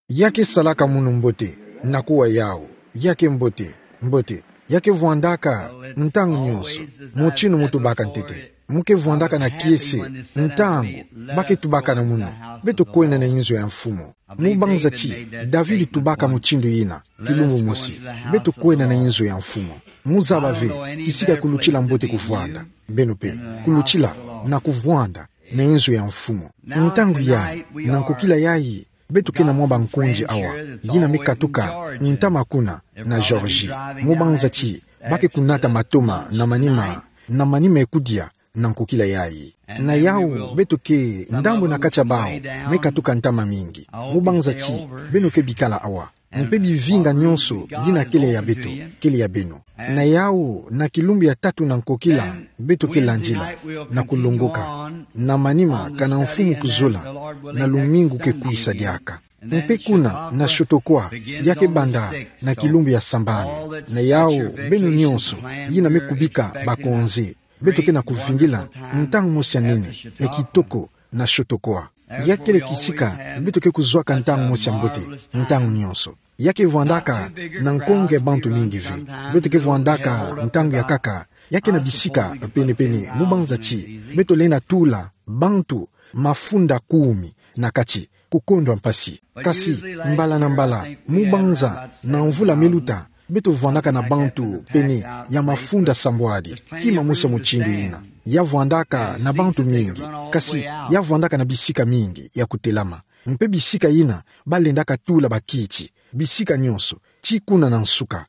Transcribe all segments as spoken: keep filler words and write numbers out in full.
Ya ke salaka munu mbote, na kuwa yawu. Ya ke mbote, mbote. Ya ke vwandaka ntangu nyonso, motinu mu tubaka ntete. Mu ke vwandaka na kiese ntangu ba ke tubaka na munu: Beto kwenda na inzo ya mfumu. Mu banza ti David tubaka mutindu yina, kilumbu mosi: Beto kwenda na inzo ya mfumu. Mu zaba ve kisika kulutila mbote kuvwanda. Beno pe, kulutila na kuvwanda na inzo ya mfumu. Ntangu yayi, na nkokila yayi, beto ke na mwa bankundi awa, yina me katuka ntama kuna na Georgie. Mu banza ti ba ke kunata matoma na manima, na manima ye kudia na nkokila yayi. Na yawu beto ke ndambu na kati ya bawu me katuka ntama mingi. Mu banza ti beno ke bikala awa. Mpe bivinga nyonso yina kele ya beto, kele ya beno. Na yawu, na kilumbu ya tatu na nkokila, beto ke landila na kulongoka na manima, kana mfumu kuzola, na lumingu ke kwisa diaka. Mpe kuna na Chautauqua, ya ke banda na kilumbu ya sambanu. Na yawu, beno nyonso yina me kubika bakonzi, beto ke na kuvingila ntangu mosi ya nene, ya kitoko, na Chautauqua. Ya kele kisika beto ke kuzwaka ntangu mosi ya mbote ntangu nyonso. Ya ke vwandaka na nkonge bantu mingi ve. Beto ke vwandaka ntangu ya nkaka, ya ke na bisika pene-pene, mu banza ti beto lenda tula bantu mafunda kumi na kati, kukondwa mpasi. Kasi mbala na mbala, mu banza na mvula me luta, beto vwandaka na bantu pene ya mafunda sambwadi. Kima mosi ya mutindu yina, ya vwandaka na bantu mingi, kasi ya vwandaka na bisika mingi ya kutelama. Mpe bisika yina ba lendaka tula bakiti, bisika nyonso, tii kuna na nsuka.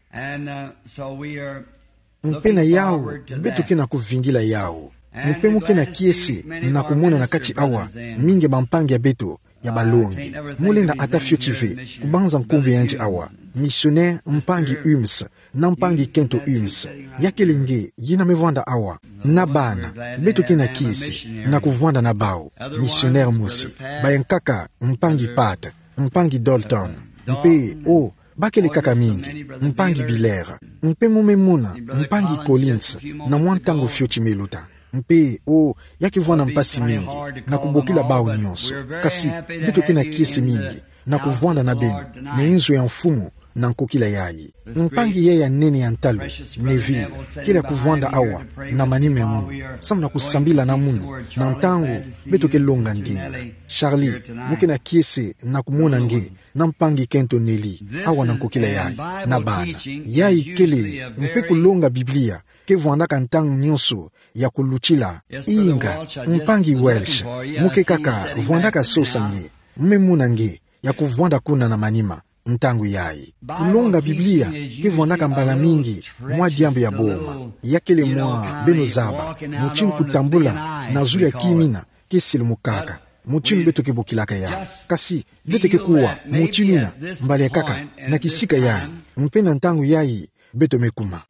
Mpe na yawu, beto ke na kuvingila yawu. Mpe mu ke na kiese na kumona na kati awa mingi ya bampangi ya beto ya balongi. Mu lenda ata fioti ve kubanza nkumbu yandi awa: misionere mpangi Humes, na mpangi Kento Humes. Ya kele nge yina me vwanda awa. Na bana, beto ke na kiese na kuvwanda na bawu. Misionere mosi, bayankaka mpangi Pat, mpangi Dalton. Mpe, o, ba kele kaka mingi, mpangi Biller. Mpe mu me mona mpangi Collins na mwa ntangu fioti me luta. Mpe, o, ya ke vwanda mpasi mingi na kubokila bawu nyonso. Kasi beto ke na kiese mingi na kuvwanda na beno na inzo ya mfumu na nkokila yayi. Mpangi yayi ya nene ya ntalu, Neville, kele ya kuvwanda awa na manima ya munu, samu na kusambila na munu na ntangu beto ke longa ndinga. Charlie, mu ke na kiese na kumona nge na mpangi Kento Nelly awa na nkokila yayi, na bana. Yayi kele mpe kulonga Biblia ke vwandaka ntangu nyonso ya kulutila. Inga, mpangi Welsh, mu ke kaka vwandaka sosa nge, mu me mona nge ya kuvwanda kuna na manima ntangu yayi. Kulonga Biblia ke vwandaka mbala mingi mwa diambu ya boma. Ya kele mwa beno zaba, mutinu kutambula na zulu ya kima yina ke silimukaka, mutinu beto ke bokilaka yawu. Kasi beto ke kuwa mutinu yina mbala ya nkaka na kisika yayi, mpe na ntangu yayi beto me kuma.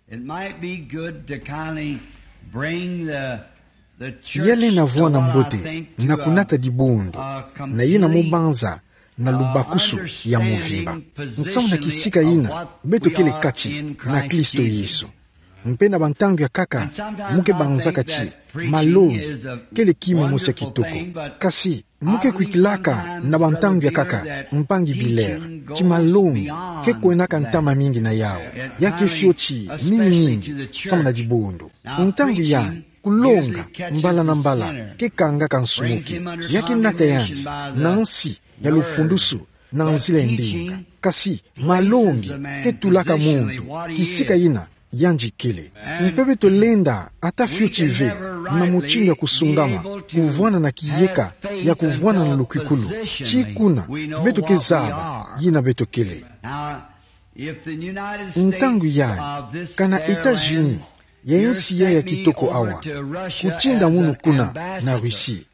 Ya lenda vwanda mbote na kunata dibundu na yina mu banza na lubakusu ya mvimba, nsamu na kisika yina beto kele kati na Kristo Yesu. Mpe na bantangu ya nkaka mu ke banzaka ti malongi kele kima mosi ya kitoko. Kasi mu ke kwikilaka na bantangu ya nkaka, mpangi Biller, ti malongi ke kwendaka ntama mingi na yawu. Ya ke fioti mingi mingi samu na dibundu. Ntangu yandi, kulonga mbala na mbala ke kangaka nsumuki. Ya ke nata yandi na nsi ya lufundusu na nzila ya ndinga. Kasi malongi ke tulaka muntu kisika yina yandi kele. Mpe beto lenda ata fioti ve na mutinu ya kusungama kuvwanda na kiyeka ya kuvwanda na lukwikulu, tii kuna beto ke zaba yina beto kele. Ntangu yayi, kana États-Unis, ya insi yayi ya kitoko awa, kutinda munu kuna na Russie,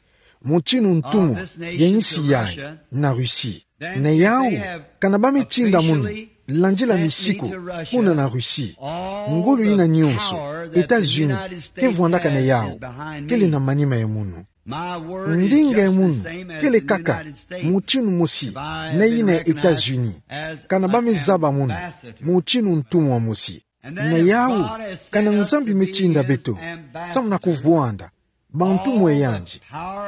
mutinu ntumwa ya insi yayi na Russie. Na yawu, kana ba me tinda munu landila misiku kuna na Russie, ngolo yina nyonso États-Unis ke vwandaka na yawu kele na manima ya munu. Ndinga ya munu kele kaka mutinu mosi na yina ya États-Unis, kana ba me zaba munu mutinu ntumwa mosi. Na yawu, kana Nzambi me tinda beto samu na kuvwanda bantumwa ya yandi,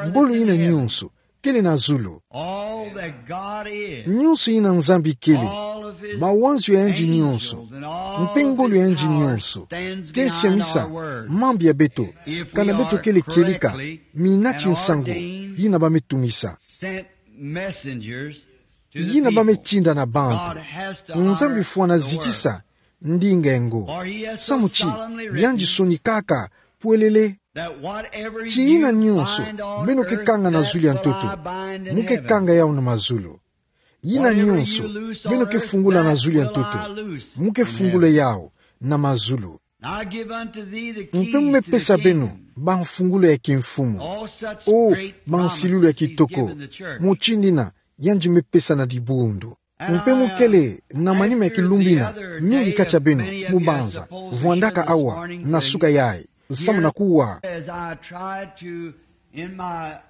ngolo yina nyonso kele na zulu. All that God is, nyonso yina Nzambi kele, all of his mawanzu ya yandi nyonso, angels and all mpe ngolo ya yandi nyonso, ke siamisa mambu ya beto, kana beto kele kieleka mina ti nsangu yina bame tumisa, sent messengers to the yina bame people, tinda na bantu. God has to honor the word. Nzambi fwana zitisa ndinga ngo. For he has so solemnly written, samu ti yandi sonikaka pwelele, that whatever ti yina nyonso beno ke kanga na zulu ya ntoto, mu ke kanga yau na mazulu. Yina nyonso beno ke fungula na zulu ya ntoto, mu ke fungula yau na mazulu. Mpe mu me pesa beno bamfungula ya kimfumu. O, bansilulu ya kitoko, mutindu yina yandi me pesa na dibundu. Mpe mu kele na manima ya kilumbu yina mingi kati ya beno mu banza vwandaka awa na suka yayi, samu na kuwa.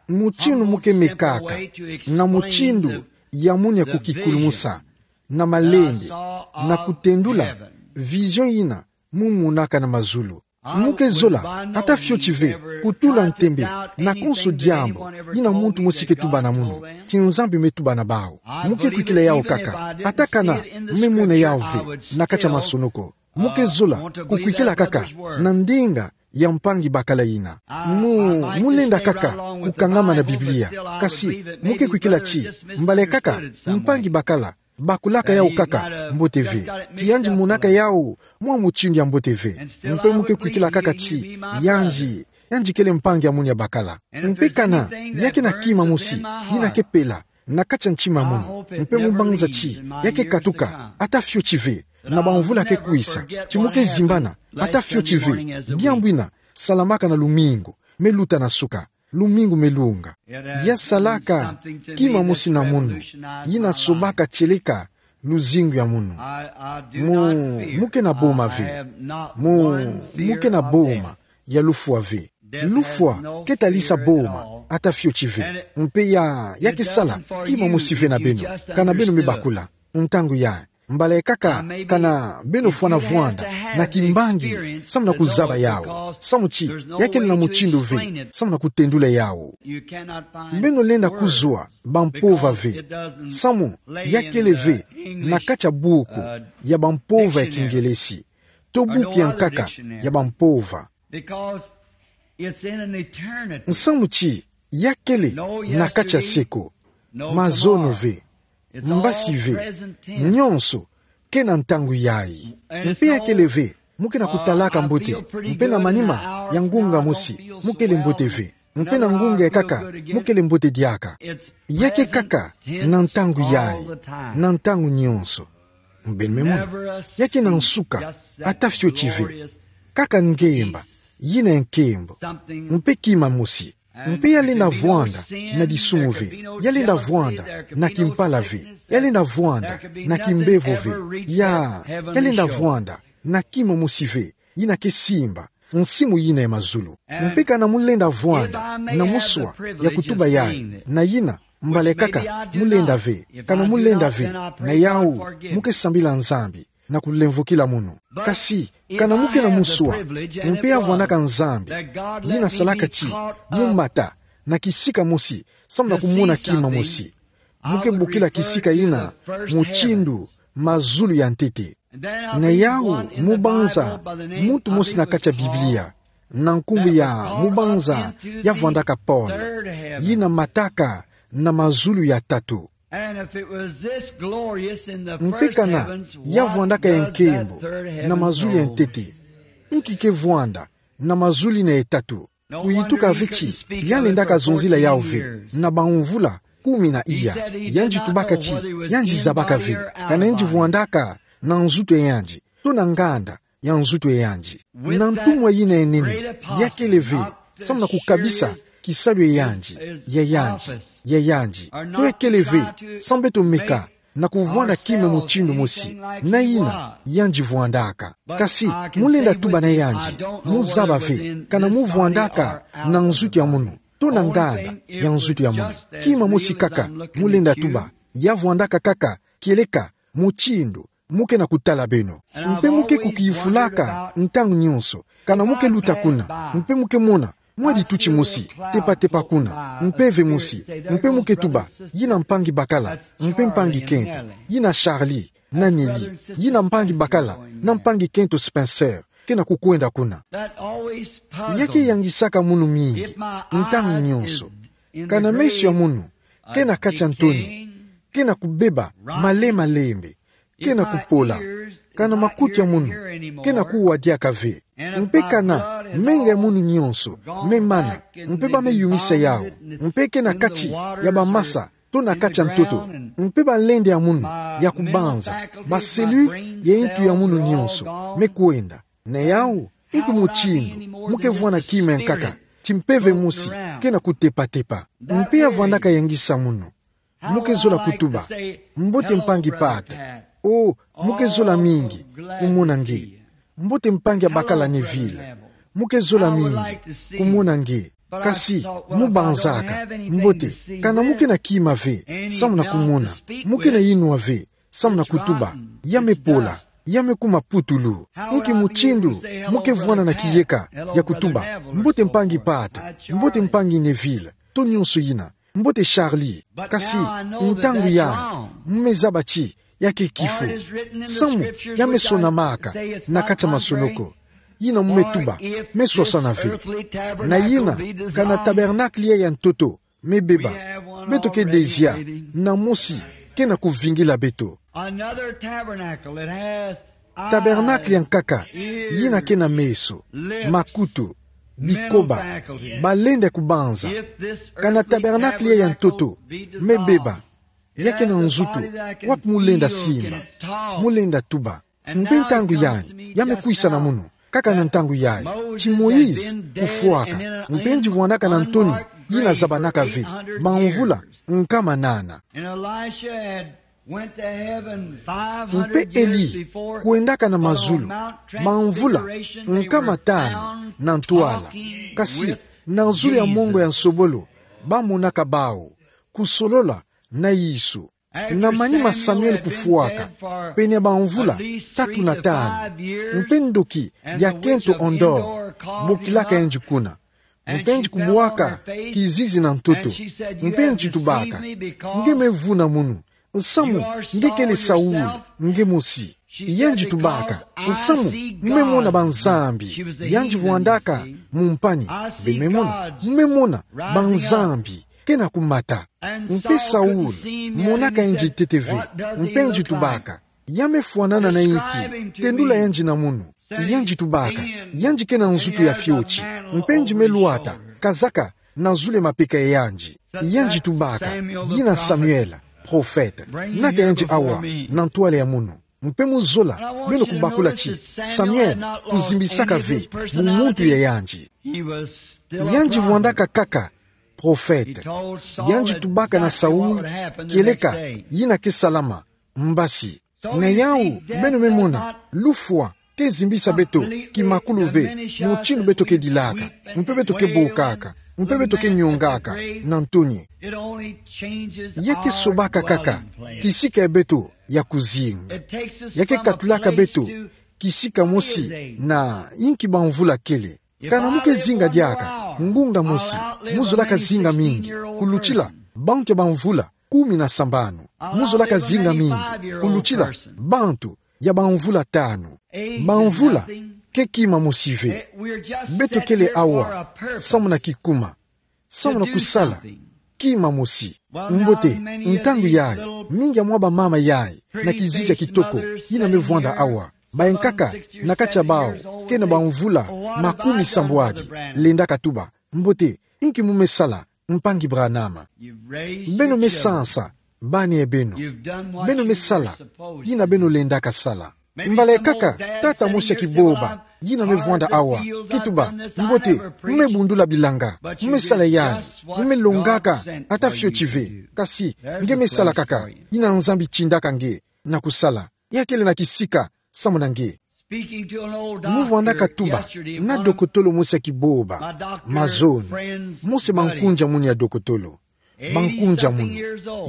Mutindu mu ke mekaka na mutindu ya munu ya kukikulumusa na malende, na kutendula vision yina mu monaka na mazulu. Mu ke zola, ata fioti ve, kutula ntembe na konso diambu yina muntu mosi ke tuba na munu, ti Nzambi me tuba na bawu. Mu ke kwikila yau kaka, ata kana mu me mona yau ve na kati ya masonoko. Mu ke zola kukwikila kaka na ndinga ya mpangi bakala yina. Mu, mu lenda kaka kukangama na Biblia. Kasi mu ke kwikila ti mbala kaka mpangi bakala bakulaka yau kaka mbote ve, ti yandi monaka yau mwa mutindu ya mbote ve. Mpe mu ke kwikila kaka ti yandi, yandi kele mpangi ya munu ya bakala. Mpe kana ya ke na kima mosi yina ke pela na kati ya ntima ya munu, mpe mu banza ti ya ke katuka, ata fioti ve, na bamvula ke kwisa, ti mu ke zimbana, ata fioti ve, diambu yina salamaka na lumingu me luta na suka, lumingu me lunga. Ya salaka kima mosi na munu yina sobaka tieleka luzingu ya munu. Mu, mu ke na boma ve. Mu, mu ke na boma ya lufwa ve. Lufwa ke talisa boma ata fioti ve. Mpe ya, ya ke sala kima mosi ve na beno, kana beno me bakula. Ntangu ya mbala kaka kana beno fwana vwanda na kimbangi samu na kuzaba yau, samu ti ya kele na mutindu ve samu na kutendula yau. Beno lenda kuzwa bampova ve, samu ya kele ve na kati ya buku ya bampova ya Kingelesi, to buku ya nkaka ya bampova. Nsamu ti ya kele na kati ya seko, mazono ve, mbasi ve, nyonso ke na ntangu yayi. Mpe ya kele ve mu ke na kutalaka mbote, mpe na manima ya ngunga mosi mu kele mbote ve, mpe na ngunga ya nkaka mu kele mbote diaka. Ya ke kaka na ntangu yayi, na ntangu nyonso. Beno me mona, ya ke na nsuka ata fioti ve. Kaka ngemba yina ya nkembo, mpe kima mosi. Mpe ya lenda vwanda na disumu ve, ya lenda vwanda na kimpala ve, ya lenda vwanda na kimbevo ve, ya, ya lenda vwanda na kima mosi ve yina ke simba nsimu yina ya mazulu. Mpe kana mu lenda vwanda na muswa ya kutuba yayi, na yina mbala kaka mu lenda ve, kana mu lenda ve, na yau mu ke sambila Nzambi na kulemvokila munu. Kasi kana mu ke na muswa, mpe ya vwandaka Nzambi yina salaka ti mu mata na kisika mosi samu na kumona kima mosi, mu ke bokila kisika yina mutindu mazulu ya ntete. Na yau mu banza muntu mosi na kati ya Biblia, na nkumbu ya, mu banza, ya vwandaka Paul, yina mataka na mazulu ya tatu. Mpe kana ya vwandaka ya nkembo na mazulu ya ntete, inki ke vwanda na mazulu yina ya tatu? Kuyituka ve ti ya lendaka zonzila yau ve na bamvula kumi na iya. Yandi tubaka ti yandi zabaka ve kana yandi vwandaka na nzutu ya yandi, to na nganda ya nzutu ya yandi. Na ntumwa yina ya nene, ya kele ve samu na kukabisa kisalu ya yandi, ya yandi, ya yandi, to ya kele ve samu beto meka na kuvwanda kima mutindu mosi na yina yandi vwandaka. Kasi mu lenda tuba na yandi, mu zaba ve kana mu vwandaka na nzutu ya munu, to na nganda ya nzutu ya munu. Kima mosi kaka mu lenda tuba, ya vwandaka kaka kieleka mutindu mu ke na kutala beno. Mpe mu ke kukiyufulaka ntangu nyonso kana mu ke luta kuna, mpe mu ke mona Mwadi tuti mosi, tepa-tepa kuna, mpeve mosi, mpe mu ke tuba, yina mpangi bakala, mpe mpangi kento, yina Charlie, na Nelly, yina mpangi bakala, na mpangi kento Spencer, kena kukwenda kuna. Ya ke yangisaka munu mingi, ntangu nyonso. Kana meso ya munu, kena kati ya ntoni, kena kubeba, male-malembe, kena kupola, kana makutu ya munu, kena kuwa diaka ve. Mpe kana menga ya munu nyonso, me mana, mpe ba me yumisa yau, mpe kena kati ya bamasa, to na kati ya ntoto, mpe balende ya munu, ya kubanza, ba cellule ya ntu ya munu nyonso, me kwenda. Na yau, inki mutindu, mu ke vwanda kima ya nkaka, ti mpeve mosi, kena kutepa-tepa. Mpe ya vwandaka yangisa munu. Mu ke zola kutuba, mbote mpangi Pat. O, mu ke zola mingi, kumona nge. Mbote mpangi ya bakala Neville. Mu ke zola mingi, kumona nge. Kasi, mu banzaka, mbote, kana mu kena kima ve, samu na kumona. Mu kena inwa ve, samu na kutuba, ya me pola, ya me kuma putulu. Inki mutindu, mu ke vwanda na kiyeka, ya kutuba, mbote mpangi Pat, mbote mpangi Neville, to nyonso yina, mbote Charlie. Kasi, ntangu yai, mu me zaba ti, ya ke kifo. Samu, ya me sonamaka, na kati ya masoloko. Yina mu me tuba, me swasana ve. Na yina, kana tabernacle ya ntoto, me beba. Beto ke dezia, na mosi, kena kuvingila beto. Another tabernacle that has Tabernacle ya nkaka, yina kena meso, makutu, bikoba, balende kubanza. Kana tabernacle ya ntoto, me beba. Ya kena nzutu, wapi mu lenda simba, mu lenda tuba. Mpe ntangu yai, ya me kwisa na munu, kaka na ntangu yai, ti Moïse kufwaka, mpe nge vwandaka na ntoni, yina zabanaka ve, bamvula, nkama nana. Mpe Eli kwendaka na mazulu, bamvula, nkama tanu, na ntwala. Kasi, na zulu ya mongo ya nsobolo, ba monaka bawu, kusolola, na Yesu. Na manima Samuel kufwaka, pene ya bamvula, tatu na tanu. Mpe ndoki, ya kento Endor, bokilaka nge kuna. Mpe nge kubwaka, kizizi na ntoto. Mpe nge tubaka. Nge me vuna munu. Nsamu, nge kele Saul, nge mosi. Yandi tubaka, nsamu, mu me mona banzambi, yandi vwandaka, mu mpani, be me mona, mu me mona, banzambi, kena kumata. Mpe Saul, monaka yandi ntete ve, mpe yandi tubaka, ya me fwanana na inki, tendula yandi na munu, yandi tubaka, yandi kena nzutu ya fioti, mpe yandi me lwata, kazaka, na zulu ya mapeka ya yandi. Yandi tubaka, yina Samuel, prophète. Nata yandi awa, na ntwala ya munu. Mpe mu zola, beno kubakula ti, Samuel, kuzimbisaka ve, bumuntu ya yandi. Yandi vwandaka kaka, prophète. Yandi tubaka na Saul, kieleka, yina ke salama, mbasi. Na yawu, beno me mona, lufwa, ke zimbisa beto, kimakulu ve, mutindu beto ke dilaka, mpe beto ke bokaka, mpe beto ke nyongaka, na ntoni. Ya ke sobaka kaka, kisika ya beto, ya kuzinga. Ya ke katulaka beto, kisika mosi, na inki bamvula kele. Kana mu ke zinga diaka, ngunga mosi, mu zolaka zinga mingi, kulutila, bantu ya bamvula, kumi na sambanu. Mu zolaka zinga mingi, kulutila, bantu, ya bamvula tanu. Bamvula, ke kima mosi ve. Beto kele awa, samu na kikuma. Samu na kusala, kima mosi. Mbote, ntangu yayi, mingi ya mwa bamama yayi, na kizizi ya kitoko, yina me vwanda awa. Bankaka, na kati ya bawu, ke na bamvula, makumi sambwadi, lendaka tuba. Mbote, inki mu me sala, mpangi Branham. Beno me sansa, bani ya beno. Beno me sala, yina beno lendaka sala. Mbala kaka, tata mosi ya kiboba, yina me vwanda awa, ke tuba, mbote, mu me bundula bilanga, mu me sala yayi, mu me longaka, ata fioti ve, kasi, nge me sala kaka, yina Nzambi tindaka nge, na kusala, ya kele na kisika, samu na nge. Mu vwandaka tuba, na dokotolo mosi ya kiboba, mazono, mosi ya bankunja munu ya dokotolo. Bankunja munu,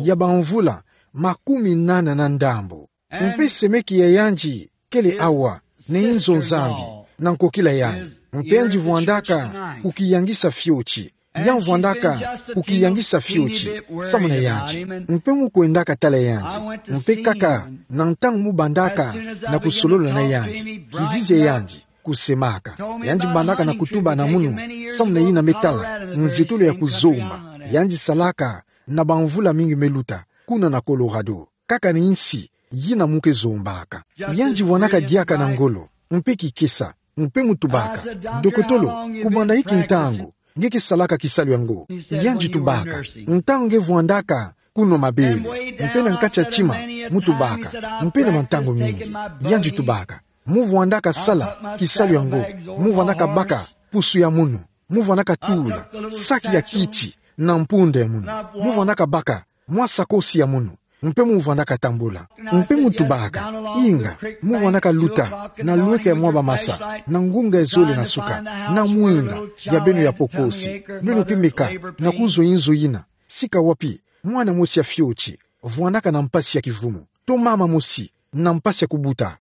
ya bamvula, makumi nana na ndambo. Mpe semeki ya yandi, kele awa, na inzo Nzambi, na nkokila yayi. Mpe yandi vwandaka kukiyangisa fioti. Yandi vwandaka kukiyangisa fioti, samuna yandi. Mpe mu kwendaka tala yandi. Mpe kaka na ntangu mu bandaka na kusolola na yandi, kizizi ya yandi kusemaka. Yandi bandaka na kutuba na munu, samuna yina me tala nzietolo ya kuzomba. Yandi salaka na bamvula mingi me luta, kuna na Colorado. Kaka ni nsi yina mu ke zombaka. Yandi vwanaka diaka na ngolo, mpe kikesa, mpe mu tubaka: Dokotolo, kubanda inki ntangu nge ke salaka kisalu yango? Yandi tubaka: Ntangu nge vwandaka kunwa mabele, mpe na kati ya tima, mu tubaka, mpe na bantangu mingi. Yandi tubaka: Mu vwandaka sala kisalu yango, mu vwandaka baka pusu ya munu, mu vwandaka tula saki ya kiti na mpunda ya munu, mu vwandaka baka mwa sakosi ya munu, mpe mu vwandaka tambula. Mpe mu tubaka: Inga, mu vwandaka luta na lweka ya mwa bamasa, na ngunga ya zole na suka, na mwinda ya beno ya pokosi, beno ke meka na kuzwa inzo yina, sika wapi mwana mosi ya fioti vwandaka na mpasi ya kivumu, to mama mosi na mpasi ya kubuta.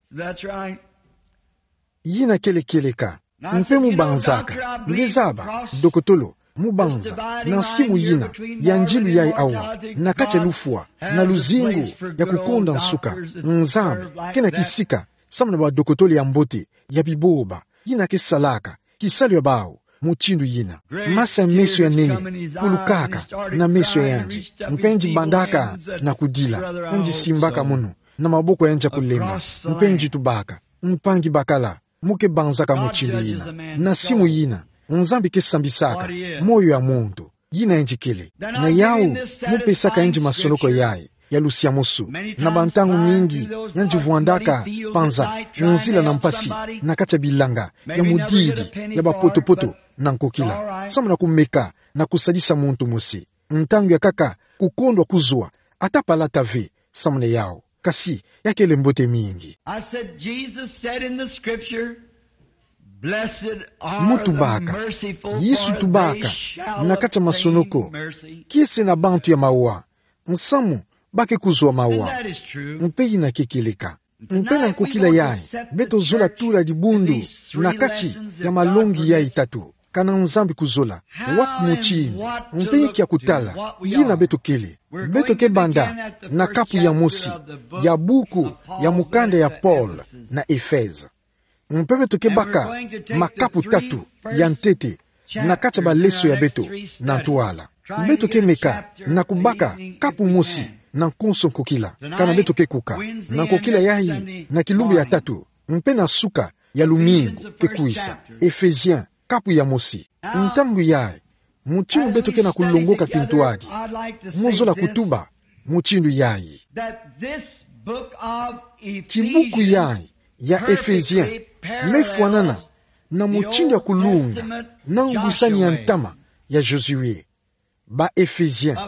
Yina kele kieleka. Mpe mu banzaka: Nge zaba, dokotolo, mu banza, na nsimu yina ya ndilu yayi awa, na kati ya lufwa na luzingu ya kukonda nsuka, Nzambi ke na kisika samuna badokotolo ya mbote ya biboba, yina ke salaka kisalu ya bawu mutindu yina. Masa ya meso ya nene fulukaka na meso ya yandi, mpe yandi bandaka na kudila. Yandi simbaka munu na maboko ya yandi ya kulemba, mpe yandi tubaka: Mpangi bakala, mu ke banzaka mutindu yina? Na nsimu yina Nzambi ke sambisaka moyo ya muntu. Yina yandi kele. Na yawu mu pesaka yandi masonoko yayi ya lusiamusu. Na bantangu mingi yandi vwandaka panza nzila na mpasi na kati ya bilanga ya mudidi ya bapotopoto na nkokila, samuna kumeka na kusadisa muntu mosi. Ntangu ya nkaka kukondwa kuzwa ata palata ve samuna yawu. Kasi ya kele mbote mingi. I said, Jesus said in the scripture, "Blessed are the merciful, for they shall obtain mercy." Mu tubaka: Yesu tubaka na kati ya masonoko: Kiese na bantu ya mawa, nsamu ba ke kuzwa mawa. And that is true. Mpe yina ke kieleka. Mpe na nkokila yayi, beto zola tula dibundu na kati ya malongi yayi tatu: Kana Nzambi kuzola, wapi mutindu, mpe inki ya kutala, yina beto kele. Beto ke banda na kapu ya mosi ya buku ya mukanda ya Paul na Efeze. Mpe beto ke baka makapu tatu ya ntete na kati ya baleso ya beto na ntwala. Beto ke meka na kubaka kapu mosi na konso nkokila, kana beto ke kuka. Na nkokila yayi, na kilumbu ya tatu, mpe na suka ya lumingu ke kwisa, Ephesiens, kapu ya mosi. Ntangu yayi, mutindu beto ke na kulongoka kintwadi, mu zola kutuba mutindu yayi. Ti buku yayi ya Ephesiens me fwanana na mutindu ya kulunga na ngwisani ya ntama ya Josué. Ba Ephesiens,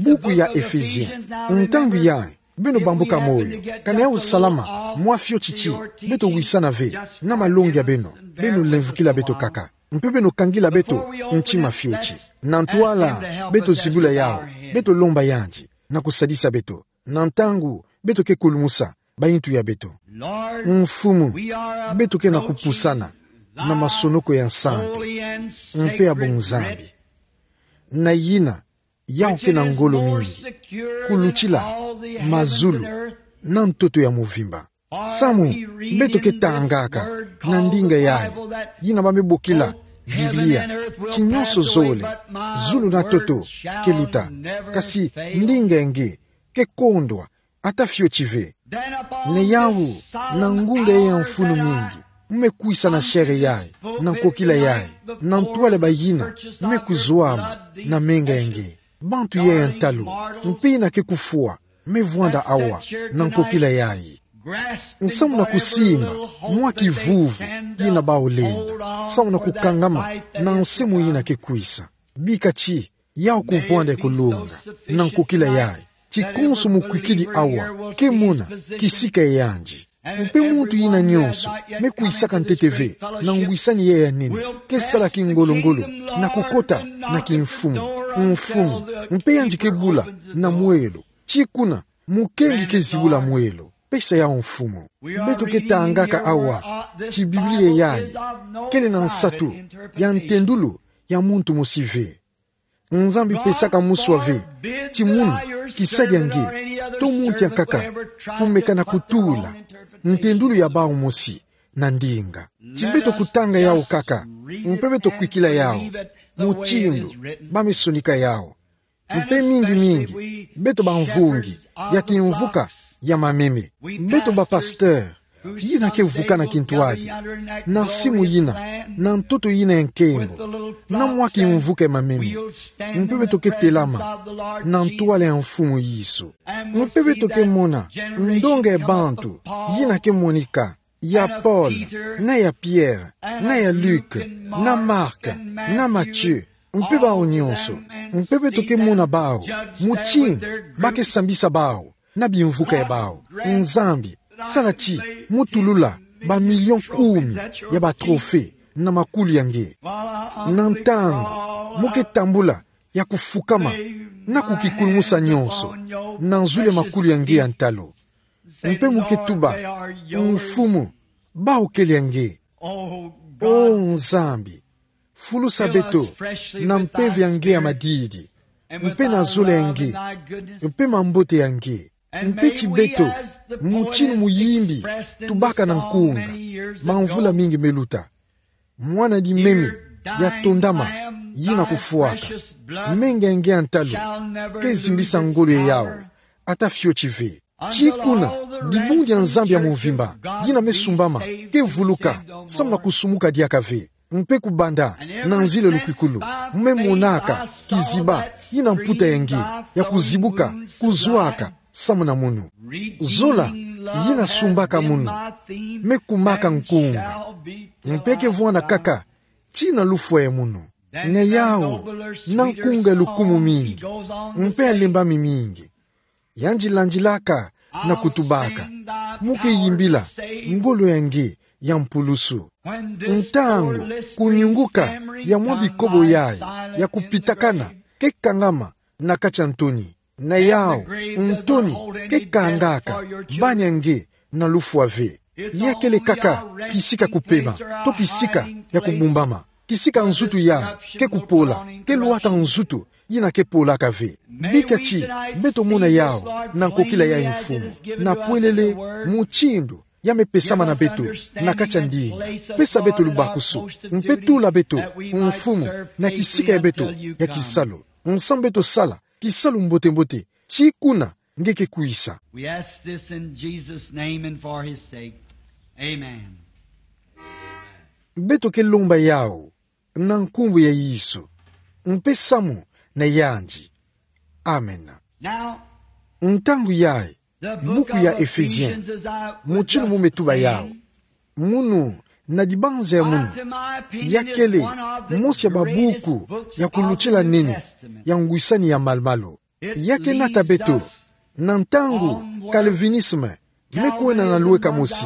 buku ya Ephesiens. Ntangu yayi, beno bambuka moyo, kana yawu salama mwa fioti ti beto wisana ve na malongi ya beno, beno lemvukila beto kaka, mpe beno kangila beto ntima fioti. Na ntwala beto zibula yawu, beto lomba yandi na kusadisa beto. Na ntangu beto ke kulumusa bayintu ya beto. Mfumu, beto ke na kupusana na masonoko ya nsantu mpe ya bunzambi. Na yina, yawu ke na ngolo mingi kulutila mazulu na ntoto ya muvimba. Samu beto ke tangaka na ndinga yayi, yina ba me bokila Biblia, ti nyonso zole, zulu na ntoto, ke luta, kasi ndinga ya nge ke kondwa ata fioti ve. Na yawu, na ngunga ya mfunu mingi, mu me kwisa na shere yayi, na nkokila yayi, na ntwala bayina me kuzwama na menga ya nge. Bantu yayi ya ntalu, mpe yina ke kufwa, me vwanda awa na nkokila yayi. Nsamu na kusimba mwa kivuvu kina bawu lenda, samu na kukangama na nsi mu yina ke kwisa. Bika ti yawu kuvwanda ya kulunga na nkokila yayi, ti konso mukwikidi awa ke mona kisika ya yandi. Mpe muntu yina nyonso me kwisaka ntete ve na ngwisani yayi ya nene, ke sala kingolo-ngolo na kukota na kimfumu: Mfumu, mpe yandi ke bula na mwelo, ti kuna mukengi ke zibula mwelo. Pesa yau Mfumu. Beto ke tangaka awa ti Biblia yayi kele na nsatu ya ntendulu ya muntu mosi ve. Nzambi pesaka muswa ve ti munu kisadi ya nge to muntu ya nkaka kumeka na kutula ntendulu ya bau mosi na ndinga. Ti beto kutanga yau kaka, mpe beto kwikila yau mutindu ba me sonika yau. Mpe mingi mingi beto bamvungi ya kimvuka ya mameme. Beto bapasteur yina ke vukana kintwadi na simu yina, na ntoto yina ya nkembo, na mwa kimvuka ya mameme. Mpe beto ke telama na ntwala ya Mfumu Yesu. Mpe beto ke mona ndonga ya bantu yina ke monika, ya Paul, na ya Pierre, na ya Luc, na Marc, na Matthieu, mpe bau nyonso. Mpe beto ke mona bau mutindu ba ke sambisa bau na bimvuka ya bau. Nzambi, sala ti mu tulula ba million kumi ya ba trophée na makulu ya nge. Na ntangu mu ke tambula ya kufukama na kukikulumusa nyonso na nzulu ya makulu ya nge ya ntalu. Mpe mu ke tuba: Mfumu, bau kele ya nge. O Nzambi, fulusa beto na mpeve ya nge ya madidi, mpe na zola ya nge, mpe mambote ya nge. Mpe ti beto, mutindu muyimbi tubaka na nkunga bamvula mingi me luta, mwana di meme ya tondama yina kufwaka, menga ya nge ya ntalu ke zimbisa ngolo ya yau ata fioti ve. Ti kuna dibundu ya Nzambi ya mvimba yina me sumbama ke vuluka samu na kusumuka diaka ve, mpe kubanda na nzila ya lukwikulu, me monaka kiziba yina mputa ya nge ya kuzibuka kuzwaka samu na munu. Zola yina sumbaka munu me kumaka nkunga, mpe ke vwanda kaka tii na lufwa ya munu. Na yau na nkunga ya lukumu mingi, mpe ya lembami mingi, yandi landilaka na kutubaka: Mu ke yimbila ngolo ya nge ya mpulusu. Ntangu kunyunguka ya mwa bikobo yayi ya kupitakana ke kangama na kati ya ntoni, na yau ntoni ke kangaka bani ya nge na lufwa ve. Ya kele kaka kisika kupema to kisika ya kubumbama, kisika nzutu yayi ke kupola, ke lwata nzutu yina ke polaka ve. Bika ti beto mona yau na nkokila yayi, Mfumu, na pwelele mutindu ya me pesama na beto na kati ya ndinga. Pesa beto lubakusu, mpe tula beto, Mfumu, na kisika ya beto ya kisalu, nsamu beto sala kisalu mbote-mbote tii kuna nge ke kwisa. We ask this in Jesus' name and for his sake. Amen. Beto ke lomba yau na nkumbu ya Yesu, mpe samu na yandi. Amen. Now, ntangu yayi, the book buku ya of Ephesiens, Ephesians, as I mutindu mu me tuba yau, munu, na dibanza ya munu, ya kele mosi ya babuku ya kulutila nene ya ngwisani ya malu-malu. Ya ke nata beto na ntangu calvinisme me kwenda na lweka mosi,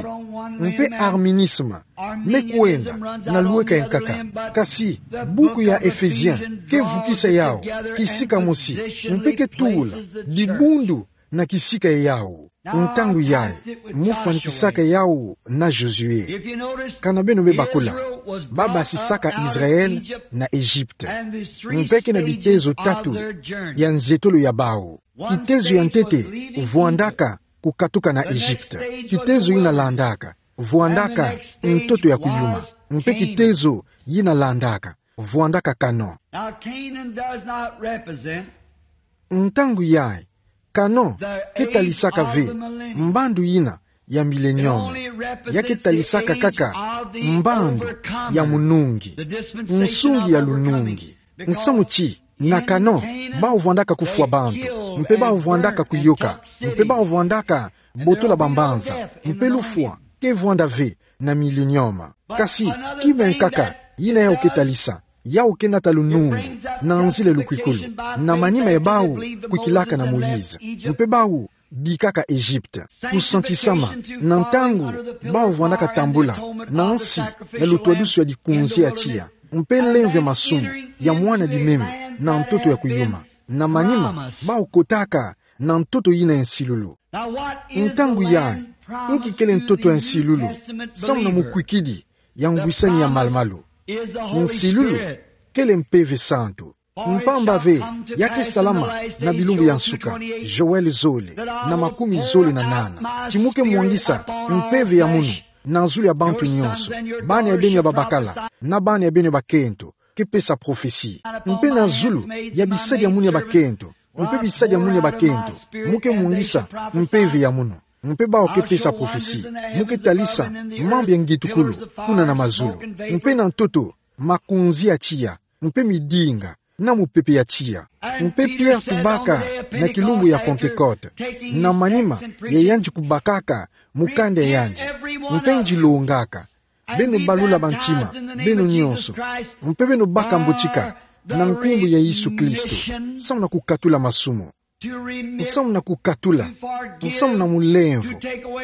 mpe arminisme me kwenda na lweka ya nkaka. Kasi buku ya Ephesiens ke vukisa yau kisika mosi, mpe ke tula dibundu na kisika ya yau. Ntangu yayi, mu fwanikisaka yau na Josué. Kana beno me bakula, ba basisaka Israël na Egypte, mpe ke na bitezo tatu ya nzietolo ya bau. Kitezo ya ntete vwandaka kukatuka na Egypte. Kitezo yina landaka vwandaka ntoto ya kuyuma. Mpe kitezo yina landaka vwandaka Canaan. Now, Canaan does not represent Ntangu yayi, Canaan ke talisaka ve mbandu yina ya millennium. Ya ke talisaka kaka mbandu ya munungi, nsungi ya lunungi. Nsamu ti na Canaan, bau vwandaka kufwa bantu, mpe bau vwandaka kuyoka, mpe bau vwandaka botola bambanza, mpe lufwa ke vwanda ve na millennium. Kasi kima ya nkaka yina yau ke talisa, yau ke nata lunungu na nzila ya lukwikulu, na manima ya bau kwikilaka na Moïse, mpe bau bikaka Egypte. Kusantisama, na ntangu bau vwandaka tambula na nsi ya lutwadusu ya dikunzi ya tiya, mpe lemvo ya masumu ya mwana di meme na ntoto ya kuyuma. Na manima bau kotaka na ntoto yina ya nsilulu. Ntangu yayi, inki kele ntoto ya nsilulu, samu na mukwikidi ya ngwisani ya malumalu? Nsilulu kele Mpeve Santu. Mpamba ve, ya ke salama na bilumbu ya nsuka, Joël zole, na makumi zole na nana, ti mu ke mwangisa Mpeve ya munu na zulu ya bantu nyonso, bana ya beno ya babakala na bana ya beno ya bakento, ke pesa prophesie. Mpe na zulu ya bisadi ya munu ya bakento, mpe bisadi ya munu ya bakento, mu ke mwangisa Mpeve ya munu. Mpe bau ke pesa prophesie, mu ke talisa mambu ya ngitukulu kuna na mazulu. Mpe na ntoto, makunzi ya tiya, mpe midinga, na mupepe ya tiya. Mpe Pierre tubaka na kilumbu ya Pentecôte, na manima ya yandi kubakaka mukanda ya yandi, mpe ndi longaka: Beno balula bantima beno nyonso, mpe beno baka mbotika na nkumbu ya Yesu Kristo, samu na kukatula masumu. Nsamu na kukatula, nsamu na mulemvo,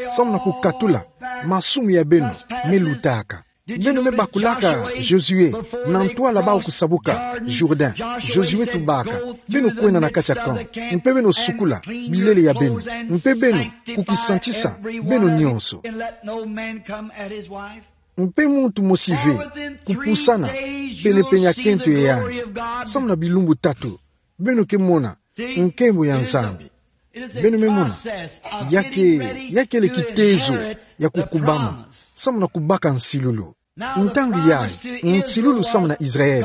nsamu na kukatula masumu ya beno me lutaka. Beno me bakulaka Josué na ntwala bau kusabuka Jourdain. Josué tubaka: Beno kwenda na kati ya camp, mpe beno sukula bilele ya beno, mpe beno kukisantisa beno nyonso. Mpe muntu mosi ve kupusana penepene ya kento ya yandi, samu na bilumbu tatu beno ke mona nkembo ya Nzambi. Beno me mona, ya ke, ya kele kitezo ya kukubama samu na kubaka nsilulu. Ntangu yayi, nsilulu samu na Israël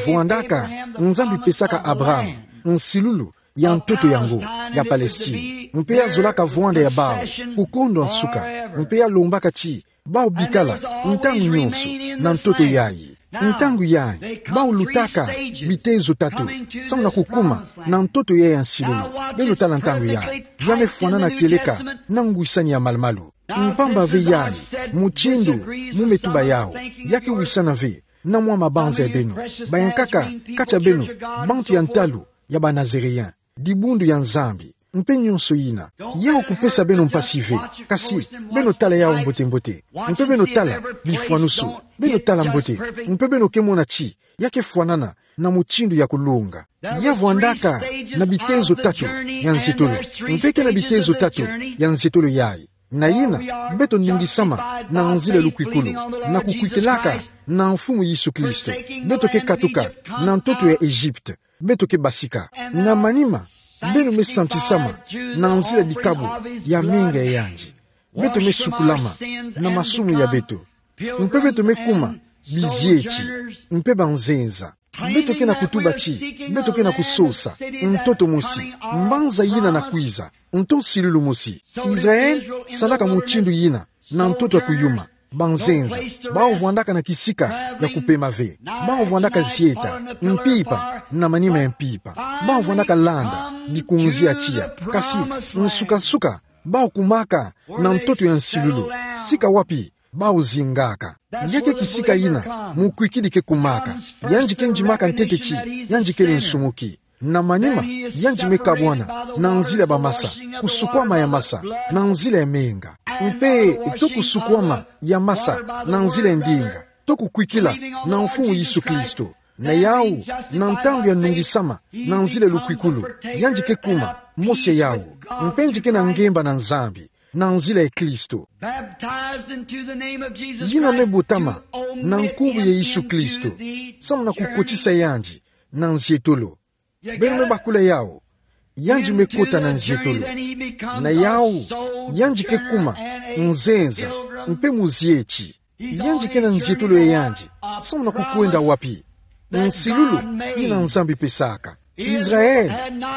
vwandaka Nzambi pesaka Abraham nsilulu ya ntoto yango ya Palestine, mpe ya zolaka vwanda ya bau kukondwa nsuka, mpe ya lombaka ti bau bikala ntangu nyonso na ntoto yayi. Ntangu yayi, bau lutaka bitezo tatu samu na kukuma na ntoto yayi ya nsilulu. Beno tala ntangu yayi, ya me fwanana kieleka na ngwisani ya malumalu. Mpamba ve yayi, mutindu mu me tuba yawu, ya ke wisana ve na mwa mabanza ya beno. Bayankaka kati ya beno bantu ya ntalu ya ba Nazaréens, dibundu ya Nzambi, mpe nyonso yina. Yawu kupesa beno mpasi ve, kasi beno tala yawu mbote-mbote, mpe beno tala bifwanusu, beno tala mbote, mpe beno ke mona ti ya ke fwanana na mutindu ya kulunga. Ya vwandaka na bitezo tatu ya nzietolo, mpe ke na bitezo tatu ya nzietolo yayi. Na yina, beto nungisama na nzila lukwikulu, na kukwikilaka na Mfumu Yesu Kristo. Beto ke katuka na ntoto ya Egypte, beto ke basika. Na manima, beno me santisama na nzila dikabu ya menga ya yandi. Beto me sukulama na masumu ya beto, mpe beto me kuma bizieti mpe banzenza. Beto ke na kutuba ti beto ke na kusosa ntoto mosi, mbanza yina na kwiza, nto nsilulu mosi. Israël salaka mutindu yina na ntoto ya kuyuma, banzenza. Bau vwandaka na kisika ya kupema ve. Bau vwandaka zieta, mpimpa na manima ya mpimpa. Bau vwandaka landa mikunzi ya tiya. Kasi nsuka-nsuka, bau kumaka na ntoto ya nsilulu, sika wapi bau zingaka. Ya ke kisika yina mukwikidi ke kumaka. Yandi ke ndimaka ntete ti yandi kele nsumuki. Na manima, yandi me kabwana na nzila ya bamasa, kusukwama ya masa na nzila ya menga, mpe to kusukwama ya masa na nzila ya ndinga, to kukwikila na Mfumu Yesu Kristo. Na yawu, na ntangu ya nungisama na nzila lukwikulu, yandi ke kuma mosi ya yawu, mpe ndi ke na ngemba na Nzambi na nzila ya Kristo. Yina me botama na nkumbu ya Yesu Kristo, samu na kukotisa yandi na nzietolo. Beno me bakula yawu, yandi me kota na nzietolo. Na yawu, yandi ke kuma nzenza mpe muzieti. Yandi ke na nzietolo ya yandi, samu na kukwenda wapi? Nsilulu yina Nzambi pesaka. Israël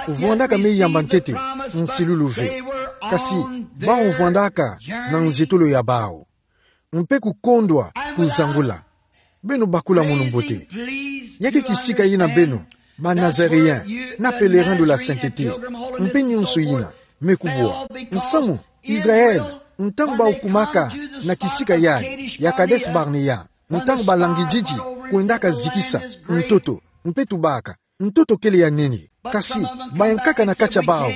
vwandaka me yamba ntete nsilulu ve, kasi bau vwandaka na nzietolo ya bau, mpe kukondwa kuzangula. Beno bakula munu mbote. Ya ke kisika yina beno, ba Nazaréens, na pèlerins de la sainteté, mpe nyonso yina me kubwa. Nsamu, Israël, ntangu bau kumaka na kisika yayi ya Kadesh-barnéa, ntangu balangididi kwendaka zikisa ntoto, mpe tubaka: Ntoto kele ya nini? Kasi bayankaka na kati ya bau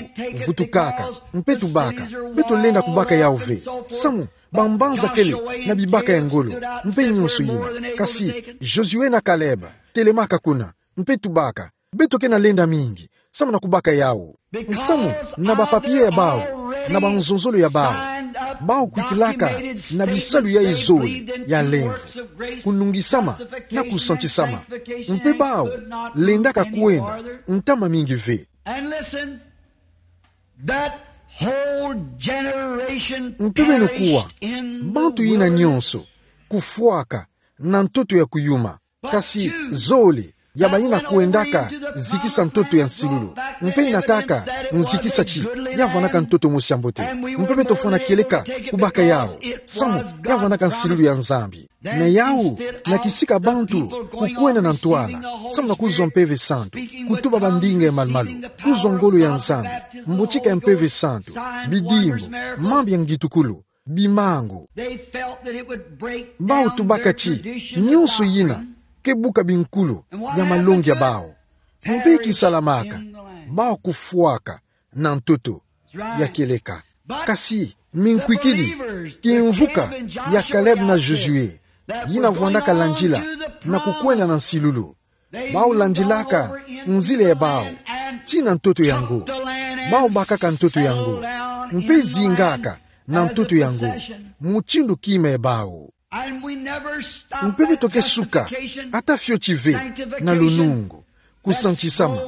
vutukaka, mpe tubaka: Beto lenda kubaka yawu ve, samu bambanza kele na bibaka ya ngolo, mpe nyonso yina. Kasi Josué na Caleb telemaka kuna, mpe tubaka: Beto ke na lenda mingi, Samu na kubaka yawu. Nsamu na ba papier ya bawu, na banzonzolo ya bawu, bawu kwikilaka na bisalu ya zole ya lemvo, kunungisama na kusantisama. Mpe bawu lendaka kwenda ntama mingi ve. And listen, that whole generation Mpe beno kuwa, perished in the bantu yina wilderness. Nyonso kufwaka na ntoto ya kuyuma. Kasi zole ya bayina kwendaka zikisa ntoto ya nsilulu. Mpe nataka nzikisa ti ya vwandaka ntoto mosi ya mbote. Mpe beto fwana kieleka kubaka yawu. Samu ya vwandaka nsilulu ya Nzambi. Na yawu, na kisika bantu kukwenda na ntwala, samu na kuzwa Mpeve Santu, kutuba bandinga ya malumalu, kuzwa ngolo ya Nzambi, mbotika ya Mpeve Santu, bidimbu, mambu ya ngitukulu, bimangu. Bawu tubaka ti nyonso yina ke buka binkulu ya malongi ya bawu. Mpe kisalamaka, bawu kufwaka na ntoto ya kieleka. Kasi minkwikidi kimvuka ya Caleb na Josué, yina vwandaka landila na kukwenda na nsilulu. Bawu landilaka nzila ya bawu tii na ntoto yango. Bawu bakaka ntoto yango, mpe zingaka na ntoto yango mutindu kima ya bawu. Mpe beto ke suka ata fioti ve na lunungu, kusantisama.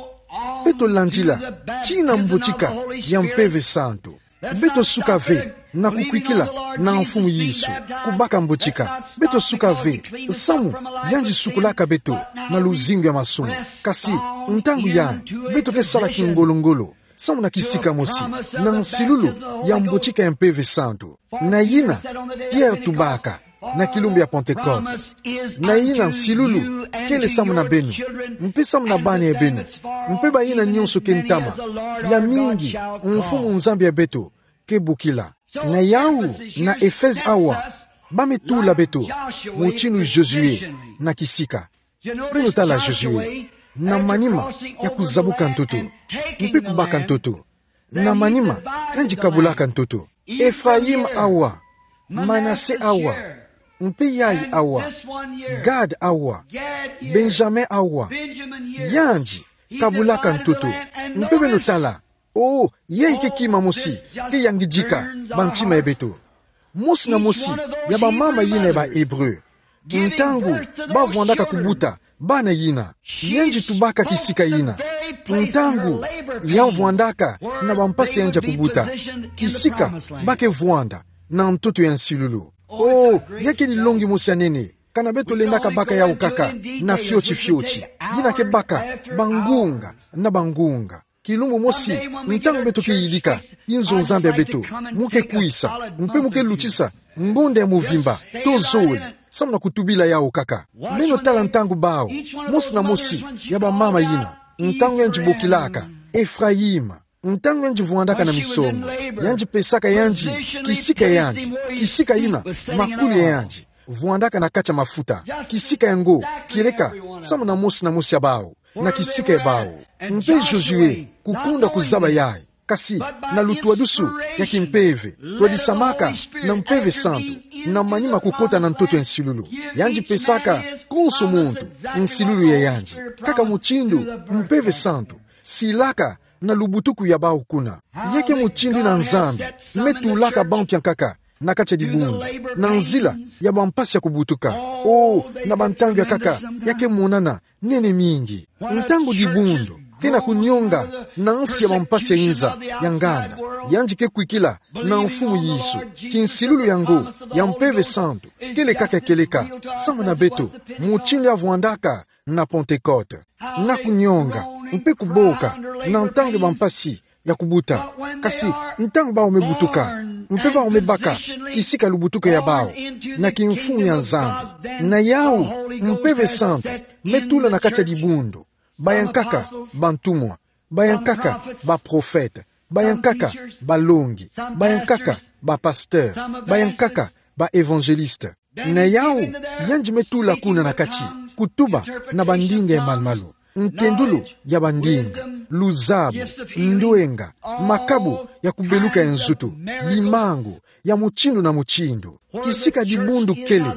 Beto landila tii na mbotika ya Mpeve Santu. Beto suka ve na kukwikila na Mfumu Yesu, kubaka mbotika. Beto suka ve samu yandi sukulaka beto na luzingu ya masumu. Kasi ntangu yayi, beto ke sala kingolo-ngolo samu na kisika mosi, na nsilulu ya mbotika ya Mpeve Santu. Na yina Pierre tubaka na kilumbu ya Pentecôte: Na yina nsilulu kele samu na beno, mpe samu na bana ya beno, mpe bayina nyonso ke ntama, ya mingi Mfumu Nzambi ya beto ke bokila. Na yawu, na Efeze awa, ba me tula beto mutindu Josué na kisika. Beno tala Josué, na manima ya kuzabuka ntoto mpe kubaka ntoto, na manima yandi kabulaka ntoto. Efraïm awa, Manasé awa, mpe yayi awa, Gad awa, Benjamin awa, yandi kabulaka ntoto. Mpe beno tala, oh, yayi ke kima mosi ke yangidika bantima ya beto. Mosi na mosi ya bamama yina ya ba Hébreu, ntangu ba vwandaka kubuta bana yina, yandi tubaka kisika yina. Ntangu ya vwandaka na bampasi ya yandi ya kubuta, kisika ba ke vwanda na ntoto ya nsilulu. Oh, ya ke dilongi mosi ya nene, kana beto lendaka baka yawu kaka na fioti-fioti. Yina ke baka bangunga na bangunga. Kilumbu mosi, ntangu beto ke yidika inzo Nzambi ya beto, mu ke kwisa, mpe mu ke lutisa ngonda ya muvimba, to zole, samu na kutubila yawu kaka. Beno tala ntangu bawu, mosi na mosi ya bamama yina, ntangu yandi bokilaka Efraïm, ntangu yandi vwandaka na misongo, yandi pesaka yandi kisika ya yandi, kisika yina makulu ya yandi vwandaka na kati ya mafuta, kisika yango kieleka samu na mosi na mosi ya bawu, na kisika ya bawu. Mpe Josué kukonda kuzaba yayi, kasi na lutwadusu ya kimpeve, twadisamaka na Mpeve Santu, na manima kukota na ntoto ya nsilulu, yandi pesaka konso muntu nsilulu ya yandi, kaka mutindu Mpeve Santu silaka na lubutuku ya bawu kuna. Ya ke mutindu yina Nzambi me tulaka bantu ya nkaka na kati ya dibundu, na nzila ya bampasi ya kubutuka. Oh, na bantangu ya nkaka, ya ke monana nene mingi. Ntangu dibundu ke na kunionga na nsi ya bampasi ya inza ya nganda, yandi ke kwikila na Mfumu Yesu ti nsilulu yango ya Mpeve Santu kele kaka ya kieleka samu na beto, mutindu ya vwandaka na Pentecôte, na kunionga mpe kuboka na ntangu ya bampasi ya kubuta. Kasi ntangu bawu me butuka, mpe bawu me baka kisika lubutuku ya bawu na kimfumu ya Nzambi, na yawu Mpeve Santu me tula na kati ya dibundu, ba ya nkaka bantumwa, ba ya nkaka baprofete, ba ya nkaka balongi, ba ya nkaka bapasteur, ba ya nkaka baévangéliste. Na yawu yandi me tula kuna na kati, kutuba na bandinga ya malumalu, ntendulu ya bandinga, luzabu, ndwenga, makabu ya kubeluka ya nzutu, bimangu ya mutindu na mutindu. Kisika dibundu kele,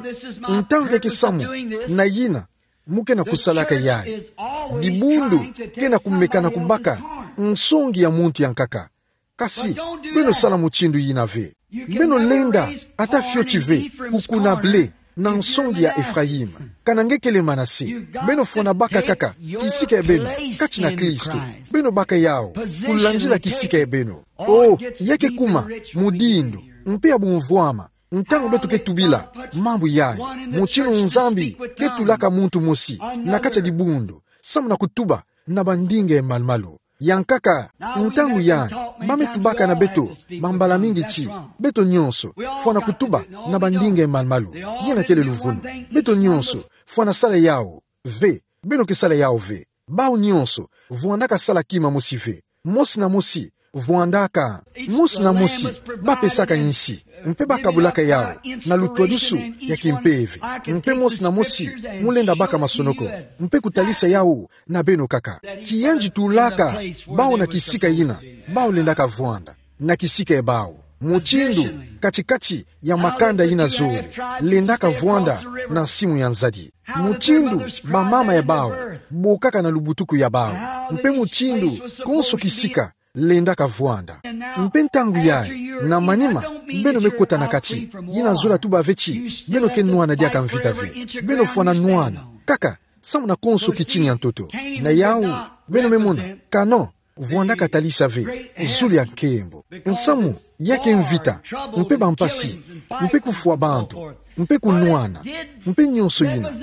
ntangu ya ke samu na yina mu ke na kusalaka yayi. Dibundu ke na kumeka na kubaka Nsongi ya muntu ya nkaka. Kasi, beno sala mutindu yina ve. Beno lenda ata fioti ve kukuna blé na nsongi ya Ephraïm. Kana nge kele Manase. Beno fwana baka kaka kisika ya beno kati na Kristo. Beno baka yawu kulandila kisika ya beno. Oh, ya ke kuma mudindu mpe ya bumvwama ntangu beto ke tubila mambu yayi, mutindu Nzambi ke tulaka muntu mosi na kati ya dibundu, samu na kutuba na bandinga ya malu-malu. Ya nkaka, ntangu yayi ba me tubaka na beto mambala mingi ti: beto nyonso fwana kutuba na bandinga ya malu-malu. Yina kele luvunu. Beto nyonso fwana sala yawu ve. Beno ke sala yawu ve. Bawu nyonso vwandaka sala kima mosi ve. Mosi na mosi vwandaka. Mosi na mosi ba pesaka insi, mpe ba kabulaka yawu na lutwadusu ya kimpeve. Mpe mosi na mosi mu lenda baka masonoko, mpe kutalisa yawu na beno kaka. Ti yandi tulaka bawu na kisika yina bawu lendaka vwanda, na kisika ya bawu. Mutindu kati-kati ya makanda yina zole lendaka vwanda na nsimu ya nzadi. Mutindu bamama ya bawu bokaka na lubutuku ya bawu. Mpe mutindu konso kisika lendaka vwanda. Mpe ntangu yayi, na manima, beno me kota na kati. Yina zola tuba ve ti beno ke nwana diaka mvita ve. Beno fwana nwana kaka samu na konso kitini ya ntoto. Na yawu, beno me mona Kanan vwandaka talisa ve zulu ya nkembo. Nsamu ya ke mvita, mpe bampasi, mpe kufwa bantu, mpe kunwana, mpe nyonso yina.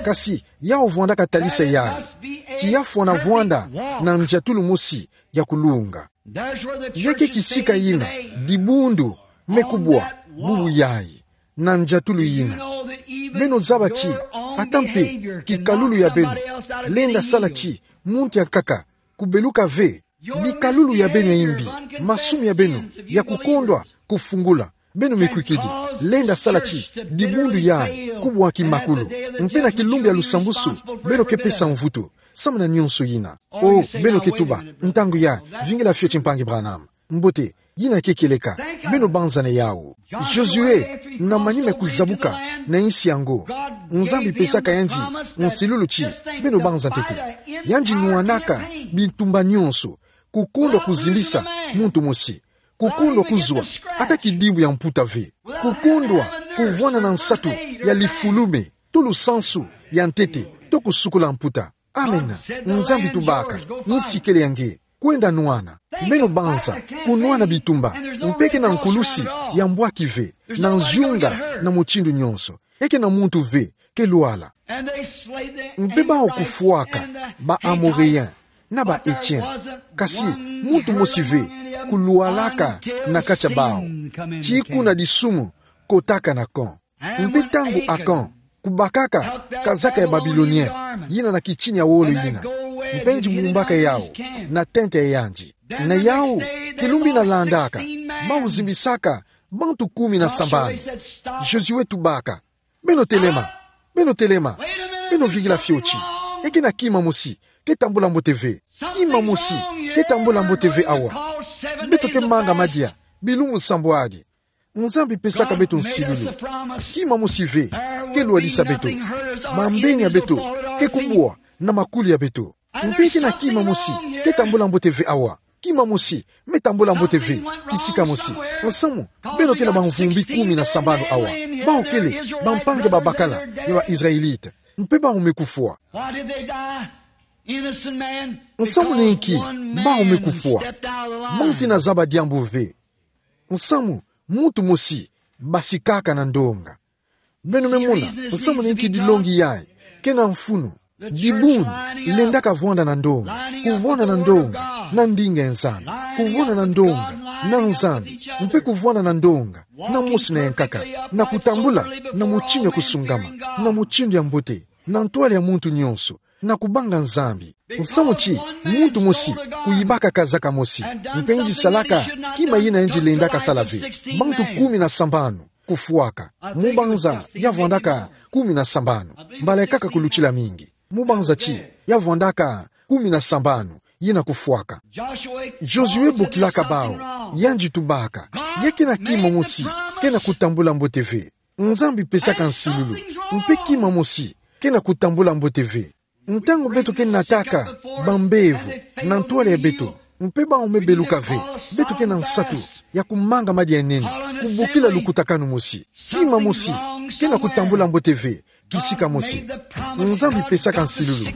Kasi yawu vwandaka talisa yayi ti ya fwana vwanda na ndiatulu mosi ya kulunga. Ya ke kisika yina dibundu me kubwa bubu yayi, na ndiatulu yina. Beno zaba ti ata mpe kikalulu ya beno lenda sala ti muntu ya nkaka kubeluka ve. Bikalulu ya beno ya imbi, masumu ya beno ya kukondwa kufungula, beno mikwikidi, lenda sala ti dibundu yayi kubwaki makulu. Mpe na kilumbu ya lusambusu beno ke pesa mvutu samu na nyonso yina. Oh, beno ke tuba: Ntangu yayi, vingila fioti, mpangi Branham. Mbote, yina ke kieleka. Beno banzana yawu. Josué, na manima ya kuzabuka na insi yango, Nzambi pesaka yandi nsilulu ti beno banza ntete. Yandi nwanaka bitumba nyonso, kukondwa kuzimbisa muntu mosi, kukondwa kuzwa ata kidimbu ya mputa ve, kukondwa kuvwanda na nsatu ya lifulume to lusansu ya ntete to kusukula mputa. Amen. Nzambi tubaka: Insi kele ya nge. Kwenda nwana. Beno banza kunwana bitumba. Mpe ke na nkulusi ya mbwaki ve na nziunga na mutindu nyonso. Eke na muntu ve ke lwala. Mpe bawu kufwaka ba Amoréens na ba Hétiens. Kasi muntu mosi ve kulwalaka na kati ya bawu. Ti kuna disumu kotaka na camp. Mpe ntangu Akhan kubakaka kazaka ya Babilonien yina na kitini ya wolo yina, mpe yandi bumbaka yawu na tente ya yandi. Na yawu, kilumbu yina landaka, bawu zimbisaka bantu kumi na sambanu. Josué tubaka: Beno telema. Beno telema. Beno vingila fioti. Eke na kima mosi ke tambula mbote ve. Kima mosi ke tambula mbote ve awa. Beto ke manga madia bilumbu sambwadi. Nzambi pesaka beto nsilulu. Kima mosi ve ke lwadisa beto. Mambeni ya beto ke kubwa na makulu ya beto. Mpe eke na kima mosi ke tambula mbote ve awa. Kima mosi me tambula mbote ve kisika mosi. Nsamu, beno ke na bamvumbi kumi na sambanu awa. Bawu kele bampangi ya babakala ya ba Israélite. Mpe bawu me kufwa. Why did they die? Innocent man. Nsamu na inki bawu me kufwa? Muntu ina zaba diambu ve. Nsamu, muntu mosi basikaka na ndonga. Beno me mona nsamu na inki dilongi yayi ke na mfunu. Dibundu lendaka vwanda na ndonga, kuvwanda na ndonga na ndinga ya Nzambi, kuvwanda na ndonga na Nzambi, mpe kuvwanda na ndonga na mosi na ya nkaka, na kutambula na mutindu ya kusungama, na mutindu ya mbote, na ntwala ya muntu nyonso, na kubanga Nzambi. Nsamu ti muntu mosi kuyibaka kazaka mosi, mpe yandi salaka kima yina yandi lendaka sala ve. Bantu kumi na sambanu kufwaka. Mu banza ya vwandaka kumi na sambanu. Mbala ya nkaka kulutila mingi. Mu banza ti ya vwandaka kumi na sambanu yina kufwaka. Josué bokilaka bawu, yandi tubaka: Ya ke na kima mosi ke na kutambula mbote ve. Nzambi pesaka nsilulu, mpe kima mosi ke na kutambula mbote ve. Ntangu beto ke nataka bambevo na ntwala ya beto, Mpe bau me beluka ve, beto ke na nsatu ya kumanga madia nene, kubokila lukutakanu mosi, kima mosi ke na kutambula mbote ve, kisika mosi. Nzambi pesaka nsilulu.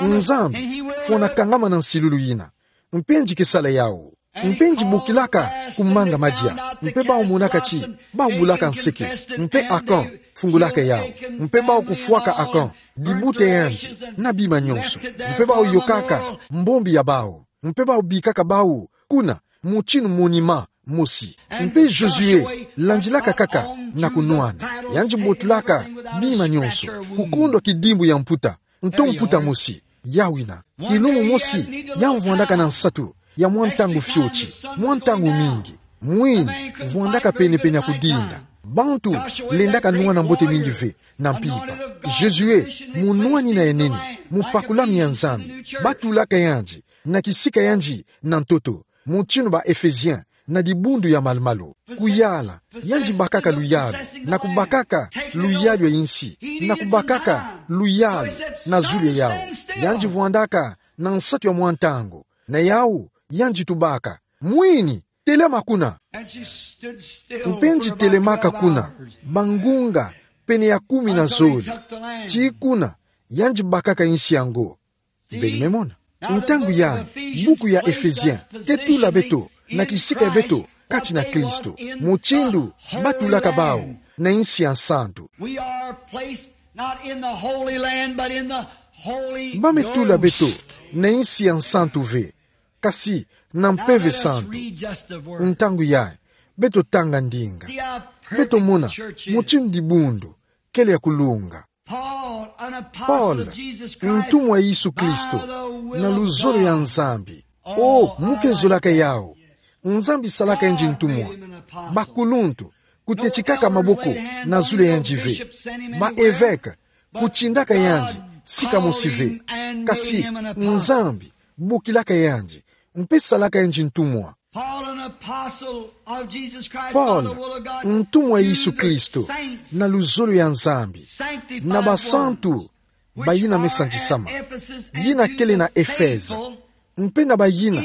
Nzambi fwanakanga ma na nsilulu yina. Mpe nzi ke sala yau. Mpe nzi bokilaka kumanga madia. Mpe bau monaka ti bau bulaka nseke. Mpe a camp fungulaka yau. Mpe bau kufwaka a camp, dibute yandi, na bima nyonso. Mpe bau yokaka mbombi ya bau. Mpe bau bikaka bau kuna, mutinu monima mosi. Mpe Josué landilaka kaka na kunwana. Yandi botolaka bima nyonso, kukondwa kidimbu ya mputa, nto mputa mosi, yawina. Kilumbu mosi, ya mvwandaka na nsatu ya mwa ntangu fioti, mwa ntangu mingi. Mwini, vwandaka penepene ya kudinda. Bantu lendaka nwana mbote mingi ve na mpimpa. Josué, munwanina ya nene, mupakulami ya Nzambi, batulaka yandi na kisika yandi na ntoto, mutinu ba Éphésiens, na dibundu ya malu-malu. Kuyala, yandi bakaka luyalu, na kubakaka luyalu ya insi, na kubakaka luyalu na zulu ya yau. Yandi vwandaka na nsatu ya mwa ntangu, na yau, yandi tubaka: Mwini, telama kuna. Mpe nzi telemaka kuna bangunga pene ya kumi na zole. Ti kuna, yandi bakaka insi yango. Beno me mona. Ntangu yayi, buku ya Éphésiens ke tula beto na kisika ya beto kati na Kristo, mutindu batulaka bau na insi ya nsantu. We are placed not in the Holy Land, but in the Holy Ghost. Ba me tula beto na insi ya nsantu ve, kasi na Mpeve Santu. Ntangu yayi, beto tanga ndinga. Beto mona mutindu dibundu kele ya kulunga. Paul, ntumwa ya Yesu Kristo, na luzolo ya Nzambi. O, mu ke zolaka yau. Nzambi salaka yandi ntumwa. Bakuluntu, kutetikaka maboko na zulu ya yandi ve. Ba évêques, kutindaka yandi sika mosi ve. Kasi Nzambi bokilaka yandi, mpe salaka yandi ntumwa. Paul, ntumwa ya Yesu Kristo, na luzolo ya Nzambi, na basantu bayina me santisama, yina kele na Efeze, mpe na bayina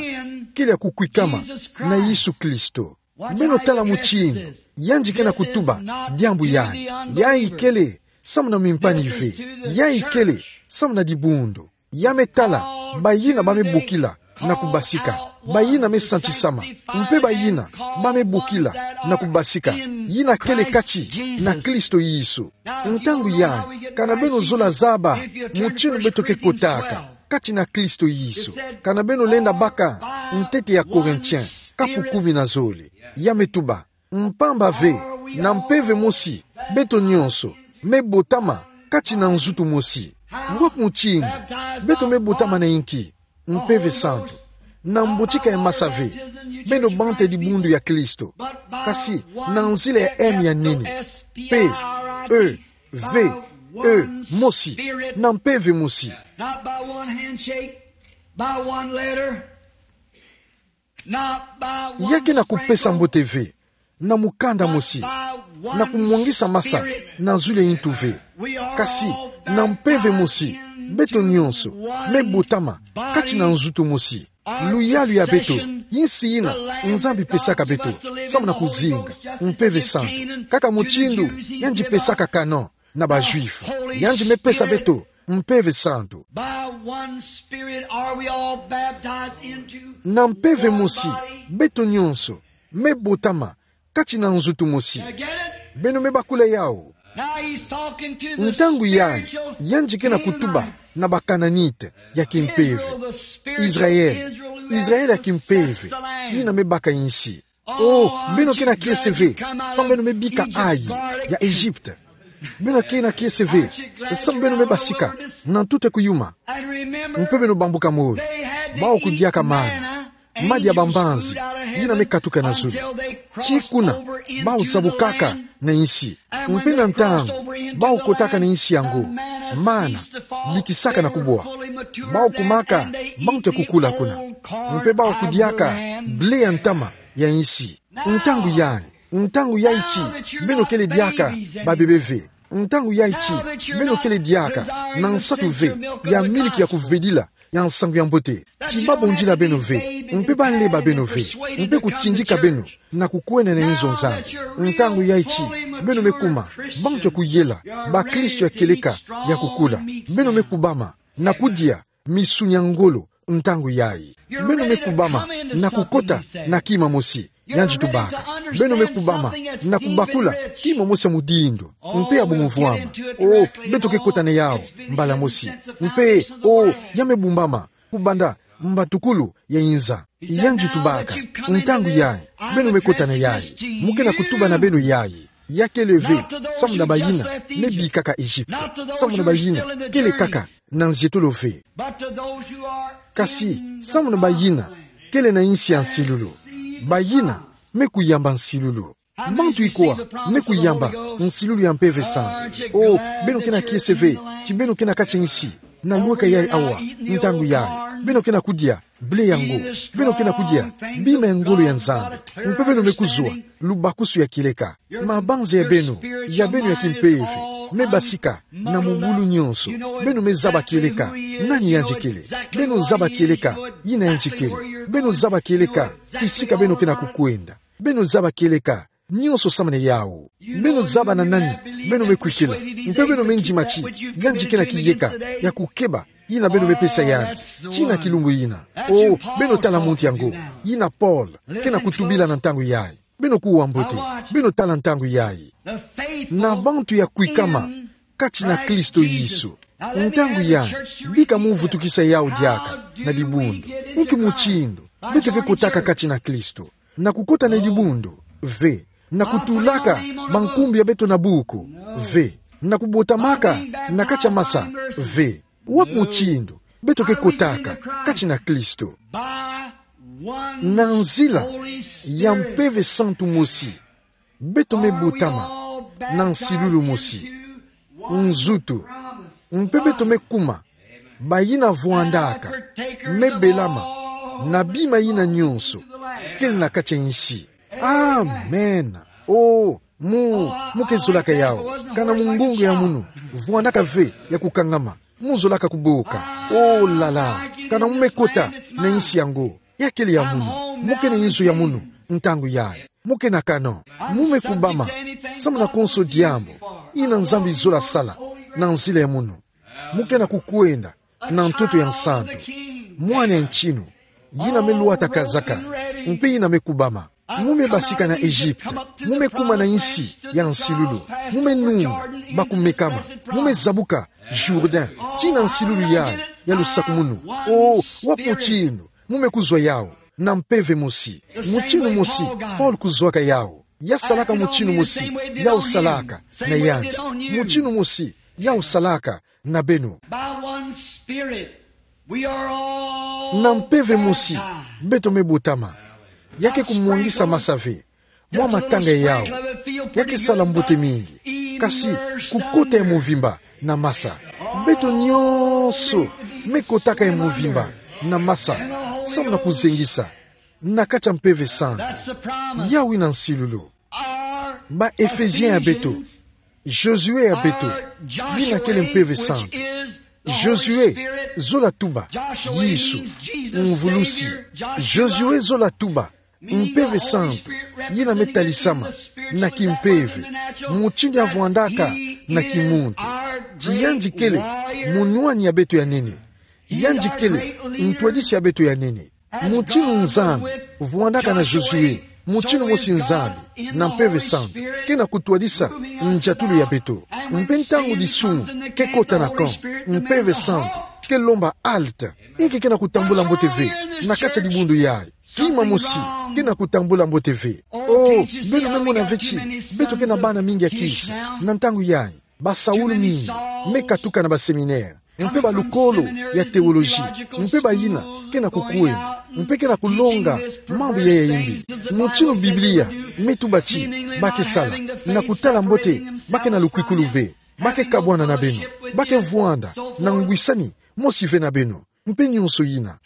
kele ya kukwikama na Yesu Kristo. Beno tala mutindu yandi ke na kutuba diambu yayi. Yayi kele samu na mimpani ve. Yayi kele samu na dibundu. Ya me tala bayina ba me bokila na kubasika, bayina me santisama, mpe bayina ba me bokila na kubasika, yina kele kati na Kristo Yesu. Ntangu yayi, kana beno zola zaba mutindu beto ke kotaka kati na Kristo Yesu, kana beno lenda baka ntete ya Corinthiens, kapu kumi na zole. Ya me tuba: Mpamba ve, na mpeve mosi, beto nyonso me botama kati na nzutu mosi. Wapi mutindu beto me botama na inki? Mpeve Santu. Na mbotika ya masa ve, beno bante dibundu ya Kristo, kasi na nzila ya M ya nene, P E V E mosi, na mpeve mosi. Not by one handshake, by one letter, not by one sprinkle. Ya ke na kupesa mbote ve na mukanda mosi, na kumwangisa masa na zulu ya intu ve, kasi na mpeve mosi, beto nyonso me botama kati na nzutu mosi. Luyalu ya beto, insi yina Nzambi pesaka beto samu na kuzinga Mpeve Santu, kaka mutindu yandi pesaka Canaan na ba Juifs. Yandi me pesa beto Mpeve Santu. By one Spirit are we all baptized into one body. Na mpeve mosi, beto nyonso me botama kati na nzutu mosi. You get it? Beno me bakula yau. Now he's talking to the spiritual Israel. Ntangu yayi, yandi ke na kutuba na ba Canaanites ya kimpeve. Israel, Israel ya kimpeve, yina me baka insi. Oh, beno ke na kiese ve samu beno me bika ayi ya Egypte. Beno ke na kiese ve samu beno me basika na ntutu ya kuyuma. Mpe beno bambuka moyo, bau kudiaka mana, madia ya bambanzi, yina me katuka na zulu. Tii kuna bau zabukaka na insi. Mpe na ntangu bau kotaka na insi yango, mana bikisaka na kubwa. Bau kumaka bantu ya kukula kuna. Mpe bau kudiaka ble ya ntama ya insi. Ntangu yayi, ntangu yayi tii beno kele diaka babebe ve. Ntangu yayi tii beno kele diaka na nsatu ve ya miliki ya kuvedila ya nsangu ya mbote, ti babondila beno ve, mpe baleba beno ve, mpe kutindika beno na kukwenda na inzo Nzambi. Ntangu yayi ti beno me kuma bantu ya kuyela, bakristo ya kieleka, ya kukula. Beno me kubama na kudia misuni ya ngolo ntangu yayi. Beno me kubama na kukota na kima mosi, yandi tubaka. Beno me kubama na kubakula kima mosi ya mudindo mpe ya bumuvwama. O, beto ke kota na yawu mbala mosi. Mpe, o, ya me bumbama kubanda mbatukulu ya inza. Yandi tubaka, ntangu yayi beno me kota na yayi, mu ke na kutuba na beno yayi. Ya kele ve samu na bayina me bikaka Egypte, samu na bayina kele kaka na nzietolo ve, kasi samu na bayina kele na insi ya nsilulu, bayina me kuyamba nsilulu. Bantu ikwa me kuyamba nsilulu ya Mpeve Santu? O, beno ke na kiese ve ti beno ke na kati ya insi na lweka yayi awa, ntangu yayi beno ke na kudia ble yango, beno ke na kudia bima ya ngolo ya Nzambi, mpe beno me kuzwa lubakusu ya kieleka. Mabanza ya beno, ya beno ya kimpeve, me basika na mubulu nyonso. Beno me zaba kieleka nani yandi kele. Beno zaba kieleka yina yandi kele. Beno zaba kieleka kisika beno ke na kukwenda. Beno zaba kieleka nyonso samu na yawu. Beno zaba na nani beno me kwikila, mpe beno me ndima ti yandi ke na kiyeka ya kukeba yina beno me pesa yandi tii na kilumbu yina. O, beno tala muntu yango, yina Paul ke na kutubila na ntangu yayi. Beno kuwa mbote, beno tala ntangu yayi. Na bantu ya kwikama kati na Kristo Yesu. Ntangu yayi, bika mu vutukisa yawu diaka na dibundu. Inki mutindu beto ke kotaka kati na Kristo? Na kukota na dibundu? Ve. Na kutulaka bankumbu ya beto na buku? Ve. Na kubotamaka na kati ya masa? Ve. Wapi mutindu beto ke kotaka kati na Kristo? Na nzila ya Mpeve Santu mosi, beto me botama na nsilulu mosi, nzutu, mpe beto me kuma bayina vwandaka, me belama na bima yina nyonso kele na kati ya insi. Amen. O, mu, mu ke zolaka yawu. Kana mungongo ya munu vwandaka ve ya kukangama, mu zolaka kuboka. O la la, kana mu me kota na insi yango, ya kele ya munu. Mu ke na inzo ya munu ntangu yayi. Mu ke na kano. Mu me kubama samu na konso diambu yina Nzambi zola sala na nzila ya munu. Mu ke na kukwenda na ntoto ya nsantu, mwana ya ntinu, yina me lwata kazaka, mpe yina me kubama. Mu me basika na Egypte, mu me kuma na insi ya nsilulu, mu me nunga bakumekama, mu me zabuka Jourdain tii na nsilulu yayi ya lusakumunu. O, wapi mutindu mu me kuzwa yawu? Na mpeve mosi. Mutinu mosi Paul kuzwaka yawu. Ya salaka mutinu mosi yawu salaka na yandi. Mutinu mosi yawu salaka na beno. By one Spirit, we are all Na mpeve mosi baptized. Beto me botama. Ya ke kumwangisa masa ve mwa matanga yawu. Ya ke sala mbote mingi. Kasi kukota ya movimba na masa. Beto nyonso me kotaka ya movimba na masa, samu na kuzengisa na kati ya Mpeve Santu. Yawu yina nsilulu. Ba Ephésien ya beto, Josué ya beto, yina kele Mpeve Santu. Josué, zola tuba, Yesu, mvulusi. Josué, zola tuba, Mpeve Santu, yina me talisama na kimpeve, mutindu ya vwandaka na kimuntu. Ti yandi kele munwani ya beto ya nene. Yandi kele ntwadisi ya beto ya nene. Mutinu Nzambi vwandaka na Josué, mutinu mosi Nzambi na Mpeve Santu ke na kutwadisa ndiatulu ya beto. Mpe ntangu disumu ke kota na camp, Mpeve Santu ke lomba halte. Inki ke na kutambula mbote ve na kati ya dibundu yayi? Kima mosi ke na kutambula mbote ve. Oh, beno me mona ve ti beto ke na bana mingi ya kisi na ntangu yayi. Basaulu mingi me katuka na ba séminaire, mpe balukolo ya théologie, mpe bayina ke na kukwenda, mpe ke na kulonga mambu ya ya imbi. Mutinu Biblia me tuba ti ba ke sala, na kutala mbote, ba ke na lukwikulu ve, ba ke kabwana na beno, ba ke vwanda na ngwisani mosi ve na beno, mpe nyonso yina.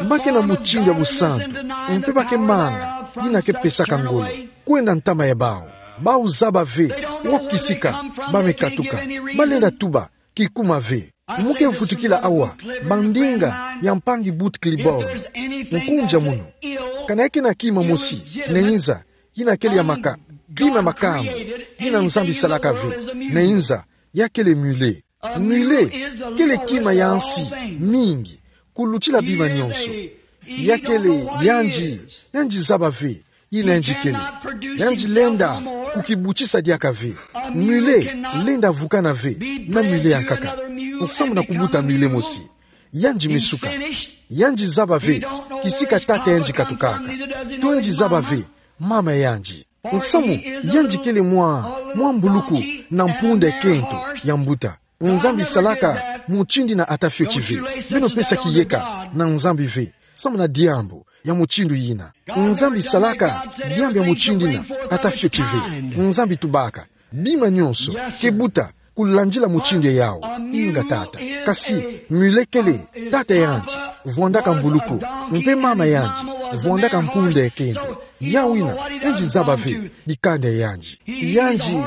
Ba ke na mutindu ya busantu, mpe ba ke manga yina ke pesaka ngolo kwenda ntama ya bawu. Bawu zaba ve wapi kisika ba me katuka. Ba lenda tuba kikuma ve. Mu ke vutukila awa, bandinga ya mpangi Bout Clibborn. Nkunja munu. Kana ya kena kima mosi, na nza, yina kele ya maka, kima makango, yina Nzambi salaka ve, na nza, ya kele mule. Mule, kele kima ya nsi, mingi, kulutila bima nionso. Ya kele, yandi, yandi zaba ve, yina yandi kele. Yandi lenda, kukibutisa diaka ve. Mule, lenda vukana ve, na mule ya nkaka. Nsamu na kubuta mule mosi. Yandi misuka. Yandi zaba ve, kisika tata yandi katukaka. To yandi zaba ve, mama yandi. Nsamu, yandi kele mwa, mwa mbuluku, na mpunda ya kento, ya mbuta. Nzambi salaka, mutindu yina ata fioti ve. Beno pesa kiyeka, na Nzambi ve. Samu na diambu, ya mutindu yina. Nzambi salaka, diambu ya mutindu yina, ata fioti ve. Nzambi tubaka. Bima nionso, ke buta, kulandila mutindu yau. Inga tata. Kasi, mule kele, tata yandi, vwandaka mbuluku. Mpe mama yandi, vwandaka mpunda ya kento. Yau yina, yandi zaba ve, dikanda yandi. Yandi,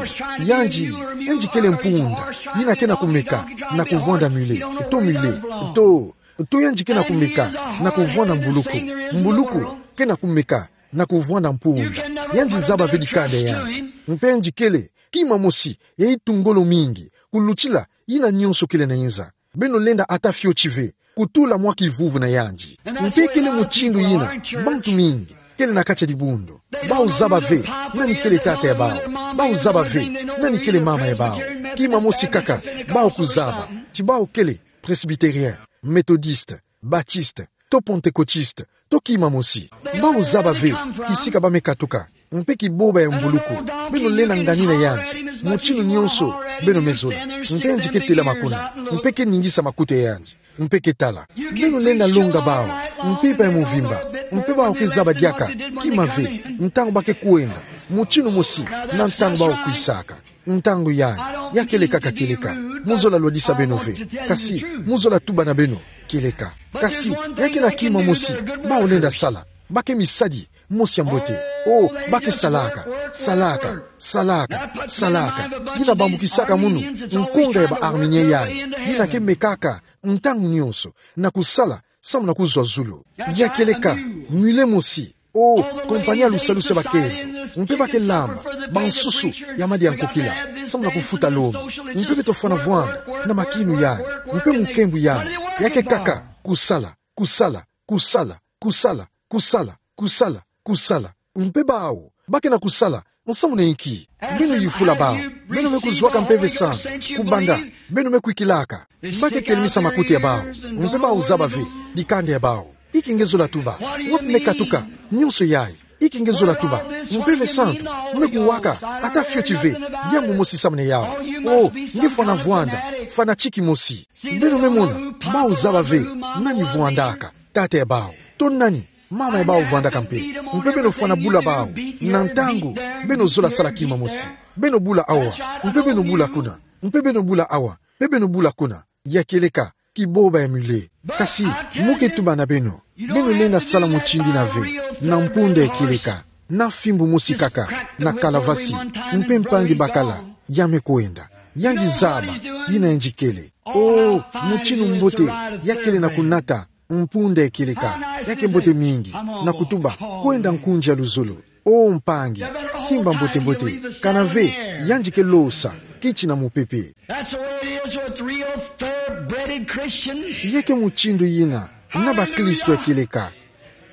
yandi, yandi kele mpunda, yina kena kumeka, na kuvwanda mule, to mule, to, to yandi kena kumeka, na kuvwanda mbuluku, mbuluku, kena kumeka, na kuvwanda mpunda, yandi zaba ve dikanda yandi. Mpe yandi kele, kima mosi, ya itu ngolo mingi, kulutila, yina nionso kele na nza. Beno lenda ata fioti ve, kutula mwa kivuvu na yandi. Mpe kele mutindu yina, bantu mingi, kele na kati ya dibundu. Bau zaba ve, nani kele tata ya bau. Bau zaba ve, nani kele mama ya bau. Kima mosi kaka, bau kuzaba. Ti bau kele, Presbytérien, Méthodiste, Baptiste, to Pentecôtiste, to kima mosi. Bau zaba ve, kisika bamekatuka. Mpe kiboba ya mbuluku, beno lenda nganina yandi, mutindu nionso, beno mezola. Mpe yandi ke telama kuna, mpe ke ningisa makutu ya yandi, mpe ke tala. Beno lenda longa bau, mpimpa ya mvimba, mpe bau ke zaba diaka, kima ve, ntangu ba ke kwenda, mutindu mosi, na ntangu bau kwisaka. Ntangu yai, ya kieleka ka kieleka, mu zola lwadisa beno ve, kasi, mu zola tuba na beno, kieleka. Kasi, ya kena kima mosi, bau lenda sala, ba ke misadi, mosi ya mbote. Oh, ba ke salaka, salaka, salaka, salaka. Yina bambukisaka munu nkonga ya ba Arménien yai. Yina ke mekaka ntangu nionso na kusala samu na kuzwa zulu. Ya kieleka, mule mosi. Oh, kompani ya lusalusu ya bakento. Mpe ba ke lamba bansusu ya madi ya nkokila samu na kufuta lomi. Mpe beto fwana vwanda na makinu yai. Mpe mukembu yai. Ya ke kaka kusala, kusala, kusala, kusala, kusala, kusala, kusala. Mpe bau, ba kena kusala, nsamu na inki? Beno yufula bau, beno me kuzwaka Mpeve Santu, kubanda, beno me kwikilaka. Ba ke telemisa makutu ya bau, mpe bau zaba ve, dikanda ya bau. Inki nge zola tuba, wapi me katuka, nionso yai. Inki nge zola tuba, Mpeve Santu, me kuwaka, ata fioti ve, diambu mosi samu na yau. Oh, nge fwana vwanda, fanatique mosi. Beno me mona, bau zaba ve, nani vwandaka, tata ya bau. To nani, mama ya bau vwandaka mpe. Mpe beno fwana bula bau, na ntangu, beno zola sala kima mosi. Beno bula awa, mpe beno bula kuna, mpe beno bula awa, mpe beno bula kuna. Ya kieleka, kiboba ya mule. Kasi, mu ke tuba na beno, beno lenda sala mutindu yina ve, na mpunda ya kieleka, na fimbu mosi kaka, na kalavasi, mpe mpangi bakala, ya me kwenda. Yandi zaba, yina yandi kele. Oh, mutindu mbote, ya kele na kunata, mpunda ya kieleka, ya ke mbote mingi, na kutuba, kwenda nkunzi ya luzolo. Oh mpangi, simba mbote mbote, kana ve, yandi ke losa, kiti na mupepe. That's the way it is with real thoroughbred Christians. Ya ke mutindu yina, na bakristu ya kieleka.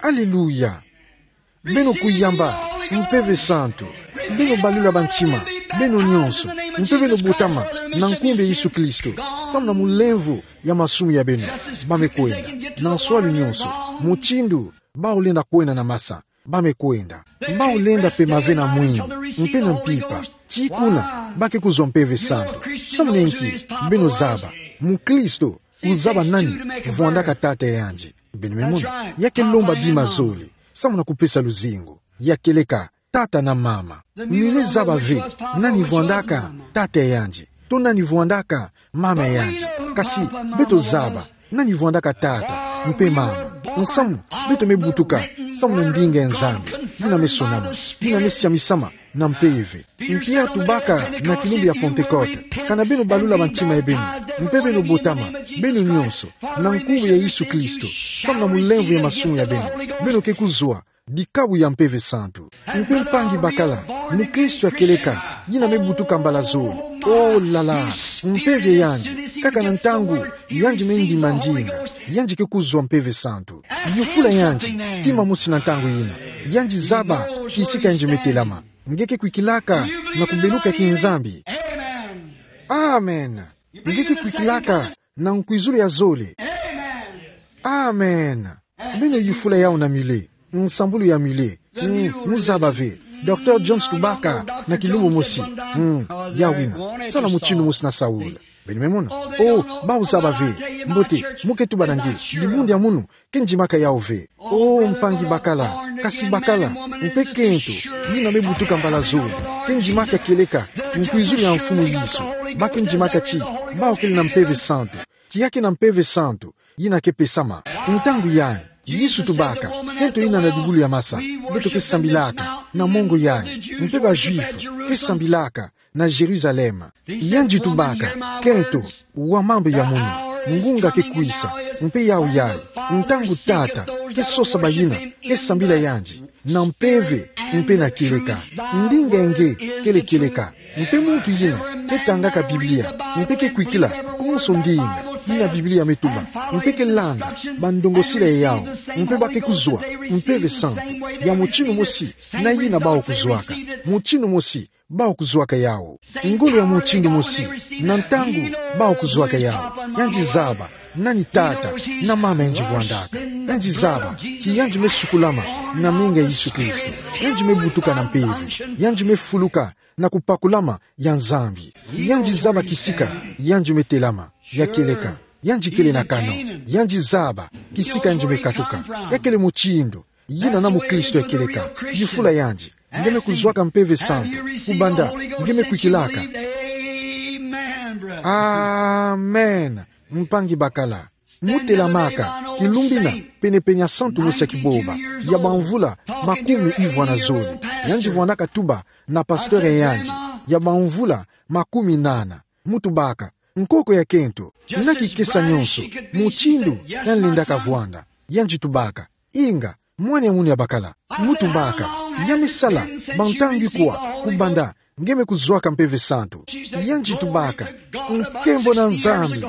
Aleluya. Beno kuyamba, Mpeve Santu. Beno balula bantima, beno nionso. Mpe beno botama, na nkumbu ya Yesu Kristo. Samu na mulemvo ya masumu ya beno. Ba me kwenda, na nswalu nionso. Mutindu, bau lenda kwenda na masa. Ba me kwenda. Bau lenda pema ve na mwini, mpe na mpimpa. Ti kuna, ba ke kuzwa Mpeve Santu. Samu na inki, beno zaba. Mukristu, kuzaba nani, vwandaka tata yandi. Beno me mona, ya ke lomba bima zole. Samu na kupesa luzingu. Ya kieleka, tata na mama. Mule zaba ve, nani vwandaka, tata yandi. To nani vwandaka, mama yandi. Kasi, beto zaba, nani vwandaka tata, mpe mama. Nsamu, beto me butuka, samu na ndinga ya Nzambi, yina me sonama, yina me siamisama, na mpeve. Mpia tubaka na kilumbu ya Pentekote, kana beno balula bantima ya beno, Mpe beno botama, beno nyonso, na nkumbu ya Yesu Kristo, samu na mulemvo ya masumu ya beno, beno ke kuzwa dikabu ya Mpeve Santu. Mpe mpangi bakala, mukristo ya kieleka, yina me butuka mbala zole. Oh là là, mpeve yandi, kaka na ntangu yandi me ndima ndinga, yandi ke kuzwa Mpeve Santu. Yufula yandi, kima mosi na ntangu yina, yandi zaba kisika yandi me telama. Nge ke kwikilaka na kubeluka ki Nzambi? Amen. Nge ke kwikilaka na nkwizulu ya zole? Amen. Beno yufula yawu na Muller, nsambulu ya Muller. Mm, mu zaba ve. Docteur Jones tubaka na kilumbu mosi. Mm, ya wina. Sala mutindu mosi na Saül. Beno me mona. Oh, bawu zaba ve. Mbote, mu ke tuba na nge, dibundu ya munu ke ndimaka yawu ve. Oh, mpangi bakala, kasi bakala, mpe kento, yina me butuka mbala zole, ke ndimaka kieleka nkwizulu ya Mfumu Yesu. Ba ke ndimaka ti bawu kele na Mpeve Santu. Ti ya ke na Mpeve Santu, yina ke pesama. Ntangu yayi, Yesu tubaka, kento yina na dibulu ya masa, beto ke sambilaka na mongo yayi, mpe ba Juifs ke sambilaka na Jérusalem. Yandi tubaka, kento, wa mambu ya munu, ngunga ke kwisa, mpe yawu yayi, ntangu Tata ke sosa bayina ke sambila yandi na mpeve mpe na kieleka. Ndinga nge kele kieleka. Mpe muntu yina ke tangaka Biblia, mpe ke kwikila konso ndinga yina Biblia me tuba, mpe ke landa bandongosila ya yawu, mpe ba ke kuzwa Mpeve Santu ya mutindu mosi na yina bawu kuzwaka. Mutindu mosi bawu kuzwaka yawu. Ngolo ya mutindu mosi, na ntangu bawu kuzwaka yawu. Yandi zaba nani tata na mama yandi vwandaka. Yandi zaba ti yandi me sukulama na menga ya Yesu Kristo. Yandi me butuka na mpeve. Yandi me fuluka na kupakulama ya Nzambi. Yandi zaba kisika yandi me telama. Ya kieleka, yandi kele na kano. Yandi zaba kisika yandi me katuka. Ya kele mutindu yina na mukristo ya kieleka. Yufula yandi, nge me kuzwaka Mpeve Santu? Kubanda nge me kwikilaka? Amen. Mpangi bakala, mu telamaka, kilumbu yina, penepene ya santu mosi ya kiboba, ya bamvula makumi ivwa na zole. Yandi vwandaka tuba na pasteur ya yandi, ya bamvula makumi nana. Mu tubaka, nkoko ya kento, na kikesa nyonso, mutindu ya lendaka vwanda. Yandi tubaka, inga, mwana ya munu ya bakala. Mu tubaka, ya me sala bantangu ikwa kubanda nge me kuzwaka Mpeve Santu? Yandi tubaka, nkembo na Nzambi,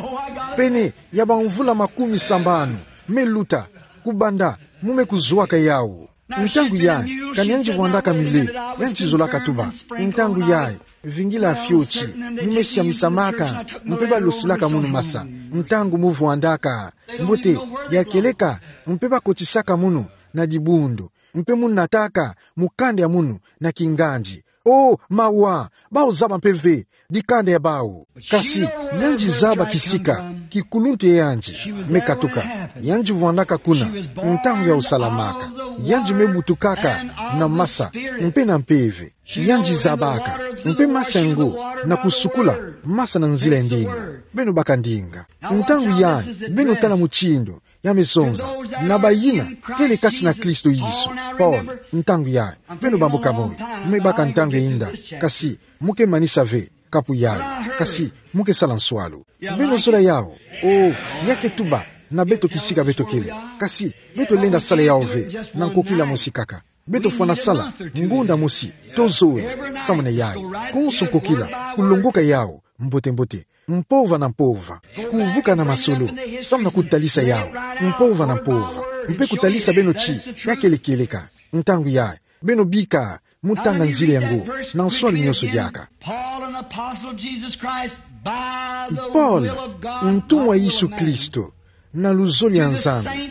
pene ya bamvula makumi sambanu me luta kubanda mu me kuzwaka yawu. Ntangu yayi, kani yandi vwandaka Muller, yandi zolaka tuba, ntangu yayi, vingila fioti, mu me siamisamaka, mpe ba losilaka munu masa, ntangu mu vwandaka. Mbote, ya kieleka, mpe ba kotisaka munu na dibundu, mpe mu nataka mukanda ya munu na kingandi. Oh, mawa, bawu zaba mpe ve dikanda ya bawu. Kasi, yandi zaba kisika kikuluntu ya yandi me katuka. Yandi vwandaka kuna ntangu ya usalamaka. Yandi me butukaka na masa, mpe na mpeve. Yandi zabaka mpe masa ngo na kusukula masa na nzila ya ndinga. Beno baka ndinga. Ntangu yayi, beno tala mutindu ya me zonza na bayina kele kati na Kristo Yesu. Paul, ntangu yayi, beno bambuka moyo, mu me baka ntangu ya inda, kasi mu ke manisa ve kapu yayi, kasi mu ke sala nswalu. Beno zola yawu? Oh, ya ke tuba na beto kisika beto kele. Kasi beto lenda sala yawu ve na nkokila mosi kaka. Beto fwana sala ngonda mosi to zole samu na yayi. Konso nkokila, kulongoka yawu mbote-mbote, mpova na mpova, kuvuka na masolo samu na kutalisa yawu mpova na mpova, mpe kutalisa beno ti ya kele kieleka. Ntangu yayi, beno bika mu tanga nzila yango na nswalu nyonso diaka. Paul, an apostle of Jesus Christ, by the Paul, will of God, ntumwa ya Yesu Kristo, na luzolo ya Nzambi,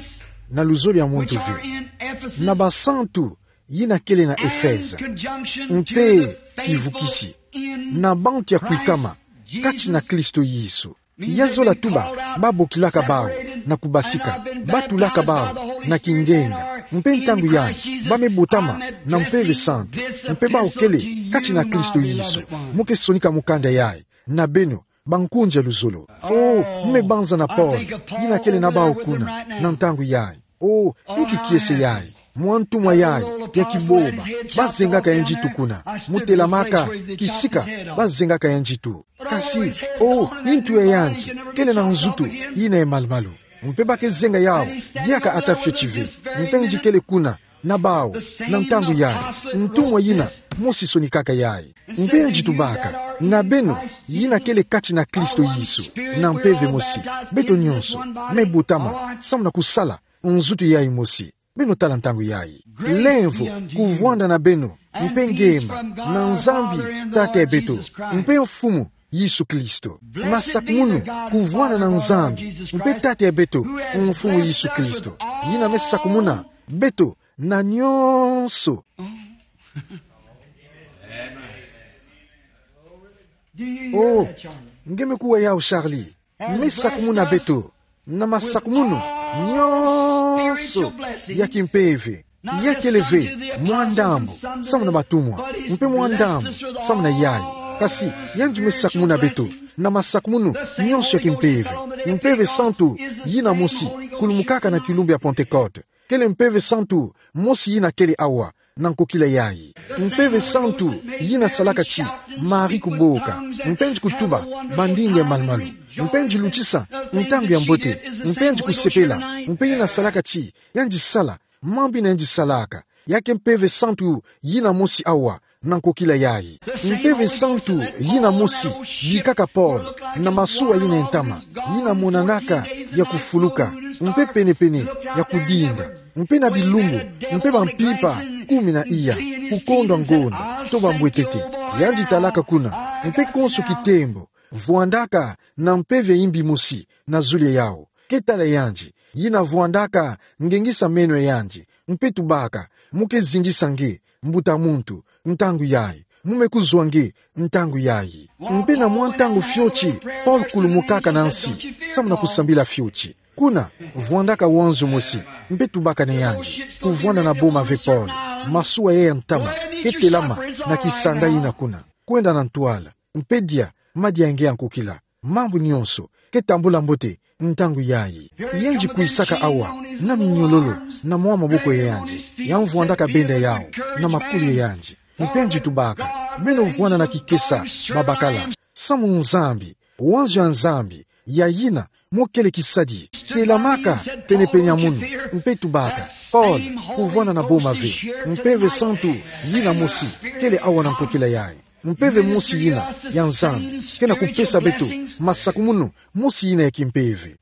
na luzolo ya muntu ve, na basantu yina kele na Efeze, mpe kivukisi na bantu ya kwikama kati na Kristo Yesu. Ya zola tuba, ba bokilaka bawu na kubasika, ba tulaka bawu na kingenga, mpe ntangu yayi, ba me botama na Mpeve Santu, mpe bawu kele kati na Kristo Yesu. Mu ke sonika mukanda yayi na beno, bankunzi ya luzolo. Oh, mu me banza na Paul, yina kele na bawu kuna na ntangu yayi. Oh, inki kiese yayi, mwa ntumwa yayi ya kiboba, ba zengaka yandi tu kuna. Mu telamaka kisika ba zengaka yandi tu. Kasi, o, ntu ya yandi kele na nzutu yina ya malumalu. Mpe bake zenga yawu diaka ata fioti ve. Mpe nji kele kuna na bawu, na ntangu yayi, ntumwa yina mosi sonikaka yayi. Mpe nji tubaka na beno yina kele kati na Kristo Yesu, na mpeve mosi, beto nyonso me botama samu na kusala nzutu yayi mosi. Beno tala ntangu yayi. Lemvo kuvwanda na beno, mpe ngema na Nzambi Tata ya beto, mpe Mfumu Yesu Kristo. Masakumunu kuvwanda na Nzambi mpe Tata ya beto, Mfumu Yesu Kristo, yina me sakumuna beto na nyonso. O, nge me kuwa yawu, Charlie? Me sakumuna beto na masakumunu nyonso ya kimpeve. Ya kele ve mwa ndambu samu na batumwa, mpe mwa ndambu samu na yayi. Kasi yandi me sakumuna beto na masakumunu nyonso ya kimpeve. Mpeve santu yina mosi kulumukaka na kilumbu ya Pentekote kele Mpeve santu mosi yina kele awa na nkokila yayi. Mpeve santu yina salaka ti Marie kuboka, mpe nji kutuba bandinga ya malumalu, mpe nji lutisa ntangu ya mbote, mpe nji kusepela, mpe yina salaka ti yandi sala mambu yina yandi salaka. Ya ke Mpeve santu yina mosi awa na nkokila yayi. Mpeve santu yina mosi bikaka Paul na masuwa yina ya ntama, yina monanaka ya kufuluka, mpe penepene ya kudinda, mpe na bilumbu, mpe bampimpa kumi na iya, kukondwa ngonda to bambwetete. Yandi talaka kuna, mpe konso kitembo vwandaka na mpeve ya imbi mosi na zulu ya yawu. Ke tala yandi, yina vwandaka ngengisa meno ya yandi, mpe tubaka: Mu ke zingisa nge, mbuta muntu, ntangu yayi. Mu me kuzwa nge ntangu yayi. Mpe na mwa ntangu fioti, Paul kulumukaka na nsi samu na kusambila fioti. Kuna vwandaka wanzo mosi, mpe tubaka na yandi. Kuvwanda na boma ve Paul, masuwa yayi ya ntama, ke telama na kisanga yina kuna, kwenda na ntwala, mpe dia madia ya nge ya nkokila. Mambu nyonso ke tambula mbote ntangu yayi. Yandi kwisaka awa na minyololo na mwa maboko ya yandi, ya mvwandaka benda yawu na makulu ya yandi. Mpe nji tubaka: Beno vwanda na kikesa, babakala, samu Nzambi, wanzo ya Nzambi, ya yina mo kele kisadi, telamaka penepene ya munu. Mpe tubaka: Paul, kuvwanda na boma ve, Mpeve santu yina mosi kele awa na nkokila yayi. Mpeve mosi yina ya Nzambi ke na kupesa beto masakumunu mosi yina ya kimpeve.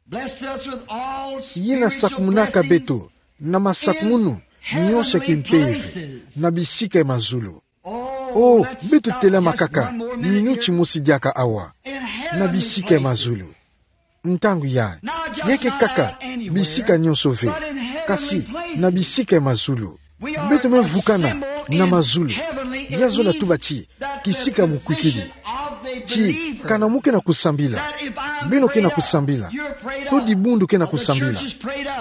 Yina sakumunaka beto na masakumunu nyonso ya kimpeve na bisika ya mazulu. O, beto telama kaka minuti mosi diaka awa, na bisika ya mazulu. Ntangu yayi, ya ke kaka bisika nyonso ve, kasi na bisika ya mazulu. Beto me vukana na mazulu. Ya zola tuba ti kisika ya mukwikidi. Ti kana mo ke na kusambila, beno ke na kusambila, to dibundu ke na kusambila,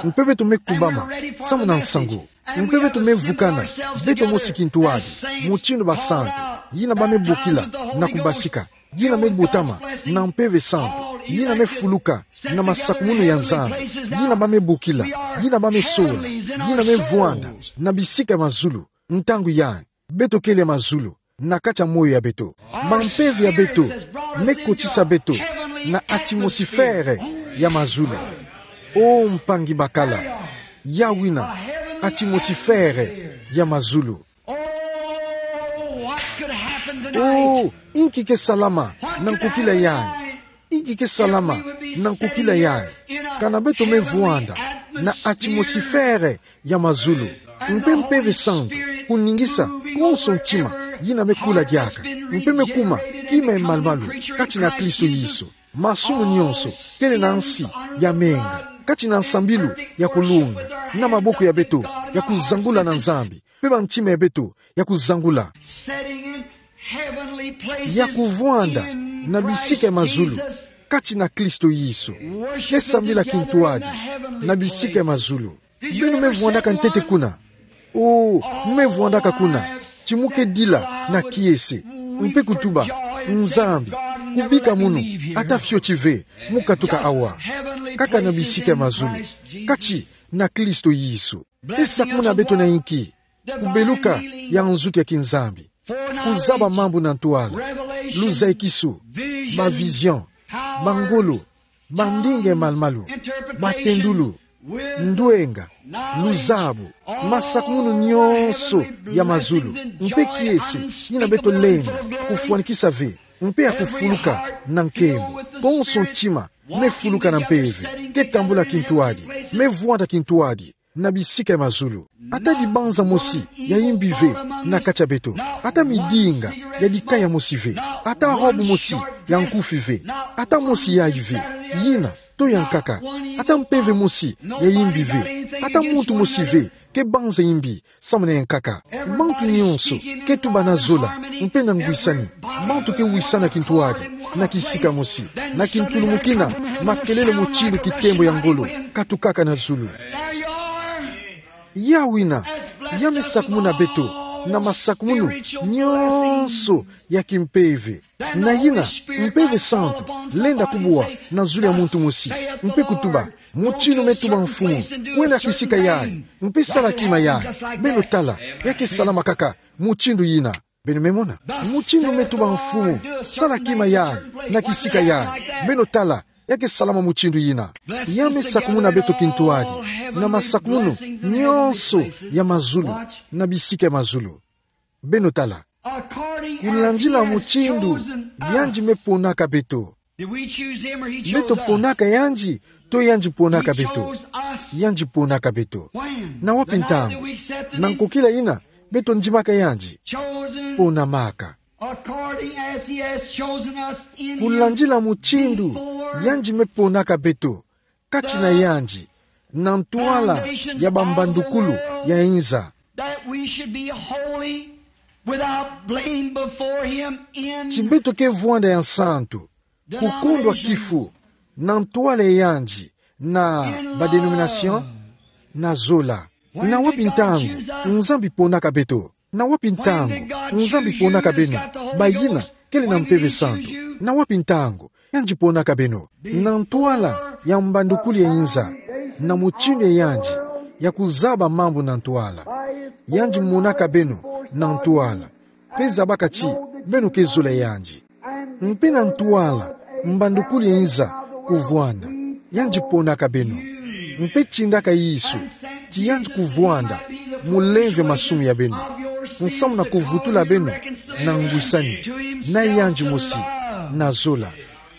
mpe beto me kubama samu na nsangu. Mpe beto me vukana beto mosi kintwadi, mutindu basantu yina ba me bokila na kubasika, yina me botama na Mpeve Santu, yina me fuluka na masakumunu ya Nzambi, yina ba me bokila, yina ba me sola, yina me vwanda na bisika ya mazulu. Ntangu yayi, beto kele mazulu na kati ya moyo ya beto. Bampeve ya beto me kotisa beto na atmosifere ya mazulu. O mpangi bakala, ya wina atmosifere ya mazulu. Oh, what could happen tonight? Oh, inki ke salama na nkokila yayi? Inki ke salama na nkokila yayi kana beto me vwanda na atmosifere ya mazulu, mpe Mpeve Santu kuningisa konso ntima yina me kula diaka, mpe me kuma kima ya malumalu kati na Kristo Yesu? Masumu nyonso kele na nsi ya menga, kati na nsambilu ya kulunga, na maboko ya beto ya kuzangula na Nzambi, mpe bantima ya beto ya kuzangula, ya kuvwanda na bisika ya mazulu kati na Kristo Yesu. Ke sambila kintwadi na bisika ya mazulu. Beno me vwandaka ntete kuna? Oh, me vwandaka kuna. Ti mo ke dila na kiese mpe kutuba: Nzambi, kubika munu ata fioti ve, mo katuka awa. Kaka na bisika ya mazulu, kati na Kristo Yesu. Ke sakumuna beto na inki? Kubeluka ya nzutu ya kinzambi, kuzaba mambu na ntwala, luzaikisu, ba vision, ba ngolo, ba ndinga ya malumalu, ba tendulu, ndwenga, luzabu, masakumunu nyonso ya mazulu. Mpe kiese yina beto lenda kufwanikisa ve, mpe ya kufuluka na nkembo, konso ntima me fuluka na mpeve, ke tambula kintuadi, me vwanda kintuadi na bisika ya mazulu. Ata dibanza mosi ya imbi ve na kati ya beto. Ata midinga ya dikaya mosi ve. Ata robe mosi ya nkufi ve. Ata mosi yayi ve, yina to ya nkaka. Ata mpeve mosi ya imbi ve. Ata muntu mosi ve ke banza imbi samu na ya nkaka. Bantu nyonso ke tuba na zola mpe na ngwisani. Bantu ke wisana kintuadi na kisika mosi, na kintulumukina makelele motindu kitembo ya ngolo katukaka na zulu. There you are. Ya wina, ya me sakumuna beto na masakumunu nyonso ya kimpeve. Na yina, Mpeve Santu lenda kubwa na zulu ya muntu mosi, mpe kutuba: Motinu me tuba Mfumu, kwenda kisika yayi, mpe sala kima yayi. Beno tala, ya ke salama kaka motindu yina. Beno me mona? Motinu me tuba Mfumu, sala kima yayi, na kisika yayi. Beno tala, ya ke salama motindu yina. Ya me sakumuna beto kintuadi na masakumunu nyonso ya mazulu, na bisika ya mazulu. Beno tala. Kulandila motindu yandi me ponaka beto. Beto ponaka yandi, to yandi ponaka beto? Yandi ponaka beto. Na wapi ntangu? Na nkokila yina beto ndimaka yandi? Ponamaka. Kulandila motindu yandi me ponaka beto kati na yandi, na ntwala ya bambandukulu ya inza. That we should be holy, without blame before him in ti beto ke vwanda ya nsantu, kukondwa kifu, na ntwala ya yandi, na ba denomination, na zola. Na wapi ntangu Nzambi ponaka beto? Na wapi ntangu Nzambi ponaka beno, bayina kele na Mpeve Santu? Na wapi ntangu yandi ponaka beno? Na ntwala ya mbandukulu ya inza, na motindu ya yandi ya kuzaba mambu na ntwala. Yandi monaka beno na ntwala, mpe zabaka ti beno ke zola ya yandi. Mpe na ntwala mbandukulu ya inza kuvwanda, yandi ponaka beno, mpe tindaka Yesu ti yandi kuvwanda mulemvo ya masumu ya beno, nsamu na kuvutula beno na ngwisani na yandi mosi, na zola.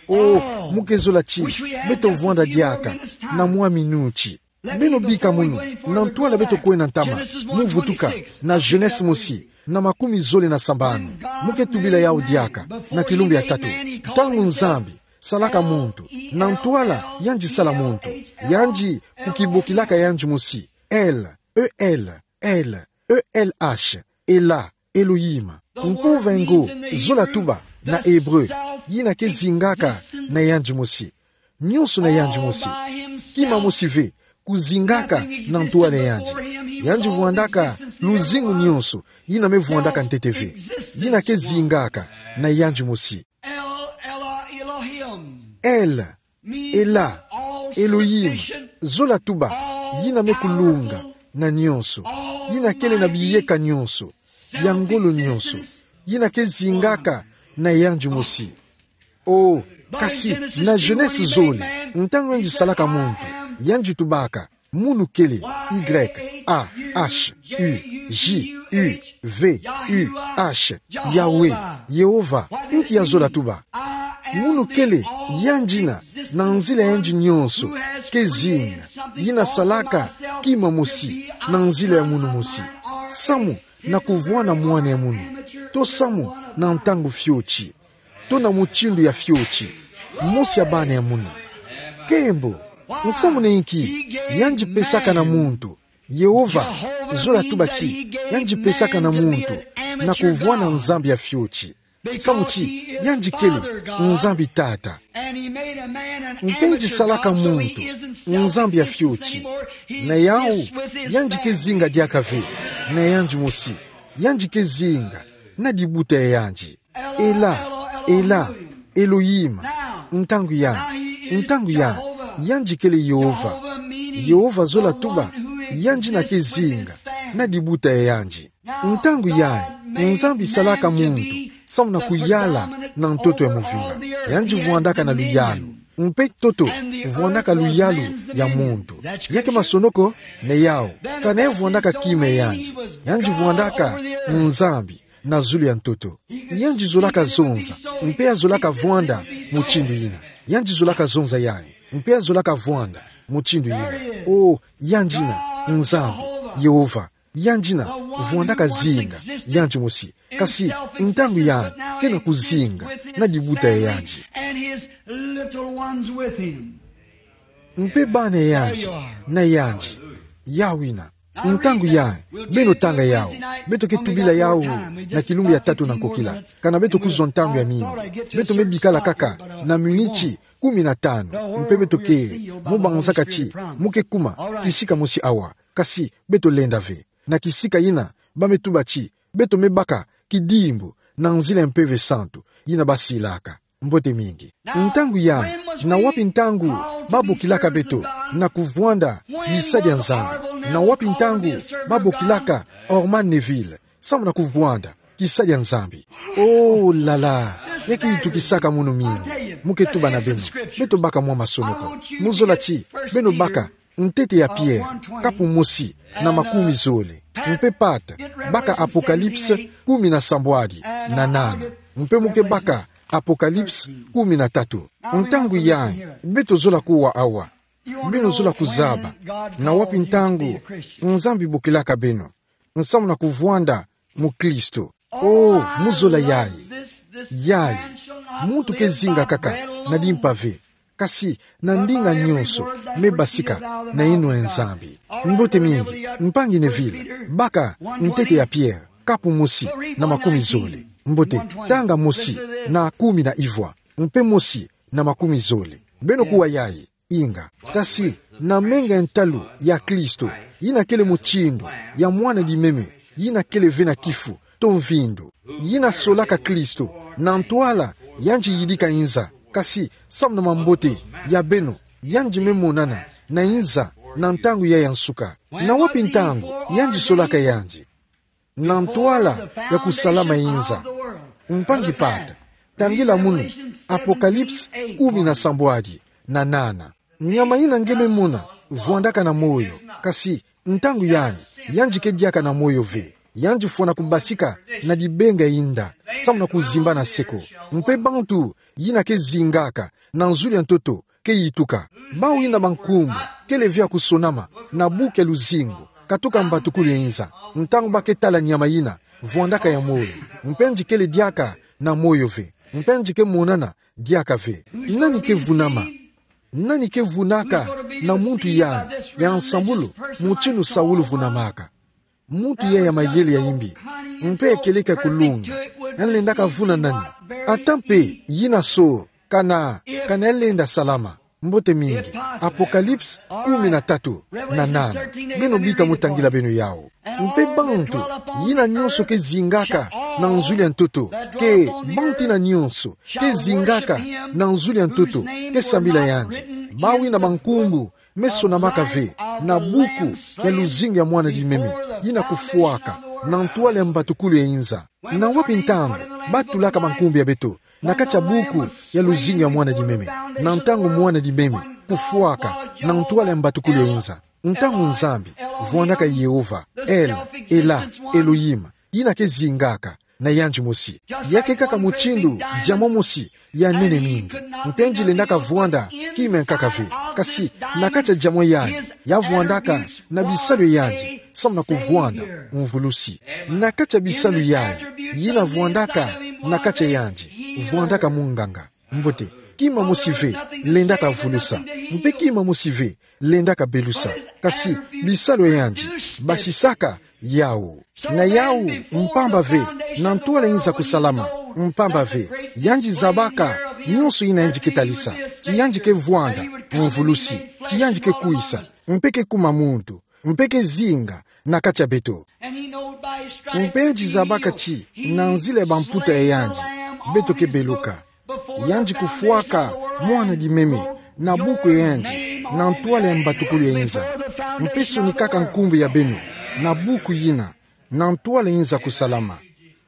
O, mu ke zola ti beto vwanda diaka na mwa minuti. Beno bika munu na ntwala beto kwenda ntama, mu vutuka na Genese mosi, na makumi zole na sambanu. Mu ke tubila yawu diaka na kilumbu ya tatu. Ntangu Nzambi salaka muntu, na ntwala yandi sala muntu, yandi kukibokilaka yandi mosi L, E L, L, E L H, Ela, Elohim. Mpova ngo zola tuba na Ebre, yina ke zingaka na yandi mosi. Nyonso na yandi mosi. Kima mosi ve kuzingaka na ntwala ya yandi. Yandi vwandaka luzingu nyonso, yina me vwandaka ntete ve. Yina ke zingaka na yandi mosi. El, Ela, Elohim, zola tuba, yina me kulunga na nyonso, yina kele na biyeka nyonso, ya ngolo nyonso, yina ke zingaka na yandi mosi. O, kasi na Genese zole, ntangu yandi salaka muntu, yandi tubaka: Munu kele, Y, A, H, U, J, U, V, U, H, Yahweh, Yehova. Inki ya zola tuba? Munu kele yandi yina, na nzila ya yandi nyonso, ke zinga, yina salaka kima mosi na nzila ya munu mosi, samu na kuvwanda mwana ya munu, to samu na ntangu fioti, to na mutindu ya fioti, mosi ya bana ya munu. Nkembo. Nsamu na inki yandi pesaka na muntu, Yehova, zola tuba ti yandi pesaka na muntu na kuvwanda Nzambi ya fioti? Samu ti yandi kele Nzambi Tata. Mpe yandi salaka muntu Nzambi ya fioti. Na yawu, yandi ke zinga diaka ve na yandi mosi, yandi ke zinga na dibuta ya yandi. Ela, Ela, Elohim. Ntangu ya, ntangu ya, yandi kele Yehova. Yehova, zola tuba, yandi yina ke zinga na dibuta ya yandi. Ntangu yayi Nzambi salaka muntu, samu na kuyala na ntoto ya movinga. Yandi vwandaka na luyalu. Mpe ntoto vwandaka luyalu ya muntu. Ya ke masonoko? Ni yawu. Kana ye vwandaka kima yandi. Yandi vwandaka Nzambi na zulu ya ntoto. Yandi zolaka zonza, mpe azolaka vwanda mutindu yina. Yandi zolaka zonza yayi, mpe azolaka vwanda mutindu yina. O, yandi na Nzambi, Yehova. Yandi na vwandaka zinga, yandi mosi. Kasi ntangu yandi ke na kuzinga na libuta ya yandi. And his little ones with him. Mpe bana ya yandi na yandi. Yawu yina. Ntangu yayi, beno tanga yawu. Beto ke tubila yawu na kilumbu ya tatu na nkokila. Kana beto kuzwa ntangu ya mingi. Beto me bikala kaka na miniti kumi na tanu. Mpe beto ke, mu banzaka ti mu ke kuma kisika mosi awa. Kasi beto lenda ve. Na kisika yina, ba me tuba ti beto me baka kidimbu na nzila ya Mpeve Santu yina ba silaka. Mbote mingi. Ntangu yayi, na wapi ntangu ba bokilaka beto na kuvwanda misadia Nzambi? Na wapi ntangu ba bokilaka Orman Neville samu na kuvwanda kisadia Nzambi? Oh là là, ya ke yitukisaka munu mingi. Mu ke tuba na beno. Beto baka mwa masonoko. Mu zola ti beno baka Ntete ya Pierre, kapu mosi na makumi zole. Mpe pata, baka Apocalypse kumi na sambwadi na nana. Mpe mu ke baka Apocalypse kumi na tatu. Ntangu yayi, beto zola kuwa awa. Beno zola kuzaba na wapi ntangu Nzambi bokilaka beno samu na kuvwanda mukristo. Oh, mu zola yayi. Yayi, muntu ke zinga kaka na limpa ve, kasi na ndinga nyonso me basika na yinwa ya Nzambi. Mbote mingi, mpangi Neville, baka Ntete ya Pierre, kapu mosi na makumi zole. Mbote, tanga mosi na kumi na ivwa, mpe mosi na makumi zole. Beno kuwa yayi. Inga. Kasi, na menga ya ntalu ya Kristo, yina kele mutindu ya mwana limeme, yina kele ve na kifu to mvindu. Yina solaka Kristo, na ntwala yandi yidika inza, kasi samu na mambote ya beno, yandi me monana na inza na ntangu yayi ya nsuka. Na wapi ntangu yandi solaka yandi? Na ntwala ya kusalama inza. Mpangi pata, tangila munu Apocalypse kumi na sambwadi na nana. Nyama yina nge me mona vwandaka na moyo, kasi ntangu yayi, yandi ke diaka na moyo ve. Yandi fwana kubasika na dibenga ya inda, samu na kuzimba na seko. Mpe bantu yina ke zingaka na nzulu ya ntoto ke yituka. Bawu yina ba nkumbu kele ve ya kusonama na buku ya luzingu katoka mbatukulu ya inza, ntangu ba ke tala nyama yina vwandaka ya moyo, mpe yandi kele diaka na moyo ve, mpe yandi ke monana diaka ve. Nani ke vunama? Nani ke vunaka na muntu yayi ya nsambulu mutindu Saulu vunamaka? Muntu yayi ya mayele ya imbi, mpe ya kieleka kulunga, ya lendaka vuna nani? Ata mpe yina so, kana, kana ya lenda salama. Mbote mingi. Apocalypse kumi na tatu na nana. Beno bika mu tangila beno yawu. Mpe bantu yina nyonso ke zingaka na nzulu ya ntoto, ke bantu yina nyonso ke zingaka na nzulu ya ntoto, ke sambila yandi. Bawu yina ba nkumbu me sonamaka ve na buku ya luzingu ya mwana limeme yina kufwaka na ntwala ya mbatukulu ya inza. Na wapi ntangu ba tulaka ba nkumbu ya beto na kati ya buku ya luzingu ya mwana limeme, na ntangu mwana limeme kufwaka na ntwala ya mbatukulu ya inza? Ntangu Nzambi vwandaka Yehova, El, Elah, Elohim, yina ke zingaka na yandi mosi. Ya ke kaka mutindu diamant mosi ya nene mingi, mpe yandi lendaka vwanda kima ya nkaka ve. Kasi na kati ya diamant yayi, ya vwandaka na bisalu ya yandi samu na kuvwanda mvulusi. Na kati ya bisalu yayi yina vwandaka na kati ya yandi, vwandaka munganga. Mbote, kima mosi ve lendaka vulusa, mpe kima mosi ve lendaka belusa. Kasi bisalu ya yandi basisaka yawu. Na yawu, mpamba ve, na ntwala ya inza kusalama, mpamba ve, yandi zabaka nyonso yina yandi ke talisa, ti yandi ke vwanda mvulusi, ti yandi ke kwisa, mpe ke kuma muntu, mpe ke zinga na kati ya beto. Mpe yandi zabaka ti na nzila ya bamputa ya yandi beto ke beluka. Yandi kufwaka mwana limeme na buku ya yandi, na ntwala ya mbatukulu ya inza. Mpe sonikaka nkumbu ya beno na buku yina, na ntwala ya inza kusalama.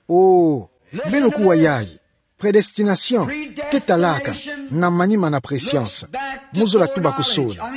Oh, Beno kuwa yayi. Prédestination ke talaka na manima na préscience. Mu zola tuba kusola.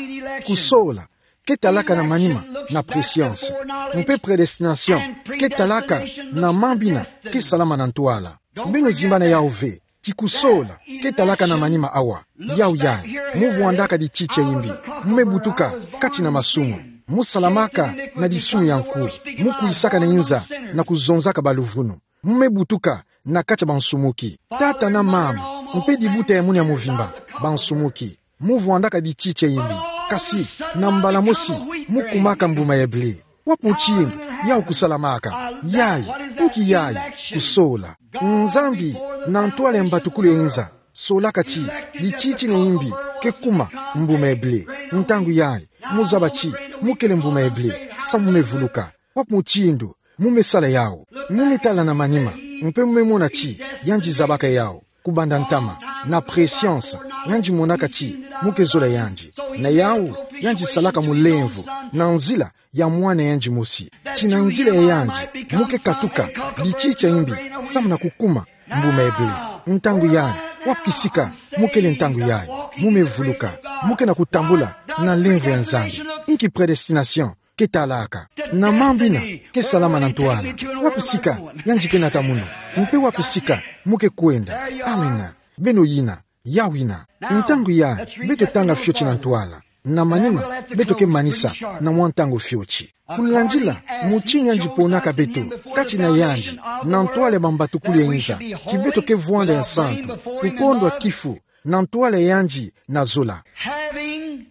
Kusola ke talaka na manima na préscience. Mpe prédestination ke talaka na mambu ina ke salama na ntwala. Beno zimbana yawu ve, ti kusola ke talaka na manima awa. Yawu yayi, mu vwandaka di titi ya imbi, mu me butuka kati na masumu, mu salamaka na disumu ya nku, mu kwisaka na inza na kuzonzaka baluvunu, mu me butuka na kati ya bansumuki. Tata na mama, mpe dibuta ya munu ya mvimba, bansumuki. Mu vwandaka di titi ya imbi, kasi na mbala mosi mu kumaka mbuma ya blé. Wapi mutindu yawu kusalamaka? Yayi, inki yayi? Kusola. Nzambi, na ntwala ya mbatukulu ya inza, solaka ti di titi na imbi ke kuma mbuma ya blé. Ntangu yayi, mu zaba ti mu kele mbuma ya blé, samu mu me vuluka. Wapi mutindu mu me sala yawu? Mu me tala na manima, mpe mu me mona ti yandi zabaka yawu kubanda ntama, na préscience, yandi monaka ti mu ke zola yandi. Na yawu, yandi salaka mulemvo na nzila ya mwana yandi mosi. Ti na nzila ya yandi mu ke katuka di titi ya imbi, samu na kukuma mbuma ya blé. Ntangu yayi, wapi kisika mu kele ntangu yayi? Mu me vuluka, mu ke na kutambula na lemvo ya Nzambi. Inki prédestination ke talaka? Na mambu ina ke salama na ntwala. Wapi sika yandi ke nata munu? Mpe wapi sika mu ke kwenda? Amina. Beno yina, yawu yina. Ntangu yayi, beto tanga fioti na ntwala. Na manima, beto ke manisa na mwa ntangu fioti. Kulandila mutindu yandi ponaka beto kati na yandi, na ntwala ya bambatukulu ya inza, ti beto ke vwanda ya nsantu, kukondwa kifu na ntwala ya yandi na zola. Having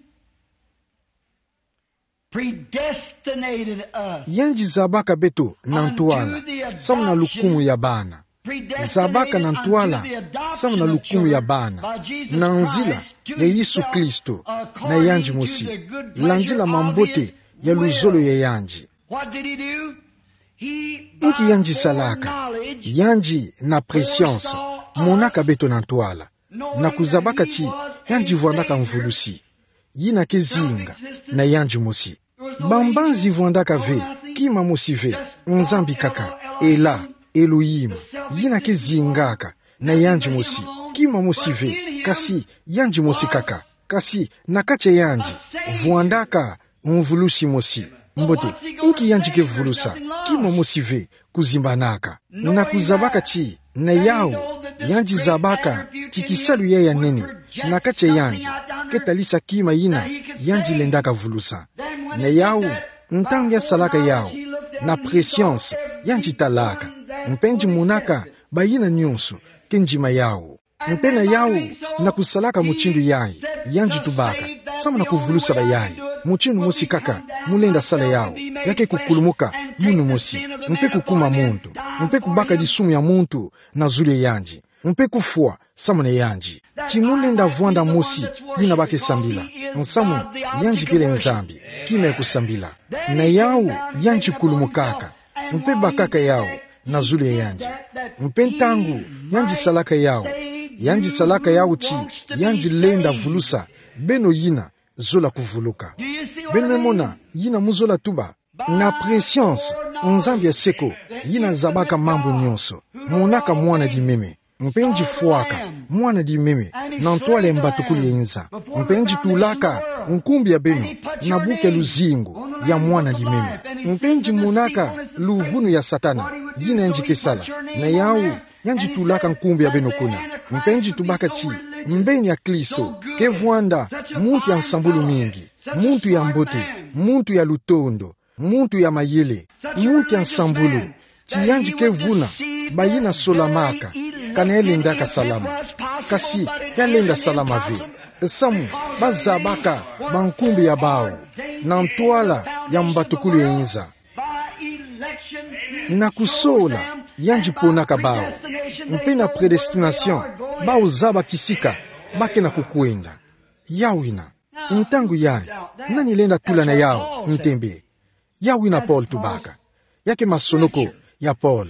predestinated us. Yandi zabaka beto na ntwala, samu na lukumu ya bana. Zabaka na ntwala, samu na lukumu ya bana, na nzila ya Yesu Kristo, na yandi mosi, landila mambote ya luzolo ya yandi. What did he do? Inki yandi salaka? Yandi na préscience monaka beto na ntwala, na kuzabaka ti yandi vwandaka mvulusi, yina ke zinga na yandi mosi. Bambanzi vwandaka ve, kima mosi ve, Nzambi kaka, Ela, Elohim, yina ke zingaka na yandi mosi, kima mosi ve, kasi yandi mosi kaka, kasi na kati ya yandi vwandaka mvulusi mosi. Mbote, inki yandi ke vulusa? Kima mosi ve, kuzimbanaka. Na kuzabaka ti na yawu, yandi zabaka ti kisalu yayi ya nene na kati ya yandi ke talisa kima yina yandi lendaka vulusa. Na yawu, ntangu ya salaka yawu, na préscience, yandi talaka, mpe yandi monaka bayina nyonso ke ndima yawu. Mpe na yawu, na kusalaka mutindu yayi, yandi tubaka, samu na kuvulusa bayayi. Mutindu mosi kaka mu lenda sala yawu, ya ke kukulumuka munu mosi, mpe kukuma muntu, mpe kubaka disumu ya muntu na zulu ya yandi, mpe kufwa samu na yandi. Ti mu lenda vwanda mosi yina ba ke sambila, nsamu yandi kele Nzambi, kima ya kusambila. Na yawu, yandi kulumukaka, mpe bakaka yawu na zulu ya yandi. Mpe ntangu yandi salaka yawu, yandi salaka yawu ti yandi lenda vulusa beno yina zola kuvuluka. Beno me mona yina mu zola tuba? Na préscience, Nzambi ya seko, yina zabaka mambu nyonso, monaka mwana di meme, mpe yandi fwaka mwana di meme na ntwala ya mbatukulu ya inza, mpe yandi tulaka nkumbu ya beno na buku ya luzingu ya mwana di meme, mpe yandi monaka luvunu ya Satana, yina yandi ke sala. Na yawu, yandi tulaka nkumbu ya beno kuna, mpe yandi tubaka ti mbeni ya Kristo ke vwanda muntu ya nsambulu mingi, muntu ya mbote, muntu ya lutondo, muntu ya mayele, muntu ya nsambulu, ti yandi ke vuna bayina solamaka kana ya lendaka salama. Kasi ya lenda salama ve, samu ba zabaka bankumbu ya bawu na ntwala ya mbatukulu ya inza. Na kusola, yandi ponaka bawu, mpe na prédestination, bawu zaba kisika ba ke na kukwenda. Yawu yina. Ntangu yayi, nani lenda tula na yawu ntembe? Yawu yina Paul tubaka. Ya ke masonoko ya Paul.